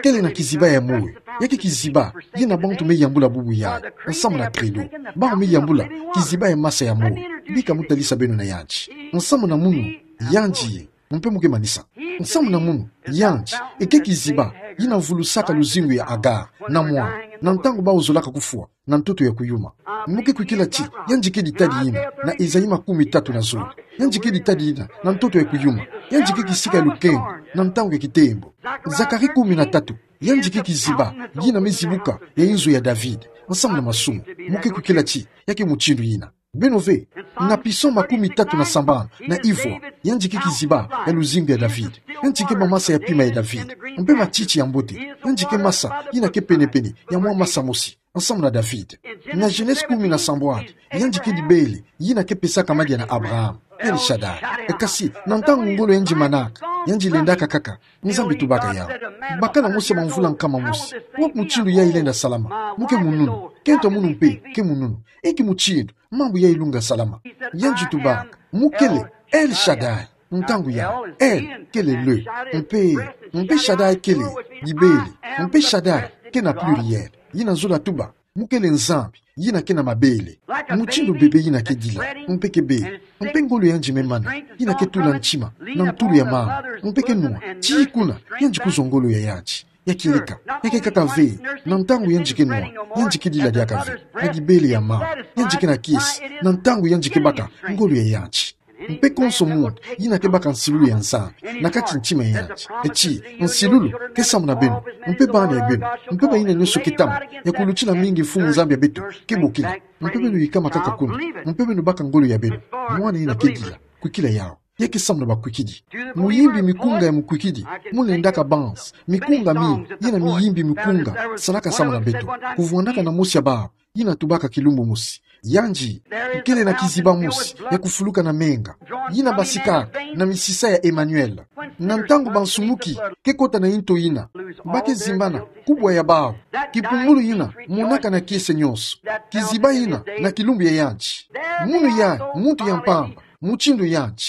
Kele na kiziba ya moyo. Ya ke kiziba, yina bantu me yambula bubu yayi. Ensemble na credo. Bawu me yambula, kiziba ya masa ya moyo. Bika mo talisa beno na yandi. Ensemble na munu, yandi ye. Mpe mo ke manisa. Ensemble na munu, yandi, eke kiziba, yina vulusaka luzingu ya Agar, na mwana, na ntangu bawu zolaka kufwa, na ntoto ya kuyuma. Mo ke kwikila ti, yandi ke ditadi yina, na Esaïe makumi tatu na zole. Yandi ke ditadi yina, na ntoto ya kuyuma. Yandi ke kisika ya lukengo, na ntangu ya kitembo. Zacharie kumi na tatu, yandi ke kiziba, yina me zibuka, ya inzo ya David. Ensemble na masumu, mo ke kwikila ti, ya ke mutindu yina. Beno ve, na psaume makumi tatu na sambanu, na ivwa, yandi ke kiziba, ya luzingu ya David. Yandi ke bamasa ya pima ya David. Mpe matiti ya mbote, yandi ke masa, yina ke pene-pene, ya mwa masa mosi, ensemble na David. Na Genèse kumi na sambwadi, yandi ke dibele, yina ke pesaka madia na Abraham. El Shaddai. E kasi, na ntangu ngolo yandi manaka, yandi lendaka kaka, Nzambi tubaka yawu. Bakala mosi ya bamvula nkama mosi. Wapi mutindu yayi lenda salama. Mo ke mununu. Kento munu mpe, ke mununu. Eke mutindu, mambu yayi lunga salama. Yandi tubaka. Mo kele, El Shaddai. Ntangu yayi. El, kele le. Mpe, mpe Shaddai kele, dibele. Mpe Shaddai, ke na pluriel. Yina zola tuba. Mo kele Nzambi, yina ke na mabele. Mutindu bebe yina ke dila, mpe ke bele. Mpe ngolo yandi me mana, yina ke tula ntima, na ntulu ya mama. Mpe ke nwana, tii kuna, yandi kuzwa ngolo ya yandi. Ya kieleka, ya ke kaka ve, na ntangu yandike nwa, yandike dila diaka ve, na gibele ya ma, yandike na kiese, na ntangu yandike baka ngolo ya yanti. Mpe konso muntu, yina ke baka nsilulu ya Nzambi na kati ntima ya yanti. Eti, nsilulu ke samu na beno, mpe bana ya beno, mpe bayina nyonso ke tamu, ya kulutila mingi Mfumu Nzambi ya beto ke bokila. Mpe beno yikama kaka kuna, mpe beno baka ngolo ya beno. Mwana yina ke dila, kwikila yawu. Ya ke samu na bakwikidi. Muyimbi mikunga ya mukwikidi, mu lendaka banzi, mikunga mingi, yina miyimbi mikunga, salaka samu na beto. Kuvwandaka na mosi ya bawu, yina tubaka kilumbu mosi. Yandi, kele na kiziba mosi, ya kufuluka na menga. Yina basikaka, na misisa ya Emmanuel. Na ntangu bansumuki, ke kota na yinto yina. Ba ke zimbana, kubwa ya bawu. Kipumbulu yina, monaka na kiese nyonso. Kiziba yina, na kilumbu ya yandi. Munu ya, muntu ya mpamba. Mutindu yandi.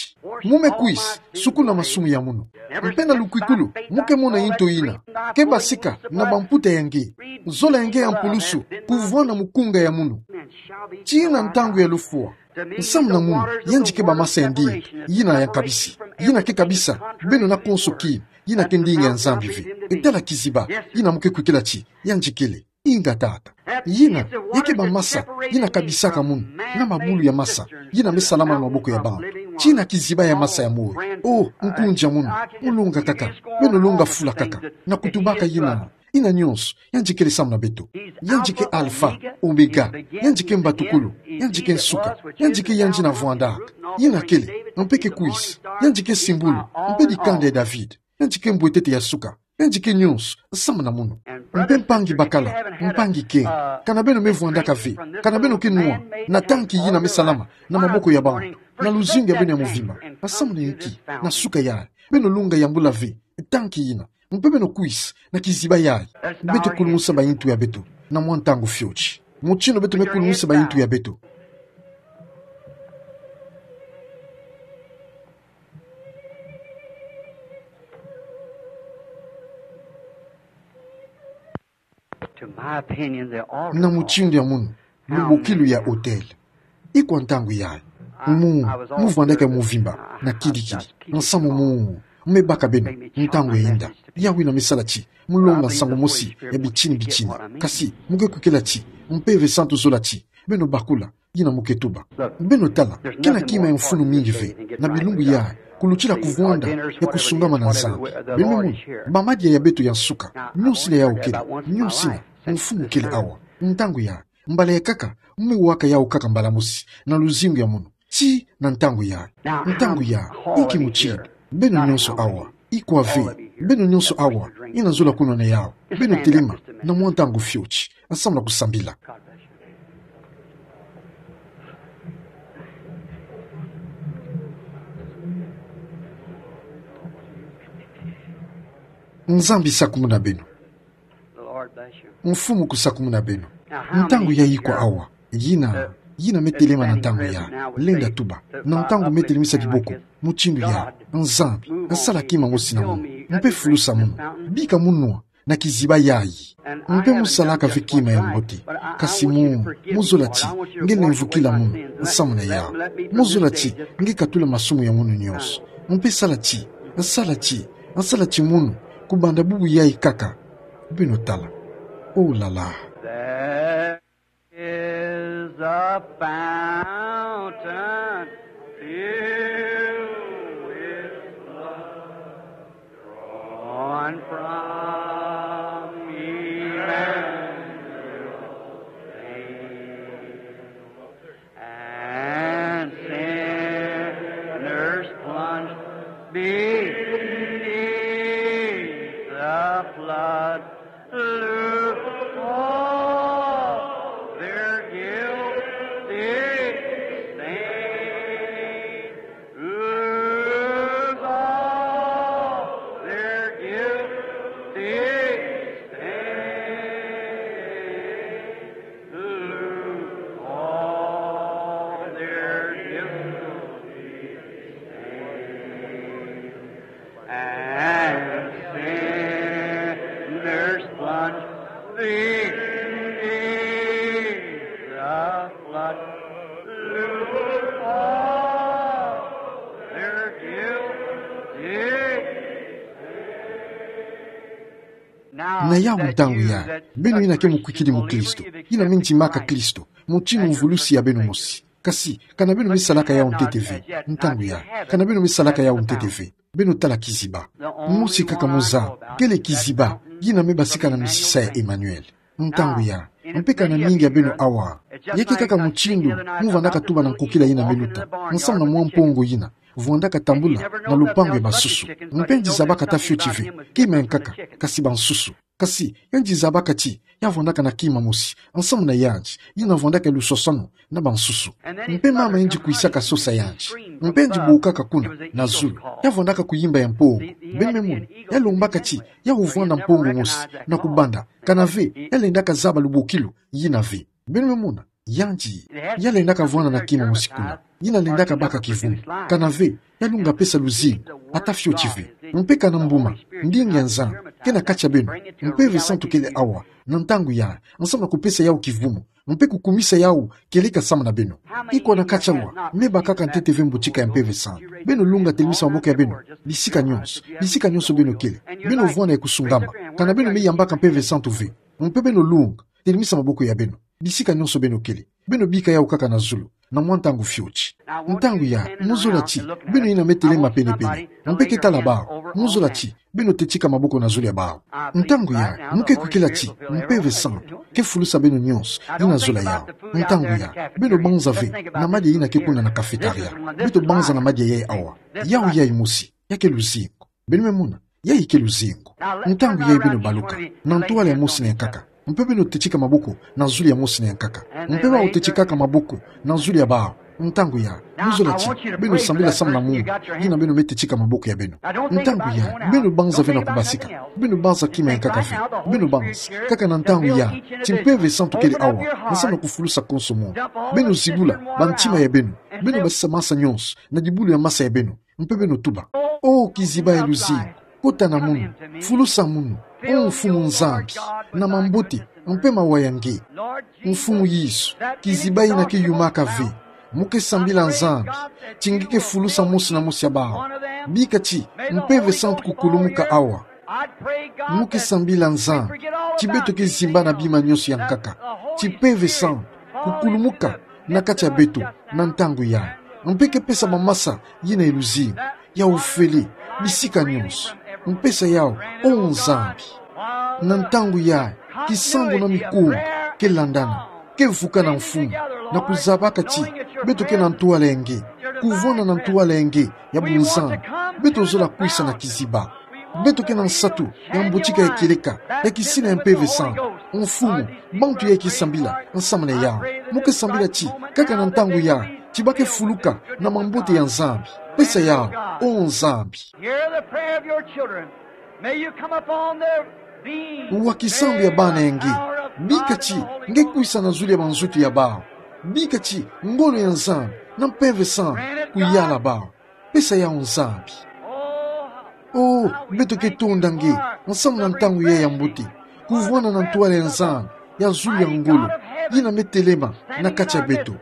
Mu me kwisa, sukuna masumu ya munu. Mpe na lukwikulu, mu ke mona yinto yina. Ke basika, na bamputa ya nge. Zola ya nge ya mpulusu, kuvwanda mukunga ya munu. Tii na ntangu ya lufwa. Nsamu na munu, yandike bamasa ya ndinga. Yina ya nkabisi. Yina ke kabisa, beno na konso kina. Yina ke ndinga ya Nzambi ve. Tala kiziba, yina mu ke kwikila ti, yandikele. Inga tata. Yina, ya ke bamasa, yina kabisaka munu, na mabulu ya masa, yina me salama na maboko ya bawu. Tii na kiziba ya masa ya moyo. O, nkundi ya munu, mu longa kaka, beno longa fula kaka, na kutubaka yina, yina nyonso, yandikele samu na beto. Yandike Alpha, Omega, yandike mbatukulu, yandike nsuka, yandike yandi na vwandaka. Yina kele, mpe ke kwisa, yandike simbulu, mpe dikanda ya David, yandike mbwetete ya suka. Yandike nyonso, samu na munu. Mpe mpangi bakala, mpangi ke, kana beno me vwandaka ve, kana beno ke nwa, na tanki yina me salama, na maboko ya bawu, na luzingu ya beno ya muvimba, samu na inki, na suka yayi, beno longa yambula ve, tanki yina, mpe beno kwisa, na kiziba yayi, beto kulumusa bayintu ya beto, na mwa ntangu fioti. Mutindu beto me kulumusa bayintu ya beto. To my opinion, they all Na mutindu ya munu, lubokilu ya hotel. Ikwa ntangu yayi. Mu, mu vwandaka muvimba, na kidikidi. Nsamu mu, me baka beno, ntangu ya inda. Yawu yina me sala ti, mu longa nsangu mosi, ya bitini bitini. Kasi, mu ke kwikila ti, mpeve santu zola ti, beno bakula, yina mu ke tuba. Beno tala, kena kima ya mfunu mingi ve, na bilumbu yayi, kulutila kuvwanda, ya kusungamana na Nzambi. Beno mona, bamadia ya beto ya nsuka, nyonsina yawu kele, nyonsina, mfunu kele awa, ntangu yayi, mbala ya nkaka, mu me waka yawu kaka mbala mosi, na luzingu ya munu, tii na ntangu yayi, ntangu yayi, inki mutindu, beno nyonso awa, ikwa ve, beno nyonso awa, yina zola kunwana yawu, beno telema, na mwa ntangu fioti, samu na kusambila. Nzambi sakumuna beno. Mfumu kusakumuna beno. Ntangu yayi ikwa awa, yina, yina me telema na ntangu yayi, lenda tuba, na ntangu me telemisa kiboko, mutindu yayi, Nzambi, sala kima mosi na munu, mpe fulusa munu, bika mu nwa, na kiziba yayi. Mpe mu salaka ve kima ya mbote. Kasi mu, mu zola ti, nge lemvukila munu, nsamu na yawu. Mu zola ti, nge katula masumu ya munu nyonso. Mpe sala ti, sala ti, sala ti munu, kubanda bubu yayi kaka. Beno tala. Oh là là. There is a fountain filled with blood. Drawn from Emmanuel's vein, and sinners plunged beneath the flood lose all their guilty stain. Lose all their guilty stain. Lose all their guilty stain. And sinners plunged Na yawu ntangu ya, beno yina ke mukwikidi mukristo, yina me ndimaka Kristo, motinu mvulusi ya beno mosi. Kasi, ka na beno me salaka yawu ntete ve, ntangu ya, ka na beno me salaka yawu ntete ve, beno tala kiziba. Mosi kaka mozaba, kele kiziba, yina me basika na misisa ya Emmanuel. Ntangu ya, mpe ka na mingi ya beno awa. Ya ke kaka mutindu mu vandaka tuba na nkokila yina me luta, nsamu na mwa mpongo yina vwandaka tambula na lupangu ya bansusu. Mpe ndizabaka ata fioti ve kima ya nkaka, kasi bansusu. Kasi, ya ndizabaka ti ya vwandaka na kima mosi, nsamu na yandi, yina vwandaka lusosanu na bansusu. Mpe mama yandi kwisaka sosa yandi. Mpe yandi bokaka kuna na zulu, ya vwandaka kuyimba ya mpongo. Beno me mona, ya lombaka ti ya vwanda mpongo mosi, na kubanda, ka na ve, ya lendaka zaba lubokilo yina ve. Beno me mona, yandi, ya lendaka vwanda na kima mosi kuna, yina lendaka baka kivumu. Ka na ve, ya lunga pesa luzingu, ata fioti ve. Mpe ka na mbuma, ndinga ya Nzambi ke na kati ya beno, Mpeve Santu kele awa, na ntangu ya, nsamu na kupesa yawu kivumu, mpe kukumisa yawu kieleka nsamu na beno. Iko na kati awa me bakaka ntete ve mbotika ya Mpeve Santu? Beno lunga, telemisa maboko ya beno bisika nyonso, bisika nyonso beno kele. Beno vwanda ya kusungama, ka na beno me yambaka Mpeve Santu ve. Mpe beno lunga, telemisa maboko ya beno bisika nyonso beno kele. Beno bika yawu kaka na zulu, na mwa ntangu fioti. Ntangu ya, mozola ti beno yina me telema penepene, mpe ke tala bawu, mozola ti beno tetika maboko na zulu ya bawu. Ntangu ya, mu ke kwikila ti Mpeve Santu ke fulusa beno nyonso yina zola yawu. Ntangu ya, beno banza ve na madia yina ke kuna na cafétéria. Beto banza na madia yayi awa. Yawu yayi mosi, ya ke luzingu. Beno me mona, yayi ke luzingu. Ntangu yayi beno baluka na ntwala ya mosi na ya nkaka, mpe beno tetika maboko na zulu ya mosi na ya nkaka. Mpe bawu tetikaka maboko na zulu ya bawu. Ntangu ya, mozola ti beno sambila nsamu na munu yina beno me tetika maboko ya beno. Ntangu ya, beno banza ve na kubasika, beno banza kima ya nkaka ve. Beno banza kaka na ntangu ya ti Mpeve Santu kele awa, nsamu na kufulusa konso munu. Beno zibula bantima ya beno, beno basisa masa nyonso na dibulu ya masa ya beno, mpe beno tuba: O kiziba ya luzingu, kota na munu, fulusa munu, O Mfumu Nzambi, na mambote mpe mawa ya nge. Mfumu Yesu, kiziba yina ke yumaka ve, mu ke sambila Nzambi ti nge ke fulusa mosi na mosi ya bawu. Bika ti Mpeve Santu kukulumuka awa. Mu ke sambila Nzambi ti beto ke zimba na bima nyonso ya nkaka, ti Mpeve Santu kukulumuka na kati ya beto na ntangu yayi, mpe ke pesa bamasa yina ya luzingu, ya ofele, bisika nyonso. Mpesa yawu, O Nzambi. Na ntangu yayi, kisambu na mikunga ke landana, ke vuka na Mfumu, na kuzabaka ti beto ke na ntwala ya nge, kuvwanda na ntwala ya nge ya bunzambi. Beto zola kwisa na kiziba. Beto ke na nsatu ya mbotika ya kieleka, ya kisina ya Mpeve Santu. Mfumu, bantu yayi ke sambila nsamu na yawu. Mu ke sambila ti kaka na ntangu yayi, ti ba ke fuluka na mambote ya Nzambi. Pesa yawu, O Nzambi. Hear the prayer of your children. May you come upon their being. Wa kisambu ya bana ya nge. Bika ti nge kwisa na zulu ya banzoto ya bawu. Bika ti ngolo ya Nzambi na Mpeve Santu kuyala bawu. Pesa yawu, Nzambi. O, beto ke tonda nge nsamu na ntangu yayi ya mbote, kuvwanda na ntwala ya Nzambi ya zulu ya ngolo, yina me telema na kati ya beto.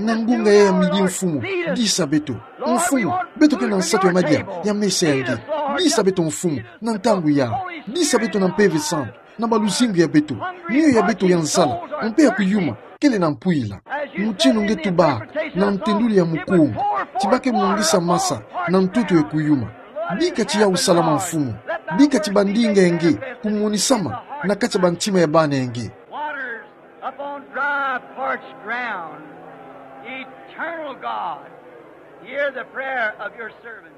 Na ngunga yayi ya midi, Mfumu, disa beto. Mfumu, beto ke na nsatu ya madia ya mesa ya nge. Disa beto, Mfumu, na ntangu yayi. Disa beto na Mpeve Santu, na baluzingu ya beto, miyo ya beto ya nzala mpe ya kuyuma kele na mpwila. Motinu nge tubaka na ntendulu ya mukunga, ti ba ke mongisa masa na ntoto ya kuyuma. Bika ti yawu salama, Mfumu. Bika ti bandinga ya nge kumonisama na kati ya bantima ya bana ya nge. Waters upon dry, parched ground. Eternal God, hear the prayer of your servant,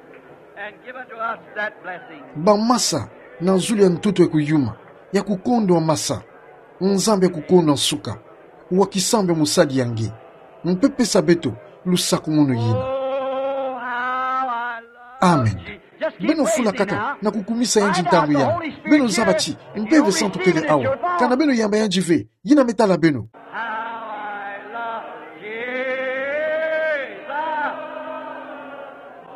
and give unto us that blessing. Bamasa na zulu ya ntoto ya kuyuma, ya kukondwa masa. Nzambi ya kukondwa nsuka, wa kisambu ya mosadi ya nge, mpe pesa beto lusakumunu yina. Oh, how I love Amen. Jesus. Just keep praising now. Beno fula kaka na kukumisa yandi ntangu yayi. Beno zaba ti Mpeve Santu kele awa. Kana beno yamba yandi ve, yina me tala beno. How I love Jesus.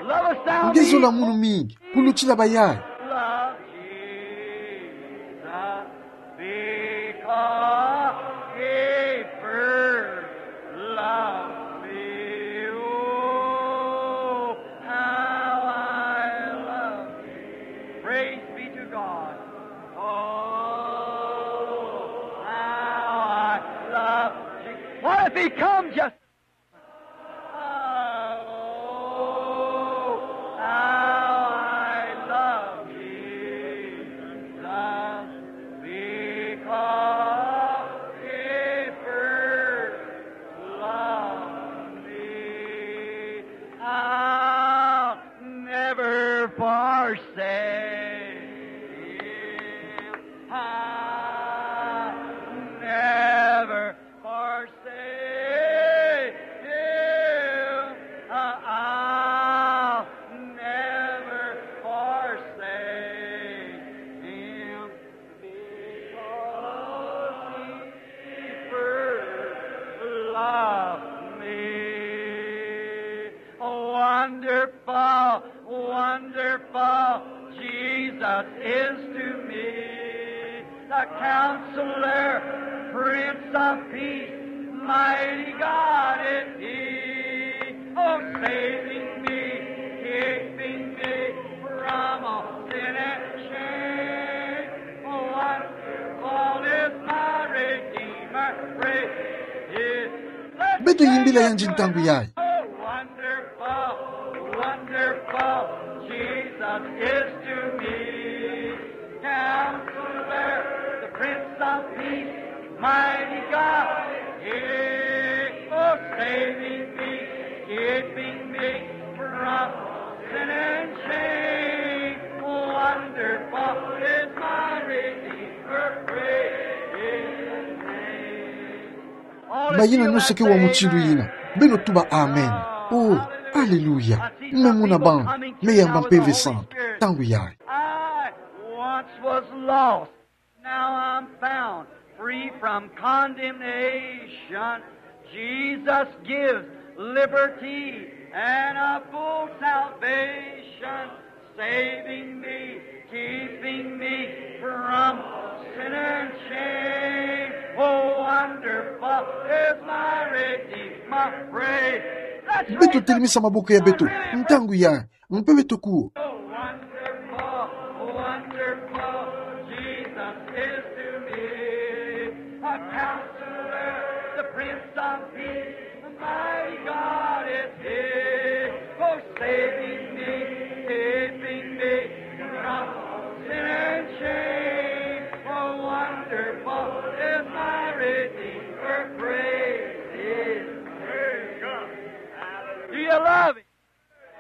Love us down. Nge zola munu mingi kulutila bayayi. Love Jesus because he first loved me. Oh, how I love thee. Praise be to God. Oh, Become just. Oh, how I love Jesus, because he first loved me. I'll never forsake him. I'll never forsake him. I'll never forsake him, because he first loved me. Wonderful, wonderful Jesus is to me, the Counselor, Prince of Peace, mighty God is he. Oh, saving me, keeping me from all sin and shame. Oh, wonderful is my Redeemer, praise his Beto yimbila yandi ntangu yayi. Oh, wonderful, wonderful Jesus is to me. Counselor, the Prince of Peace, mighty God, he, oh, saving me, keeping me from sin and shame. Wonderful is my Redeemer, praise his name. Bayina nyonso ke wa mutindu yina, beno tuba amen. Oh, aleluya. Mme muna bang, mme yamba Mpeve Santu ntangu yayi. I once was lost, now I'm found, free from condemnation. Jesus gives liberty and a full salvation, saving me, keeping me from sin and shame. Oh, wonderful is my Redeemer, praise. Beto telimisa maboko ya beto ntangu yayi, mpe beto kuo. Oh, wonderful, wonderful Jesus is to me, a Counselor, the Prince of Peace, mighty God is he, oh, saving me, keeping me from sin and shame. Oh, wonderful is my Redeemer, praise his name. Do you love him?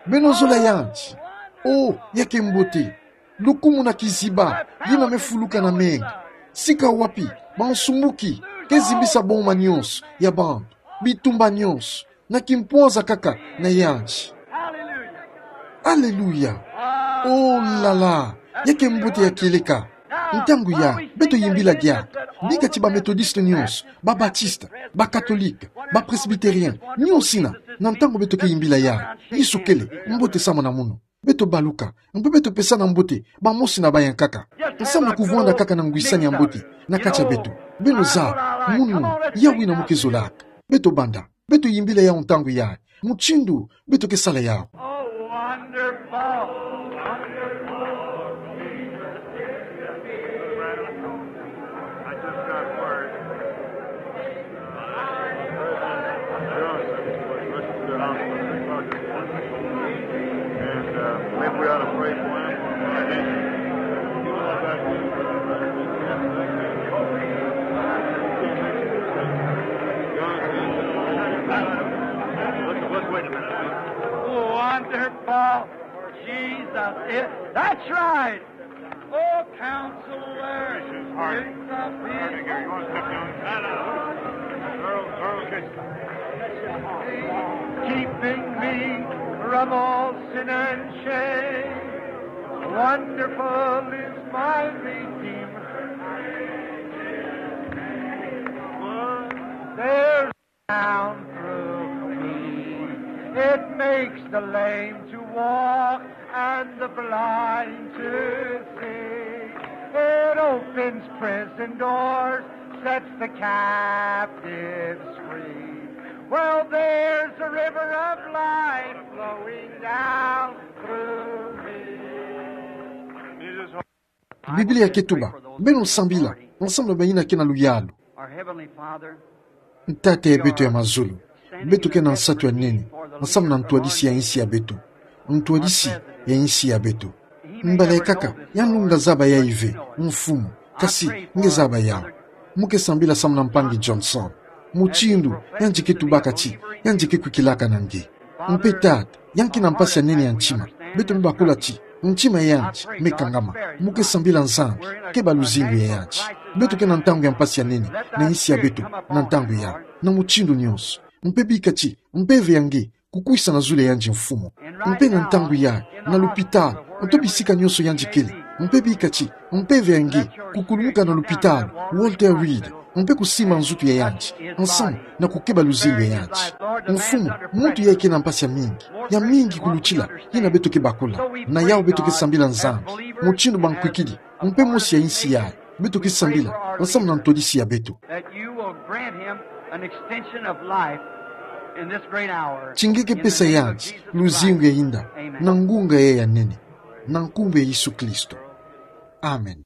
Beno zola yandi? Oh, ya ke mbote. Lukumu na kiziba, yina me fuluka na menga. Sika wapi bansumuki ke zimbisa boma nyonso ya bantu, bitumba nyonso, na kimpwanza kaka na yandi. Aleluya. Oh la la. Ya ke mbote ya kieleka. Ntangu yayi, beto yimbila diaka. Bika ti ba Methodiste nyonso, ba Batiste, ba Catholique, ba Presbytérien, nyonsina, na ntangu beto ke yimbila yayi, Yesu kele, mbote samu na munu. Beto baluka, mpe beto pesana mbote bamosi na bayankaka. Nsamu kuvwanda kaka na ngwisani ya mbote na kati ya beto. Beno zaba munu, yawu yina mo ke zolaka. Beto banda, beto yimbila yawu ntangu yayi, mutindu beto ke sala yawu. Oh, wonderful, wonderful. I just got word. President Johnson was listening to the hospital. And, uh, maybe we ought to pray for him. Johnson. Let's, let's wait a minute. Wonderful Jesus is. That's right. Oh, Counselor, Prince of Peace. Earl, Earl, keeping me from all sin and shame. Wonderful is my Redeemer. There's down through me. It makes the lame to walk and the blind to see. It opens prison doors, sets the captives free. Well, there's a river of life flowing down through me. Biblia ke tuba, beno sambila, ensemble na bayina ke na luyalu. Our Heavenly Father, Tata ya beto ya mazulu, beto kena nsatu ya nene, nsamu na ntwadisi ya insi ya beto. Ntwadisi ya insi ya beto. Mbala ekaka, ya nunga zaba ya ive, mfumu, kasi, nge zaba yawe. Mo ke sambila samu na Mpangi Johnson. Mutindu, ya njike tubaka ti, ya njike kwikilaka na nge. Mpe Tata, ya nki na mpasi ya nene ya ntima, beto me bakula ti, ntima ya yanti, me kangama, mo ke sambila Nzambi, keba luzingu ya yanti. Beto kena ntangu ya mpasi ya nene, na insi ya beto, na ntangu ya. Na mutindu nyonso. Mpe bika ti, mpeve ya nge, kukwisa na zulu ya yandi mfumu. Mpe na ntangu ya, na lupitalu, nto bisika nyonso yandi kele. Mpe bika ti, mpeve ya nge, kukulumuka na lupitalu, Walter Reed, mpe kusimba nzutu ya yandi, nsamu, na kukeba luzingu ya yanti. Mfumu, muntu ya kena mpasi ya mingi, ya mingi kulutila, yina beto ke bakula, na yawu beto ke sambila Nzambi, mutindu ba nkwikidi, mpe mosi ya insi yayi, beto ke sambila, nsamu na ntwadisi ya beto. That you will grant him an extension of life in this great hour. Ti nge ke pesa yandi, luzingu ya inda, na ngunga yayi ya nene, na nkumbu ya Yesu Kristo. Amen.